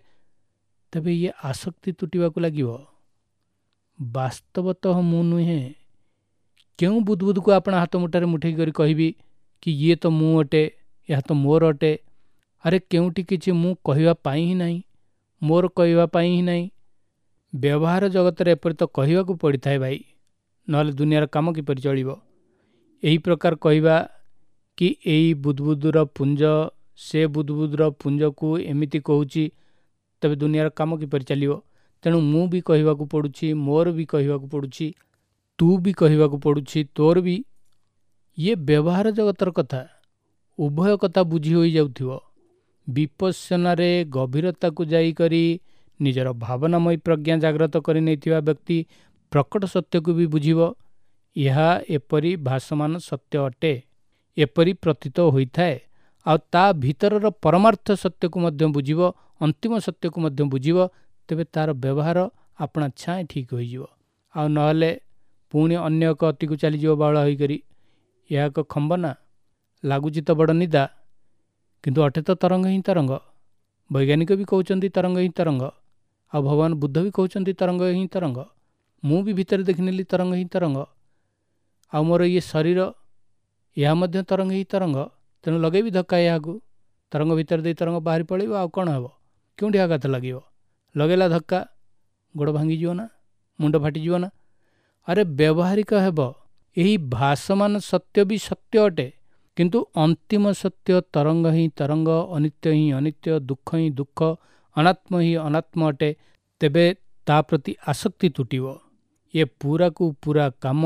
ତେବେ ଇଏ ଆସକ୍ତି ତୁଟିବାକୁ ଲାଗିବ। ବାସ୍ତବତଃ ମୁଁ ନୁହେଁ। କେଉଁ ବୁଦବୁଦକୁ ଆପଣ ହାତ ମୁଠାରେ ମୁଠେଇ କରି କହିବି କି ଇଏ ତ ମୁଁ ଅଟେ, ଏହା ତ ମୋର ଅଟେ? ଆରେ କେଉଁଠି କିଛି ମୁଁ କହିବା ପାଇଁ ହିଁ ନାହିଁ, ମୋର କହିବା ପାଇଁ ହିଁ ନାହିଁ। ବ୍ୟବହାର ଜଗତରେ ଏପରି ତ କହିବାକୁ ପଡ଼ିଥାଏ ଭାଇ, ନହେଲେ ଦୁନିଆର କାମ କିପରି ଚଳିବ? ଏହି ପ୍ରକାର କହିବା କି ଏଇ ବୁଦବୁଦର ପୁଞ୍ଜ ସେ ବୁଦବୁଦର ପୁଞ୍ଜକୁ ଏମିତି କହୁଛି, ତେବେ ଦୁନିଆର କାମ କିପରି ଚାଲିବ? ତେଣୁ ମୁଁ ବି କହିବାକୁ ପଡ଼ୁଛି, ମୋର ବି କହିବାକୁ ପଡ଼ୁଛି, ତୁ ବି କହିବାକୁ ପଡ଼ୁଛି, ତୋର ବି। ଇଏ ବ୍ୟବହାର ଜଗତର କଥା। ଉଭୟ କଥା ବୁଝି ହୋଇଯାଉଥିବ। ବିପස්සନାରେ ଗଭୀରତାକୁ ଯାଇକରି ନିଜର ଭାବନାମୟୀ ପ୍ରଜ୍ଞା ଜାଗ୍ରତ କରିନେଇଥିବା ବ୍ୟକ୍ତି ପ୍ରକଟ ସତ୍ୟକୁ ବି ବୁଝିବ। ଏହା ଏପରି ଭାସମାନ ସତ୍ୟ ଅଟେ, ଏପରି ପ୍ରତୀତ ହୋଇଥାଏ। ଆଉ ତା ଭିତରର ପରମାର୍ଥ ସତ୍ୟକୁ ମଧ୍ୟ ବୁଝିବ, ଅନ୍ତିମ ସତ୍ୟକୁ ମଧ୍ୟ ବୁଝିବ, ତେବେ ତା'ର ବ୍ୟବହାର ଆପଣା ଛାଏଁ ଠିକ୍ ହୋଇଯିବ। ଆଉ ନହେଲେ ପୁଣି ଅନ୍ୟ ଏକ ଅତିକୁ ଚାଲିଯିବ ବାଉଳା ହୋଇକରି। ଏହା ଏକ ଖମ୍ବନା, ଲାଗୁଛି ତ ବଡ଼ ନିଦା, କିନ୍ତୁ ଅଟେ ତ ତରଙ୍ଗ ହିଁ ତରଙ୍ଗ। ବୈଜ୍ଞାନିକ ବି କହୁଛନ୍ତି ତରଙ୍ଗ ହିଁ ତରଙ୍ଗ, ଆଉ ଭଗବାନ ବୁଦ୍ଧ ବି କହୁଛନ୍ତି ତରଙ୍ଗ ହିଁ ତରଙ୍ଗ। ମୁଁ ବି ଭିତରେ ଦେଖିନେଲି ତରଙ୍ଗ ହିଁ ତରଙ୍ଗ। ଆଉ ମୋର ଇଏ ଶରୀର, ଏହା ମଧ୍ୟ ତରଙ୍ଗ ହିଁ ତରଙ୍ଗ। ତେଣୁ ଲଗେଇବି ଧକ୍କା ଏହାକୁ, ତରଙ୍ଗ ଭିତରେ ଦେଇ ତରଙ୍ଗ ବାହାରି ପଳେଇବ, ଆଉ କ'ଣ ହେବ? କେଉଁଠି ଆଘାତ ଲାଗିବ? ଲଗେଇଲା ଧକ୍କା, ଗୋଡ଼ ଭାଙ୍ଗିଯିବ ନା, ମୁଣ୍ଡ ଫାଟିଯିବ ନା? ଆରେ ବ୍ୟବହାରିକ ହେବ। ଏହି ଭାସମାନ ସତ୍ୟ ବି ସତ୍ୟ ଅଟେ, କିନ୍ତୁ ଅନ୍ତିମ ସତ୍ୟ ତରଙ୍ଗ ହିଁ ତରଙ୍ଗ, ଅନିତ୍ୟ ହିଁ ଅନିତ୍ୟ, ଦୁଃଖ ହିଁ ଦୁଃଖ, ଅନାତ୍ମ ହିଁ ଅନାତ୍ମ ଅଟେ। ତେବେ ତା ପ୍ରତି ଆସକ୍ତି ତୁଟିବ। ଏ ପୁରାକୁ ପୁରା କାମ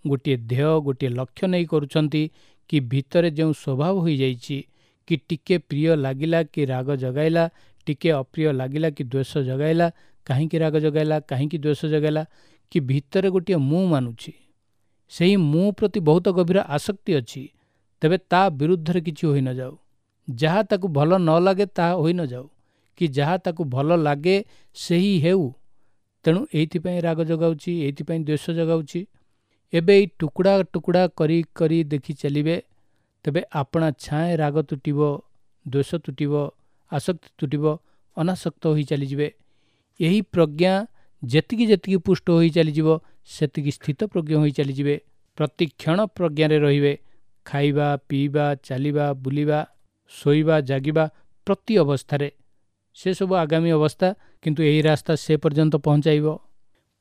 ଗୋଟିଏ ଧ୍ୟେୟ, ଗୋଟିଏ ଲକ୍ଷ୍ୟ ନେଇ କରୁଛନ୍ତି କି ଭିତରେ ଯେଉଁ ସ୍ୱଭାବ ହୋଇଯାଇଛି କି ଟିକେ ପ୍ରିୟ ଲାଗିଲା କି ରାଗ ଜଗାଇଲା, ଟିକେ ଅପ୍ରିୟ ଲାଗିଲା କି ଦ୍ୱେଷ ଜଗାଇଲା, କାହିଁକି ରାଗ ଜଗାଇଲା, କାହିଁକି ଦ୍ୱେଷ ଜଗାଇଲା, କି ଭିତରେ ଗୋଟିଏ ମୁଁ ମାନୁଛି, ସେହି ମୁଁ ପ୍ରତି ବହୁତ ଗଭୀର ଆସକ୍ତି ଅଛି, ତେବେ ତା ବିରୁଦ୍ଧରେ କିଛି ହୋଇ ନଯାଉ। ଯାହା ତାକୁ ଭଲ ନ ଲାଗେ ତାହା ହୋଇ ନଯାଉ, କି ଯାହା ତାକୁ ଭଲ ଲାଗେ ସେହି ହେଉ। ତେଣୁ ଏଇଥିପାଇଁ ରାଗ ଜଗାଉଛି, ଏଇଥିପାଇଁ ଦ୍ୱେଷ ଜଗାଉଛି। ଏବେ ଏଇ ଟୁକୁଡ଼ା ଟୁକୁଡ଼ା କରି କରି ଦେଖି ଚାଲିବେ, ତେବେ ଆପଣା ଛାଏଁ ରାଗ ତୁଟିବ, ଦ୍ୱେଷ ତୁଟିବ, ଆସକ୍ତି ତୁଟିବ, ଅନାସକ୍ତ ହୋଇ ଚାଲିଯିବେ। ଏହି ପ୍ରଜ୍ଞା ଯେତିକି ଯେତିକି ପୁଷ୍ଟ ହୋଇ ଚାଲିଯିବ, ସେତିକି ସ୍ଥିତପ୍ରଜ୍ଞ ହୋଇ ଚାଲିଯିବେ। ପ୍ରତି କ୍ଷଣ ପ୍ରଜ୍ଞାରେ ରହିବେ। ଖାଇବା, ପିଇବା, ଚାଲିବା, ବୁଲିବା, ଶୋଇବା, ଜାଗିବା ପ୍ରତି ଅବସ୍ଥାରେ, ସେସବୁ ଆଗାମୀ ଅବସ୍ଥା, କିନ୍ତୁ ଏହି ରାସ୍ତା ସେ ପର୍ଯ୍ୟନ୍ତ ପହଞ୍ଚାଇବ।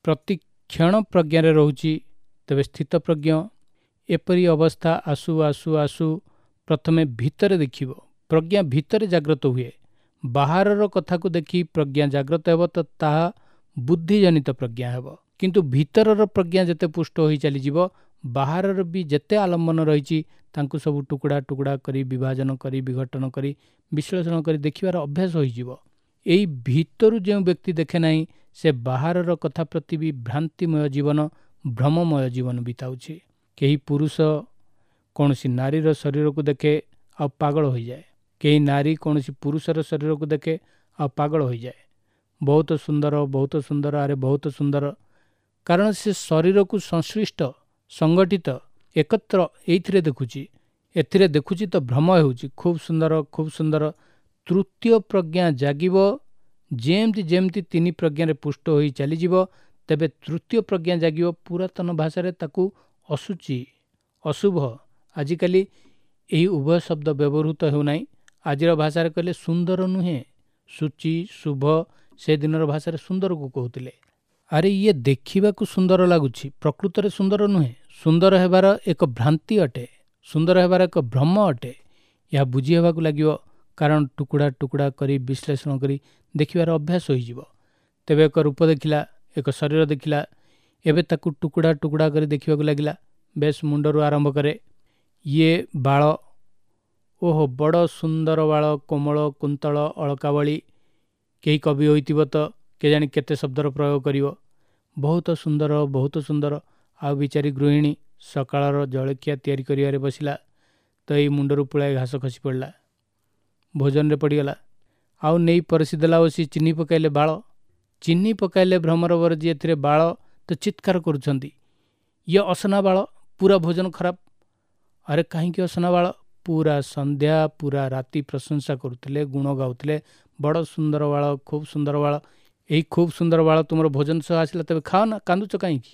ପ୍ରତି କ୍ଷଣ ପ୍ରଜ୍ଞାରେ ରହୁଛି, ତେବେ ସ୍ଥିତପ୍ରଜ୍ଞ। ଏପରି ଅବସ୍ଥା ଆସୁ ଆସୁ ଆସୁ ପ୍ରଥମେ ଭିତରେ ଦେଖିବ। ପ୍ରଜ୍ଞା ଭିତରେ ଜାଗ୍ରତ ହୁଏ। ବାହାରର କଥାକୁ ଦେଖି ପ୍ରଜ୍ଞା ଜାଗ୍ରତ ହେବ ତ ତାହା ବୁଦ୍ଧିଜନିତ ପ୍ରଜ୍ଞା ହେବ। କିନ୍ତୁ ଭିତରର ପ୍ରଜ୍ଞା ଯେତେ ପୁଷ୍ଟ ହୋଇ ଚାଲିଯିବ, ବାହାରର ବି ଯେତେ ଆଲମ୍ବନ ରହିଛି ତାଙ୍କୁ ସବୁ ଟୁକୁଡ଼ା ଟୁକୁଡ଼ା କରି ବିଭାଜନ କରି ବିଘଟନ କରି ବିଶ୍ଳେଷଣ କରି ଦେଖିବାର ଅଭ୍ୟାସ ହୋଇଯିବ। ଏଇ ଭିତରୁ ଯେଉଁ ବ୍ୟକ୍ତି ଦେଖେ ନାହିଁ, ସେ ବାହାରର କଥା ପ୍ରତି ବି ଭ୍ରାନ୍ତିମୟ ଜୀବନ, ଭ୍ରମମୟ ଜୀବନ ବିତାଉଛି। କେହି ପୁରୁଷ କୌଣସି ନାରୀର ଶରୀରକୁ ଦେଖେ ଆଉ ପାଗଳ ହୋଇଯାଏ, କେହି ନାରୀ କୌଣସି ପୁରୁଷର ଶରୀରକୁ ଦେଖେ ଆଉ ପାଗଳ ହୋଇଯାଏ। ବହୁତ ସୁନ୍ଦର, ବହୁତ ସୁନ୍ଦର, ଆରେ ବହୁତ ସୁନ୍ଦର। କାରଣ ସେ ଶରୀରକୁ ସଂଶ୍ଳିଷ୍ଟ, ସଂଗଠିତ, ଏକତ୍ର ଏଇଥିରେ ଦେଖୁଛି, ଏଥିରେ ଦେଖୁଛି ତ ଭ୍ରମ ହେଉଛି। ଖୁବ୍ ସୁନ୍ଦର, ଖୁବ୍ ସୁନ୍ଦର। ତୃତୀୟ ପ୍ରଜ୍ଞା ଜାଗିବ। ଯେମିତି ଯେମିତି ତିନି ପ୍ରଜ୍ଞାରେ ପୁଷ୍ଟ ହୋଇ ଚାଲିଯିବ, ତେବେ ତୃତୀୟ ପ୍ରଜ୍ଞା ଜାଗିବ। ପୁରାତନ ଭାଷାରେ ତାକୁ ଅଶୁଚି, ଅଶୁଭ, ଆଜିକାଲି ଏହି ଉଭୟ ଶବ୍ଦ ବ୍ୟବହୃତ ହେଉନାହିଁ। ଆଜିର ଭାଷାରେ କହିଲେ ସୁନ୍ଦର ନୁହେଁ, ଶୁଚି, ଶୁଭ। ସେ ଦିନର ଭାଷାରେ ସୁନ୍ଦରକୁ କହୁଥିଲେ। ଆରେ ଇଏ ଦେଖିବାକୁ ସୁନ୍ଦର ଲାଗୁଛି, ପ୍ରକୃତରେ ସୁନ୍ଦର ନୁହେଁ। ସୁନ୍ଦର ହେବାର ଏକ ଭ୍ରାନ୍ତି ଅଟେ, ସୁନ୍ଦର ହେବାର ଏକ ଭ୍ରମ ଅଟେ। ଏହା ବୁଝି ହେବାକୁ ଲାଗିବ, କାରଣ ଟୁକୁଡ଼ା ଟୁକୁଡ଼ା କରି ବିଶ୍ଳେଷଣ କରି ଦେଖିବାର ଅଭ୍ୟାସ ହୋଇଯିବ। ତେବେ ଏକ ରୂପ ଦେଖିଲା, ଏକ ଶରୀର ଦେଖିଲା, ଏବେ ତାକୁ ଟୁକୁଡ଼ା ଟୁକୁଡ଼ା କରି ଦେଖିବାକୁ ଲାଗିଲା। ବେଶ, ମୁଣ୍ଡରୁ ଆରମ୍ଭ କରେ। ଇଏ ବାଳ, ଓହୋ ବଡ଼ ସୁନ୍ଦର ବାଳ, କୋମଳ କୁନ୍ତଳ ଅଳକାବଳି। କେହି କବି ହୋଇଥିବ ତ କେଜାଣି କେତେ ଶବ୍ଦର ପ୍ରୟୋଗ କରିବ। ବହୁତ ସୁନ୍ଦର, ବହୁତ ସୁନ୍ଦର। ଆଉ ବିଚାରୀ ଗୃହିଣୀ ସକାଳର ଜଳଖିଆ ତିଆରି କରିବାରେ ବସିଲା ତ ଏଇ ମୁଣ୍ଡରୁ ପୁଳାଏ ଘାସ ଖସି ପଡ଼ିଲା, ଭୋଜନରେ ପଡ଼ିଗଲା। ଆଉ ନେଇ ପରସି ଦେଲା ବସି ଚିହ୍ନି ପକାଇଲେ ବାଳ। ଚିହ୍ନି ପକାଇଲେ ଭ୍ରମରବର ଯିଏ ଏଥିରେ ବାଳ ତ ଚିତ୍କାର କରୁଛନ୍ତି, ଇଏ ଅସନା ବାଳ, ପୁରା ଭୋଜନ ଖରାପ। ଆରେ କାହିଁକି ଅସନା ବାଳ? ପୁରା ସନ୍ଧ୍ୟା ପୁରା ରାତି ପ୍ରଶଂସା କରୁଥିଲେ, ଗୁଣ ଗାଉଥିଲେ, ବଡ଼ ସୁନ୍ଦର ବାଳ, ଖୁବ୍ ସୁନ୍ଦର ବାଳ। ଏଇ ଖୁବ୍ ସୁନ୍ଦର ବାଳ ତୁମର ଭୋଜନ ସହ ଆସିଲା, ତେବେ ଖାଅ ନା, କାନ୍ଦୁଛ କାହିଁକି?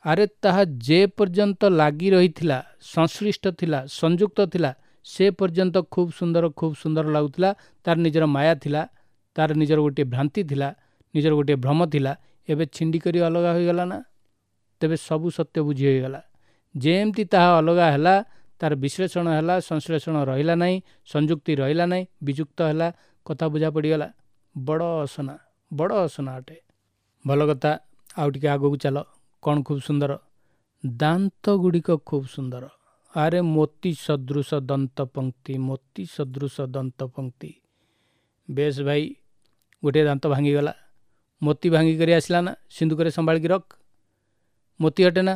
ଆରେ ତାହା ଯେ ପର୍ଯ୍ୟନ୍ତ ଲାଗି ରହିଥିଲା, ସଂଶ୍ଳିଷ୍ଟ ଥିଲା, ସଂଯୁକ୍ତ ଥିଲା, ସେ ପର୍ଯ୍ୟନ୍ତ ଖୁବ୍ ସୁନ୍ଦର, ଖୁବ୍ ସୁନ୍ଦର ଲାଗୁଥିଲା। ତାର ନିଜର ମାୟା ଥିଲା, ତାର ନିଜର ଗୋଟିଏ ଭ୍ରାନ୍ତି ଥିଲା, ନିଜର ଗୋଟିଏ ଭ୍ରମ ଥିଲା। ଏବେ ଛିଣ୍ଡି କରି ଅଲଗା ହୋଇଗଲା ନା, ତେବେ ସବୁ ସତ୍ୟ ବୁଝି ହୋଇଗଲା। ଯେମିତି ତାହା ଅଲଗା ହେଲା, ତାର ବିଶ୍ଳେଷଣ ହେଲା, ସଂଶ୍ଳେଷଣ ରହିଲା ନାହିଁ, ସଂଯୁକ୍ତି ରହିଲା ନାହିଁ, ବିଯୁକ୍ତ ହେଲା, କଥା ବୁଝା ପଡ଼ିଗଲା। ବଡ଼ ଅସନା, ବଡ଼ ଅସନା ଅଟେ। ଭଲ କଥା, ଆଉ ଟିକେ ଆଗକୁ ଚାଲ। କ'ଣ ଖୁବ୍ ସୁନ୍ଦର? ଦାନ୍ତ ଗୁଡ଼ିକ ଖୁବ୍ ସୁନ୍ଦର। ଆରେ ମୋତି ସଦୃଶ ଦନ୍ତ ପଙ୍କ୍ତି, ମୋତି ସଦୃଶ ଦନ୍ତ ପଙ୍କ୍ତି। ବେଶ ଭାଇ, ଗୋଟିଏ ଦାନ୍ତ ଭାଙ୍ଗିଗଲା, ମୋତି ଭାଙ୍ଗିକରି ଆସିଲା ନା, ସିନ୍ଦୁକରେ ସମ୍ଭାଳିକି ରଖ। ମୋତି ଅଟେ ନା?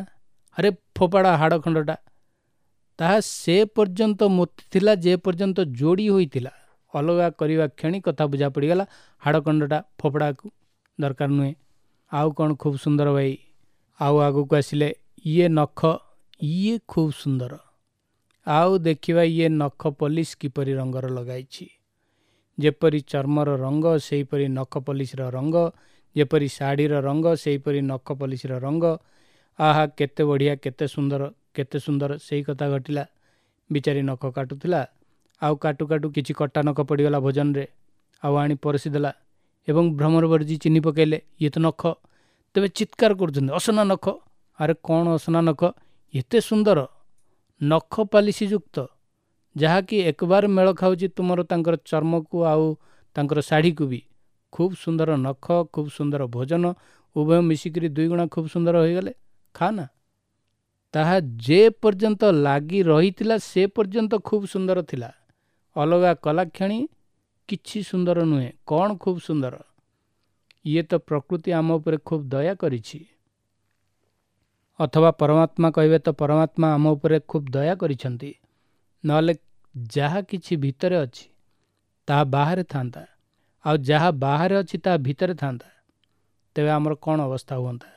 ଆରେ ଫୋପାଡ଼ା ହାଡ଼ ଖଣ୍ଡଟା। ତାହା ସେ ପର୍ଯ୍ୟନ୍ତ ମୋତି ଥିଲା ଯେ ପର୍ଯ୍ୟନ୍ତ ଯୋଡ଼ି ହୋଇଥିଲା, ଅଲଗା କରିବା କ୍ଷଣି କଥା ବୁଝା ପଡ଼ିଗଲା, ହାଡ଼ଖଣ୍ଡଟା ଫୋପଡ଼ାକୁ ଦରକାର ନୁହେଁ। ଆଉ କ'ଣ ଖୁବ୍ ସୁନ୍ଦର ଭାଇ। ଆଉ ଆଗକୁ ଆସିଲେ ଇଏ ନଖ, ଇଏ ଖୁବ୍ ସୁନ୍ଦର। ଆଉ ଦେଖିବା ଇଏ ନଖ ପଲିସ କିପରି ରଙ୍ଗର ଲଗାଇଛି। ଯେପରି ଚର୍ମର ରଙ୍ଗ ସେହିପରି ନଖ ପଲିସର ରଙ୍ଗ, ଯେପରି ଶାଢ଼ୀର ରଙ୍ଗ ସେହିପରି ନଖ ପଲିସର ରଙ୍ଗ। ଆହା, କେତେ ବଢ଼ିଆ, କେତେ ସୁନ୍ଦର, କେତେ ସୁନ୍ଦର। ସେଇ କଥା ଘଟିଲା। ବିଚାରି ନଖ କାଟୁଥିଲା, ଆଉ କାଟୁ କାଟୁ କିଛି କଟା ନଖ ପଡ଼ିଗଲା ଭୋଜନରେ, ଆଉ ଆଣି ପରସିଦେଲା ଏବଂ ଭ୍ରମରବର୍ଜି ଚିହ୍ନି ପକାଇଲେ ଇଏ ତ ନଖ। ତେବେ ଚିତ୍କାର କରୁଛନ୍ତି, ଅସନା ନଖ। ଆରେ କ'ଣ ଅସନା ନଖ, ଏତେ ସୁନ୍ଦର ନଖ ପାଲିସି ଯୁକ୍ତ, ଯାହାକି ଏକବାର ମେଳ ଖାଉଛି ତୁମର ତାଙ୍କର ଚର୍ମକୁ ଆଉ ତାଙ୍କର ଶାଢ଼ୀକୁ ବି। ଖୁବ୍ ସୁନ୍ଦର ନଖ, ଖୁବ୍ ସୁନ୍ଦର ଭୋଜନ, ଉଭୟ ମିଶିକରି ଦୁଇଗୁଣା ଖୁବ୍ ସୁନ୍ଦର ହୋଇଗଲେ। ଖା ନା। ତାହା ଯେ ପର୍ଯ୍ୟନ୍ତ ଲାଗି ରହିଥିଲା ସେ ପର୍ଯ୍ୟନ୍ତ ଖୁବ୍ ସୁନ୍ଦର ଥିଲା। ଅଲଗା କଲା କ୍ଷଣି କିଛି ସୁନ୍ଦର ନୁହେଁ। କ'ଣ ଖୁବ୍ ସୁନ୍ଦର? ଇଏ ତ ପ୍ରକୃତି ଆମ ଉପରେ ଖୁବ୍ ଦୟା କରିଛି, ଅଥବା ପରମାତ୍ମା କହିବେ ତ ପରମାତ୍ମା ଆମ ଉପରେ ଖୁବ୍ ଦୟା କରିଛନ୍ତି। ନହେଲେ ଯାହା କିଛି ଭିତରେ ଅଛି ତାହା ବାହାରେ ଥାନ୍ତା, ଆଉ ଯାହା ବାହାରେ ଅଛି ତାହା ଭିତରେ ଥାନ୍ତା, ତେବେ ଆମର କ'ଣ ଅବସ୍ଥା ହୁଅନ୍ତା?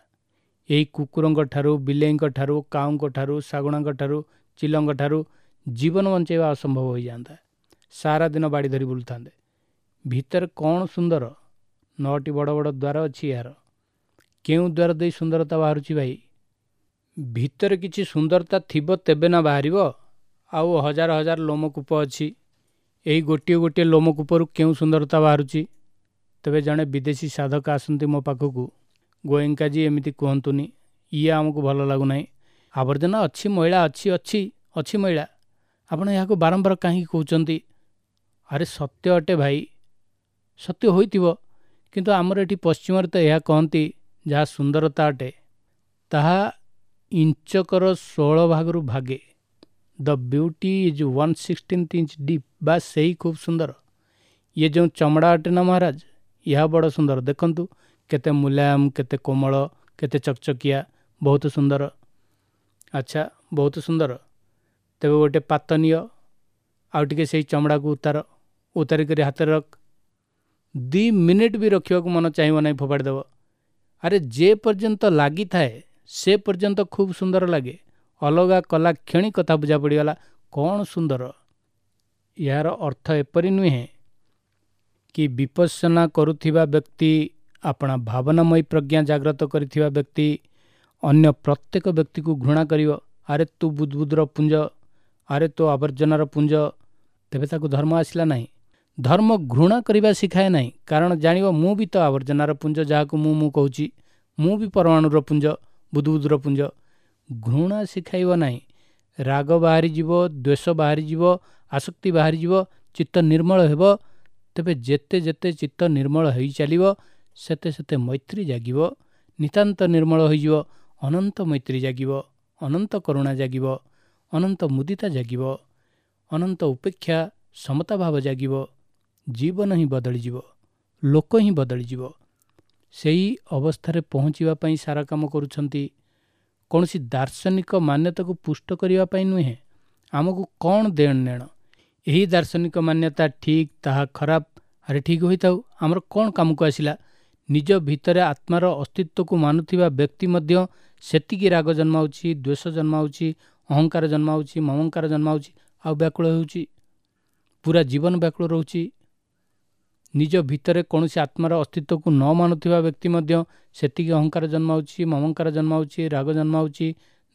ଏହି କୁକୁରଙ୍କ ଠାରୁ, ବିଲେଇଙ୍କ ଠାରୁ, କାଉଙ୍କ ଠାରୁ, ଶାଗୁଣାଙ୍କ ଠାରୁ, ଚିଲଙ୍କ ଠାରୁ ଜୀବନ ବଞ୍ଚାଇବା ଅସମ୍ଭବ ହୋଇଯାଆନ୍ତା। ସାରା ଦିନ ବାଡ଼ି ଧରି ବୁଲୁଥାନ୍ତେ। ଭିତରେ କ'ଣ ସୁନ୍ଦର? 9ଟି ବଡ଼ ବଡ଼ ଦ୍ୱାର ଅଛି ଏହାର। କେଉଁ ଦ୍ୱାର ଦେଇ ସୁନ୍ଦରତା ବାହାରୁଛି ଭାଇ? ଭିତରେ କିଛି ସୁନ୍ଦରତା ଥିବ ତେବେ ନା ବାହାରିବ। ଆଉ ହଜାର ହଜାର ଲୋମକୂପ ଅଛି। ଏହି ଗୋଟିଏ ଗୋଟିଏ ଲୋମକୂପରୁ କେଉଁ ସୁନ୍ଦରତା ବାହାରୁଛି? ତେବେ ଜଣେ ବିଦେଶୀ ସାଧକ ଆସନ୍ତି ମୋ ପାଖକୁ, ଗୋଏଙ୍କାଜୀ ଏମିତି କୁହନ୍ତୁନି, ଇଏ ଆମକୁ ଭଲ ଲାଗୁନାହିଁ। ଆବର୍ଜନା ଅଛି, ମଇଳା ଅଛି, ଅଛି ଅଛି ମଇଳା, ଆପଣ ଏହାକୁ ବାରମ୍ବାର କାହିଁକି କହୁଛନ୍ତି? ଆରେ ସତ୍ୟ ଅଟେ ଭାଇ, ସତ୍ୟ ହୋଇଥିବ, କିନ୍ତୁ ଆମର ଏଠି ପଶ୍ଚିମରେ ତ ଏହା କହନ୍ତି, ଯାହା ସୁନ୍ଦରତା ଅଟେ ତାହା ଇଞ୍ଚକର 16 ଭାଗରୁ ଭାଗେ। The beauty is 1/16 inch deep. ବା ସେଇ ଖୁବ୍ ସୁନ୍ଦର। ଇଏ ଯେଉଁ ଚମଡ଼ା ଅଟେ ନା ମହାରାଜ, ଏହା ବଡ଼ ସୁନ୍ଦର। ଦେଖନ୍ତୁ କେତେ ମୁଲାୟମ, କେତେ କୋମଳ, କେତେ ଚକଚକିଆ, ବହୁତ ସୁନ୍ଦର। ଆଚ୍ଛା, ବହୁତ ସୁନ୍ଦର। ତେବେ ଗୋଟେ ପାତ ନିଅ, ଆଉ ଟିକେ ସେଇ ଚମଡ଼ାକୁ ଉତାର, ଉତାରି କରି ହାତରେ ରଖ। 2 ମିନିଟ୍ ବି ରଖିବାକୁ ମନ ଚାହିଁବ ନାହିଁ, ଫୋପାଡ଼ି ଦେବ। ଆରେ ଯେ ପର୍ଯ୍ୟନ୍ତ ଲାଗିଥାଏ ସେ ପର୍ଯ୍ୟନ୍ତ ଖୁବ୍ ସୁନ୍ଦର ଲାଗେ। ଅଲଗା କଲା କ୍ଷଣି କଥା ବୁଝା ପଡ଼ିଗଲା, କ'ଣ ସୁନ୍ଦର। ଏହାର ଅର୍ଥ ଏପରି ନୁହେଁ କି ବିପස්සନା କରୁଥିବା ବ୍ୟକ୍ତି, ଆପଣା ଭାବନାମୟୀ ପ୍ରଜ୍ଞା ଜାଗ୍ରତ କରିଥିବା ବ୍ୟକ୍ତି ଅନ୍ୟ ପ୍ରତ୍ୟେକ ବ୍ୟକ୍ତିକୁ ଘୃଣା କରିବ। ଆରେ ତୁ ବୁଦବୁଦର ପୁଞ୍ଜ, ଆରେ ତୋ ଆବର୍ଜନାର ପୁଞ୍ଜ। ତେବେ ତାକୁ ଧର୍ମ ଆସିଲା ନାହିଁ। ଧର୍ମ ଘୃଣା କରିବା ଶିଖାଏ ନାହିଁ, କାରଣ ଜାଣିବ ମୁଁ ବି ତ ଆବର୍ଜନାର ପୁଞ୍ଜ, ଯାହାକୁ ମୁଁ ମୁଁ କହୁଛି, ମୁଁ ବି ପରମାଣୁର ପୁଞ୍ଜ, ବୁଦବୁଦର ପୁଞ୍ଜ। ଘୃଣା ଶିଖାଇବ ନାହିଁ। ରାଗ ବାହାରିଯିବ, ଦ୍ୱେଷ ବାହାରିଯିବ, ଆସକ୍ତି ବାହାରିଯିବ, ଚିତ୍ତ ନିର୍ମଳ ହେବ। ତେବେ ଯେତେ ଯେତେ ଚିତ୍ତ ନିର୍ମଳ ହୋଇ ଚାଲିବ ସେତେ ସେତେ ମୈତ୍ରୀ ଜାଗିବ, ନିତାନ୍ତ ନିର୍ମଳ ହୋଇଯିବ, ଅନନ୍ତ ମୈତ୍ରୀ ଜାଗିବ, ଅନନ୍ତ କରୁଣା ଜାଗିବ, ଅନନ୍ତ ମୁଦିତା ଜାଗିବ, ଅନନ୍ତ ଉପେକ୍ଷା ସମତା ଭାବ ଜାଗିବ। ଜୀବନ ହିଁ ବଦଳିଯିବ, ଲୋକ ହିଁ ବଦଳିଯିବ। ସେହି ଅବସ୍ଥାରେ ପହଞ୍ଚିବା ପାଇଁ ସାରା କାମ କରୁଛନ୍ତି, କୌଣସି ଦାର୍ଶନିକ ମାନ୍ୟତାକୁ ପୁଷ୍ଟ କରିବା ପାଇଁ ନୁହେଁ। ଆମକୁ କ'ଣ ଦେଣ ନେଣ, ଏହି ଦାର୍ଶନିକ ମାନ୍ୟତା ଠିକ୍, ତାହା ଖରାପ, ଆରେ ଠିକ୍ ହୋଇଥାଉ, ଆମର କ'ଣ କାମକୁ ଆସିଲା? ନିଜ ଭିତରେ ଆତ୍ମାର ଅସ୍ତିତ୍ୱକୁ ମାନୁଥିବା ବ୍ୟକ୍ତି ମଧ୍ୟ ସେତିକି ରାଗ ଜନ୍ମାଉଛି, ଦ୍ୱେଷ ଜନ୍ମାଉଛି, ଅହଙ୍କାର ଜନ୍ମାଉଛି, ମମଙ୍କାର ଜନ୍ମାଉଛି, ଆଉ ବ୍ୟାକୁଳ ହେଉଛି, ପୁରା ଜୀବନ ବ୍ୟାକୁଳ ରହୁଛି। ନିଜ ଭିତରେ କୌଣସି ଆତ୍ମାର ଅସ୍ତିତ୍ୱକୁ ନ ମାନୁଥିବା ବ୍ୟକ୍ତି ମଧ୍ୟ ସେତିକି ଅହଙ୍କାର ଜନ୍ମାଉଛି, ମମଙ୍କାର ଜନ୍ମାଉଛି, ରାଗ ଜନ୍ମାଉଛି,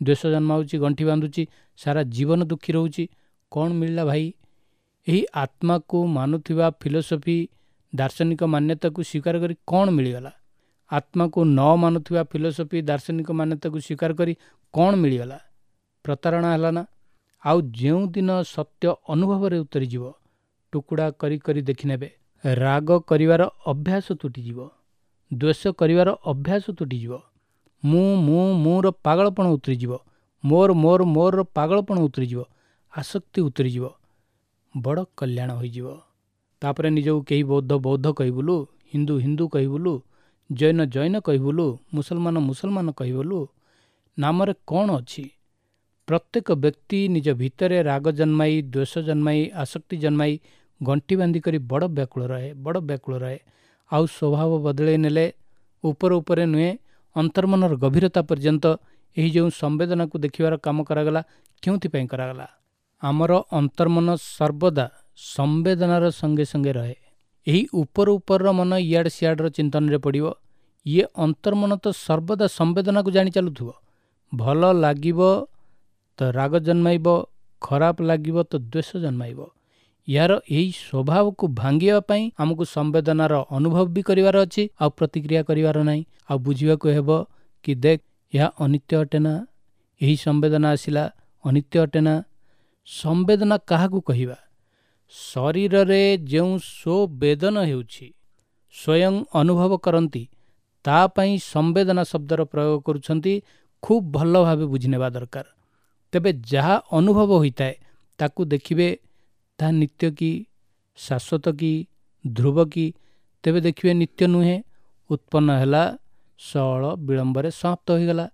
ଦ୍ୱେଷ ଜନ୍ମାଉଛି, ଗଣ୍ଠି ବାନ୍ଧୁଛି, ସାରା ଜୀବନ ଦୁଃଖୀ ରହୁଛି। କ'ଣ ମିଳିଲା ଭାଇ? ଏହି ଆତ୍ମାକୁ ମାନୁଥିବା ଫିଲୋସଫି, ଦାର୍ଶନିକ ମାନ୍ୟତାକୁ ସ୍ୱୀକାର କରି କ'ଣ ମିଳିଗଲା? ଆତ୍ମାକୁ ନ ମାନୁଥିବା ଫିଲୋସଫି, ଦାର୍ଶନିକ ମାନ୍ୟତାକୁ ସ୍ୱୀକାର କରି କ'ଣ ମିଳିଗଲା? ପ୍ରତାରଣା ହେଲା ନା? ଆଉ ଯେଉଁଦିନ ସତ୍ୟ ଅନୁଭବରେ ଉତରିଯିବ, ଟୁକୁଡ଼ା କରି କରି ଦେଖିନେବେ, ରାଗ କରିବାର ଅଭ୍ୟାସ ତୁଟିଯିବ, ଦ୍ୱେଷ କରିବାର ଅଭ୍ୟାସ ତୁଟିଯିବ, ମୁଁ ମୁଁ ମୋର ପାଗଳପଣ ଉତରିଯିବ, ମୋର ମୋର ମୋର ପାଗଳପଣ ଉତରିଯିବ, ଆସକ୍ତି ଉତରିଯିବ, ବଡ଼ କଲ୍ୟାଣ ହୋଇଯିବ। ତାପରେ ନିଜକୁ କେହି ବୌଦ୍ଧ ବୌଦ୍ଧ କହିବୁଲୁ, ହିନ୍ଦୁ ହିନ୍ଦୁ କହିବୁଲୁ, ଜୈନ ଜୈନ କହିବୁଲୁ, ମୁସଲମାନ ମୁସଲମାନ କହିବୁଲୁ, ନାମରେ କ'ଣ ଅଛି? ପ୍ରତ୍ୟେକ ବ୍ୟକ୍ତି ନିଜ ଭିତରେ ରାଗ ଜନ୍ମାଇ, ଦ୍ୱେଷ ଜନ୍ମାଇ, ଆସକ୍ତି ଜନ୍ମାଇ ଗଣ୍ଠି ବାନ୍ଧି କରି ବଡ଼ ବ୍ୟାକୁଳ ରହେ, ବଡ଼ ବ୍ୟାକୁଳ ରହେ। ଆଉ ସ୍ୱଭାବ ବଦଳେଇ ନେଲେ ଉପର ଉପରେ ନୁହେଁ, ଅନ୍ତର୍ମନର ଗଭୀରତା ପର୍ଯ୍ୟନ୍ତ ଏହି ଯେଉଁ ସମ୍ବେଦନାକୁ ଦେଖିବାର କାମ କରାଗଲା, କେଉଁଥିପାଇଁ କରାଗଲା? ଆମର ଅନ୍ତର୍ମନ ସର୍ବଦା ସମ୍ବେଦନାର ସଙ୍ଗେ ସଙ୍ଗେ ରହେ। ଏହି ଉପର ଉପରର ମନ ଇଆଡ଼େ ସିଆଡ଼ର ଚିନ୍ତନରେ ପଡ଼ିବ। ଇଏ ଅନ୍ତର୍ମନ ତ ସର୍ବଦା ସମ୍ବେଦନାକୁ ଜାଣି ଚାଲୁଥିବ। ଭଲ ଲାଗିବ ତ ରାଗ ଜନ୍ମାଇବ, ଖରାପ ଲାଗିବ ତ ଦ୍ୱେଷ ଜନ୍ମାଇବ। ଏହାର ଏହି ସ୍ୱଭାବକୁ ଭାଙ୍ଗିବା ପାଇଁ ଆମକୁ ସମ୍ବେଦନାର ଅନୁଭବ ବି କରିବାର ଅଛି, ଆଉ ପ୍ରତିକ୍ରିୟା କରିବାର ନାହିଁ। ଆଉ ବୁଝିବାକୁ ହେବ କି ଦେଖ, ଏହା ଅନିତ୍ୟ ଅଟେ ନା, ଏହି ସମ୍ବେଦନା ଆସିଲା ଅନିତ୍ୟ ଅଟେ ନା। ସମ୍ବେଦନା କାହାକୁ କହିବା? ଶରୀରରେ ଯେଉଁ ସ୍ୱବେଦନ ହେଉଛି, ସ୍ୱୟଂ ଅନୁଭବ କରନ୍ତି, ତା ପାଇଁ ସମ୍ବେଦନା ଶବ୍ଦର ପ୍ରୟୋଗ କରୁଛନ୍ତି। ଖୁବ୍ ଭଲ ଭାବେ ବୁଝିନେବା ଦରକାର। ତେବେ ଯାହା ଅନୁଭବ ହୋଇଥାଏ ତାକୁ ଦେଖିବେ ତାହା ନିତ୍ୟ କି, ଶାଶ୍ୱତ କି, ଧ୍ରୁବ କି? ତେବେ ଦେଖିବେ ନିତ୍ୟ ନୁହେଁ। ଉତ୍ପନ୍ନ ହେଲା, ସଅଳ ବିଳମ୍ବରେ ସମାପ୍ତ ହୋଇଗଲା।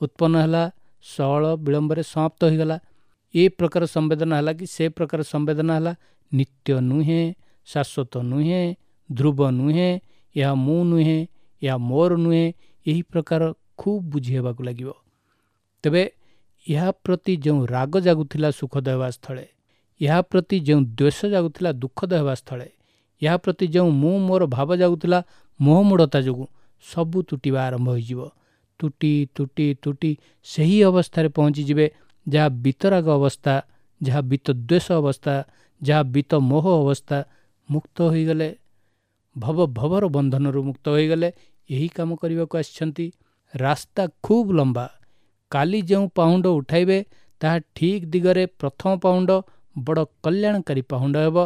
ଉତ୍ପନ୍ନ ହେଲା, ସଅଳ ବିଳମ୍ବରେ ସମାପ୍ତ ହୋଇଗଲା। ଏ ପ୍ରକାର ସମ୍ବେଦନା ହେଲା କି ସେ ପ୍ରକାର ସମ୍ବେଦନା ହେଲା, ନିତ୍ୟ ନୁହେଁ, ଶାଶ୍ୱତ ନୁହେଁ, ଧ୍ରୁବ ନୁହେଁ, ଏହା ମୁଁ ନୁହେଁ, ଏହା ମୋର ନୁହେଁ। ଏହି ପ୍ରକାର ଖୁବ୍ ବୁଝି ହେବାକୁ ଲାଗିବ। ତେବେ ଏହା ପ୍ରତି ଯେଉଁ ରାଗ ଜାଗୁଥିଲା ସୁଖଦ ହେବା ସ୍ଥଳେ, ଏହା ପ୍ରତି ଯେଉଁ ଦ୍ୱେଷ ଜାଗୁଥିଲା ଦୁଃଖଦ ହେବା ସ୍ଥଳେ, ଏହା ପ୍ରତି ଯେଉଁ ମୁଁ ମୋର ଭାବ ଜାଗୁଥିଲା ମୋହମୂଢ଼ତା ଯୋଗୁଁ, ସବୁ ତୁଟିବା ଆରମ୍ଭ ହୋଇଯିବ। ତୁଟି ତୁଟି ତୁଟି ସେହି ଅବସ୍ଥାରେ ପହଞ୍ଚିଯିବେ ଯାହା ବିତରାଗ ଅବସ୍ଥା, ଯାହା ବିତଦ୍ୱେଷ ଅବସ୍ଥା, ଯାହା ବିତ ମୋହ ଅବସ୍ଥା। ମୁକ୍ତ ହୋଇଗଲେ, ଭବ ଭବର ବନ୍ଧନରୁ ମୁକ୍ତ ହୋଇଗଲେ। ଏହି କାମ କରିବାକୁ ଆସିଛନ୍ତି। ରାସ୍ତା ଖୁବ୍ ଲମ୍ବା। କାଲି ଯେଉଁ ପାହୁଣ୍ଡ ଉଠାଇବେ ତାହା ଠିକ୍ ଦିଗରେ ପ୍ରଥମ ପାହୁଣ୍ଡ ବଡ଼ କଲ୍ୟାଣକାରୀ ପାହୁଣ୍ଡ ହେବ।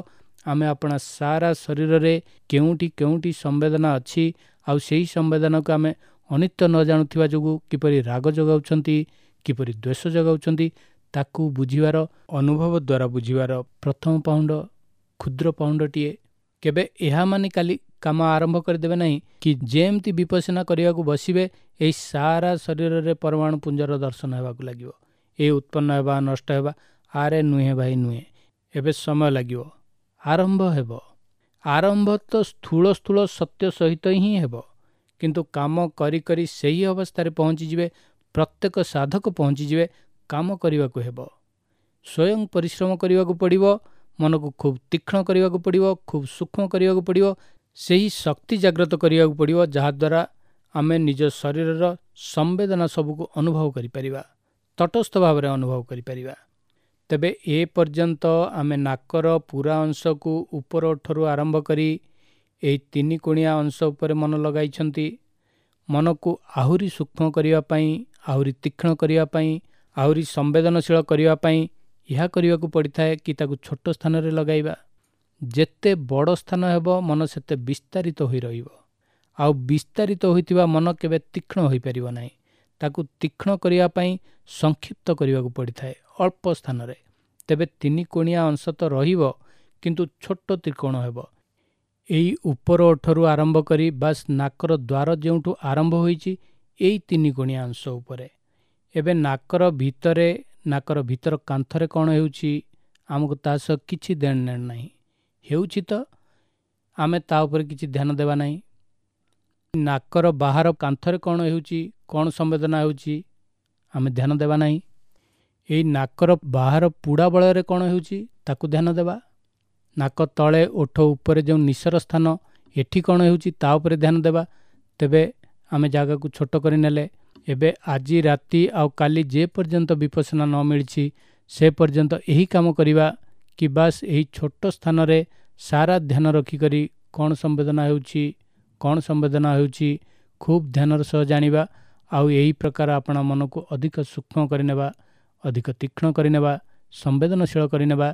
ଆମେ ଆପଣା ସାରା ଶରୀରରେ କେଉଁଠି କେଉଁଠି ସମ୍ବେଦନା ଅଛି, ଆଉ ସେହି ସମ୍ବେଦନାକୁ ଆମେ ଅନିତ୍ୟ ନ ଜାଣୁଥିବା ଯୋଗୁଁ କିପରି ରାଗ ଜଗାଉଛନ୍ତି, କିପରି ଦ୍ୱେଷ ଜଗାଉଛନ୍ତି, ତାକୁ ବୁଝିବାର, ଅନୁଭବ ଦ୍ୱାରା ବୁଝିବାର ପ୍ରଥମ ପାହୁଣ୍ଡ କ୍ଷୁଦ୍ର ପାହୁଣ୍ଡଟିଏ। କେବେ ଏହା ମାନି କାଲି କାମ ଆରମ୍ଭ କରିଦେବେ ନାହିଁ କି ଯେମିତି ବିପස්සନା କରିବାକୁ ବସିବେ ଏହି ସାରା ଶରୀରରେ ପରମାଣୁ ପୁଞ୍ଜର ଦର୍ଶନ ହେବାକୁ ଲାଗିବ। ଏ ଉତ୍ପନ୍ନ ହେବା, ନଷ୍ଟ ହେବା, ଆରେ ନୁହେଁ ଭାଇ ନୁହେଁ, ଏବେ ସମୟ ଲାଗିବ, ଆରମ୍ଭ ହେବ। ଆରମ୍ଭ ତ ସ୍ଥୂଳ ସ୍ଥୂଳ ସତ୍ୟ ସହିତ ହିଁ ହେବ, କିନ୍ତୁ କାମ କରି କରି ସେହି ଅବସ୍ଥାରେ ପହଞ୍ଚିଯିବେ। ପ୍ରତ୍ୟେକ ସାଧକ ପହଞ୍ଚିଯିବେ। କାମ କରିବାକୁ ହେବ, ସ୍ୱୟଂ ପରିଶ୍ରମ କରିବାକୁ ପଡ଼ିବ, ମନକୁ ଖୁବ୍ ତୀକ୍ଷ୍ଣ କରିବାକୁ ପଡ଼ିବ, ଖୁବ୍ ସୂକ୍ଷ୍ମ କରିବାକୁ ପଡ଼ିବ, ସେହି ଶକ୍ତି ଜାଗ୍ରତ କରିବାକୁ ପଡ଼ିବ ଯାହାଦ୍ୱାରା ଆମେ ନିଜ ଶରୀରର ସମ୍ବେଦନା ସବୁକୁ ଅନୁଭବ କରିପାରିବା, ତଟସ୍ଥ ଭାବରେ ଅନୁଭବ କରିପାରିବା। ତେବେ ଏ ପର୍ଯ୍ୟନ୍ତ ଆମେ ନାକର ପୁରା ଅଂଶକୁ ଉପର ଓଠରୁ ଆରମ୍ଭ କରି ଏହି ତିନି କୋଣିଆ ଅଂଶ ଉପରେ ମନ ଲଗାଇଛନ୍ତି। ମନକୁ ଆହୁରି ସୂକ୍ଷ୍ମ କରିବା ପାଇଁ, ଆହୁରି ତୀକ୍ଷ୍ଣ କରିବା ପାଇଁ, ଆହୁରି ସମ୍ବେଦନଶୀଳ କରିବା ପାଇଁ ଏହା କରିବାକୁ ପଡ଼ିଥାଏ କି ତାକୁ ଛୋଟ ସ୍ଥାନରେ ଲଗାଇବା। ଯେତେ ବଡ଼ ସ୍ଥାନ ହେବ ମନ ସେତେ ବିସ୍ତାରିତ ହୋଇ ରହିବ, ଆଉ ବିସ୍ତାରିତ ହୋଇଥିବା ମନ କେବେ ତୀକ୍ଷ୍ଣ ହୋଇପାରିବ ନାହିଁ। ତାକୁ ତୀକ୍ଷ୍ଣ କରିବା ପାଇଁ ସଂକ୍ଷିପ୍ତ କରିବାକୁ ପଡ଼ିଥାଏ ଅଳ୍ପ ସ୍ଥାନରେ। ତେବେ ତିନି କୋଣିଆ ଅଂଶ ତ ରହିବ, କିନ୍ତୁ ଛୋଟ ତ୍ରିକୋଣ ହେବ। ଏଇ ଉପର ଓଠରୁ ଆରମ୍ଭ କରି ବାସ୍ ନାକର ଦ୍ୱାର ଯେଉଁଠୁ ଆରମ୍ଭ ହୋଇଛି ଏଇ ତିନି କୋଣିଆ ଅଂଶ ଉପରେ। ଏବେ ନାକର ଭିତରେ, ନାକର ଭିତର କାନ୍ଥରେ କ'ଣ ହେଉଛି ଆମକୁ ତା ସହ କିଛି ଦେଣ ନେଣ ନାହିଁ। ହେଉଛି ତ ଆମେ ତା ଉପରେ କିଛି ଧ୍ୟାନ ଦେବା ନାହିଁ। ନାକର ବାହାର କାନ୍ଥରେ କ'ଣ ହେଉଛି, କ'ଣ ସମ୍ବେଦନା ହେଉଛି ଆମେ ଧ୍ୟାନ ଦେବା ନାହିଁ। ଏଇ ନାକର ବାହାର ପୁଡ଼ା ବଳରେ କ'ଣ ହେଉଛି ତାକୁ ଧ୍ୟାନ ଦେବା। ନାକ ତଳେ ଓଠ ଉପରେ ଯେଉଁ ନିଶର ସ୍ଥାନ ଏଠି କ'ଣ ହେଉଛି ତା ଉପରେ ଧ୍ୟାନ ଦେବା। ତେବେ ଆମେ ଜାଗାକୁ ଛୋଟ କରିନେଲେ। ଏବେ ଆଜି ରାତି ଆଉ କାଲି ଯେ ପର୍ଯ୍ୟନ୍ତ ବିପස්සନା ନ ମିଳିଛି ସେ ପର୍ଯ୍ୟନ୍ତ ଏହି କାମ କରିବା କି ବାସ୍ ଏହି ଛୋଟ ସ୍ଥାନରେ ସାରା ଧ୍ୟାନ ରଖିକରି କ'ଣ ସମ୍ବେଦନା ହେଉଛି, କ'ଣ ସମ୍ବେଦନା ହେଉଛି ଖୁବ୍ ଧ୍ୟାନର ସହ ଜାଣିବା। ଆଉ ଏହି ପ୍ରକାର ଆପଣା ମନକୁ ଅଧିକ ସୂକ୍ଷ୍ମ କରିନେବା, ଅଧିକ ତୀକ୍ଷ୍ଣ କରିନେବା, ସମ୍ବେଦନଶୀଳ କରିନେବା।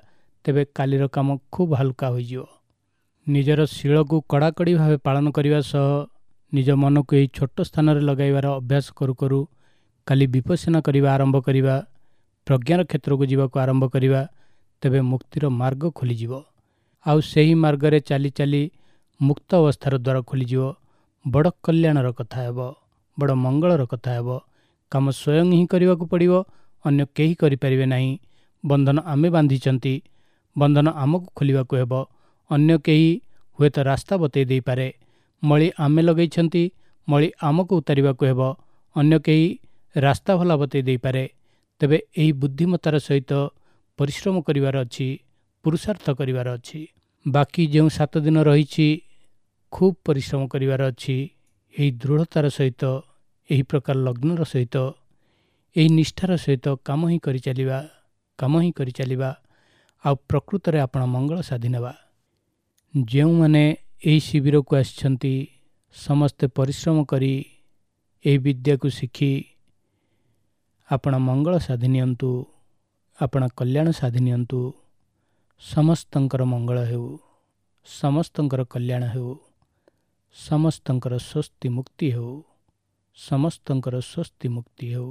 ତେବେ କାଲିର କାମ ଖୁବ୍ ହାଲୁକା ହୋଇଯିବ। ନିଜର ଶୀଳକୁ କଡ଼ାକଡ଼ି ଭାବେ ପାଳନ କରିବା ସହ ନିଜ ମନକୁ ଏହି ଛୋଟ ସ୍ଥାନରେ ଲଗାଇବାର ଅଭ୍ୟାସ କରୁ କରୁ କାଲି ବିପස්සନା କରିବା ଆରମ୍ଭ କରିବା, ପ୍ରଜ୍ଞାର କ୍ଷେତ୍ରକୁ ଯିବାକୁ ଆରମ୍ଭ କରିବା। ତେବେ ମୁକ୍ତିର ମାର୍ଗ ଖୋଲିଯିବ, ଆଉ ସେହି ମାର୍ଗରେ ଚାଲି ଚାଲି ମୁକ୍ତ ଅବସ୍ଥାର ଦ୍ୱାର ଖୋଲିଯିବ। ବଡ଼ କଲ୍ୟାଣର କଥା ହେବ, ବଡ଼ ମଙ୍ଗଳର କଥା ହେବ। କାମ ସ୍ୱୟଂ ହିଁ କରିବାକୁ ପଡ଼ିବ, ଅନ୍ୟ କେହି କରିପାରିବେ ନାହିଁ। ବନ୍ଧନ ଆମେ ବାନ୍ଧିଛନ୍ତି, ବନ୍ଧନ ଆମକୁ ଖୋଲିବାକୁ ହେବ, ଅନ୍ୟ କେହି ହୁଏତ ରାସ୍ତା ବତେଇ ଦେଇପାରେ। ମଳି ଆମେ ଲଗେଇଛନ୍ତି, ମଳି ଆମକୁ ଉତାରିବାକୁ ହେବ। ଅନ୍ୟ କେହି ରାସ୍ତା ଭଲା ବତେଇ ଦେଇପାରେ। ତେବେ ଏହି ବୁଦ୍ଧିମତାର ସହିତ ପରିଶ୍ରମ କରିବାର ଅଛି, ପୁରୁଷାର୍ଥ କରିବାର ଅଛି। ବାକି ଯେଉଁ 7 ଦିନ ରହିଛି ଖୁବ୍ ପରିଶ୍ରମ କରିବାର ଅଛି। ଏହି ଦୃଢ଼ତାର ସହିତ, ଏହି ପ୍ରକାର ଲଗ୍ନର ସହିତ, ଏହି ନିଷ୍ଠାର ସହିତ କାମ ହିଁ କରିଚାଲିବା, କାମ ହିଁ କରିଚାଲିବା, ଆଉ ପ୍ରକୃତରେ ଆପଣ ମଙ୍ଗଳ ସାଧି ନେବା। ଯେଉଁମାନେ ଏହି ଶିବିରକୁ ଆସିଛନ୍ତି ସମସ୍ତେ ପରିଶ୍ରମ କରି ଏହି ବିଦ୍ୟାକୁ ଶିଖି ଆପଣ ମଙ୍ଗଳ ସାଧି ନିଅନ୍ତୁ, ଆପଣ କଲ୍ୟାଣ ସାଧି ନିଅନ୍ତୁ। ସମସ୍ତଙ୍କର ମଙ୍ଗଳ ହେଉ, ସମସ୍ତଙ୍କର କଲ୍ୟାଣ ହେଉ, ସମସ୍ତଙ୍କର ସ୍ୱସ୍ତି ମୁକ୍ତି ହେଉ, ସମସ୍ତଙ୍କର ସ୍ୱସ୍ତି ମୁକ୍ତି ହେଉ।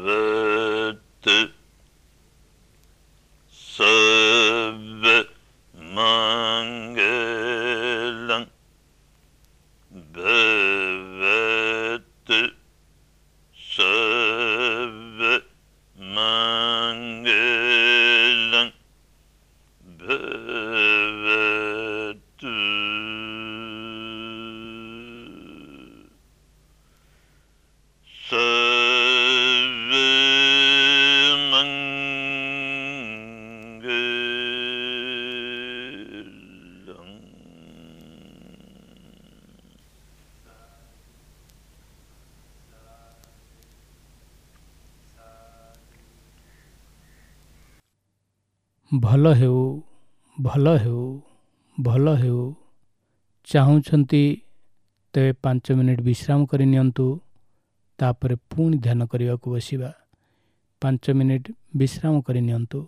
ଭବତୁ ସବ୍ବ ମଙ୍ଗଳଂ, ଭବତୁ ସବ୍ବ ମଙ୍ଗଳଂ, ଭବତୁ ସବ୍ବ ମଙ୍ଗଳଂ। ଭଲ ହେଉ, ଭଲ ହେଉ, ଭଲ ହେଉ। ଚାହୁଁଛନ୍ତି ତେବେ 5 ମିନିଟ୍ ବିଶ୍ରାମ କରି ନିଅନ୍ତୁ, ତାପରେ ପୁଣି ଧ୍ୟାନ କରିବାକୁ ବସିବା। 5 ମିନିଟ୍ ବିଶ୍ରାମ କରି ନିଅନ୍ତୁ।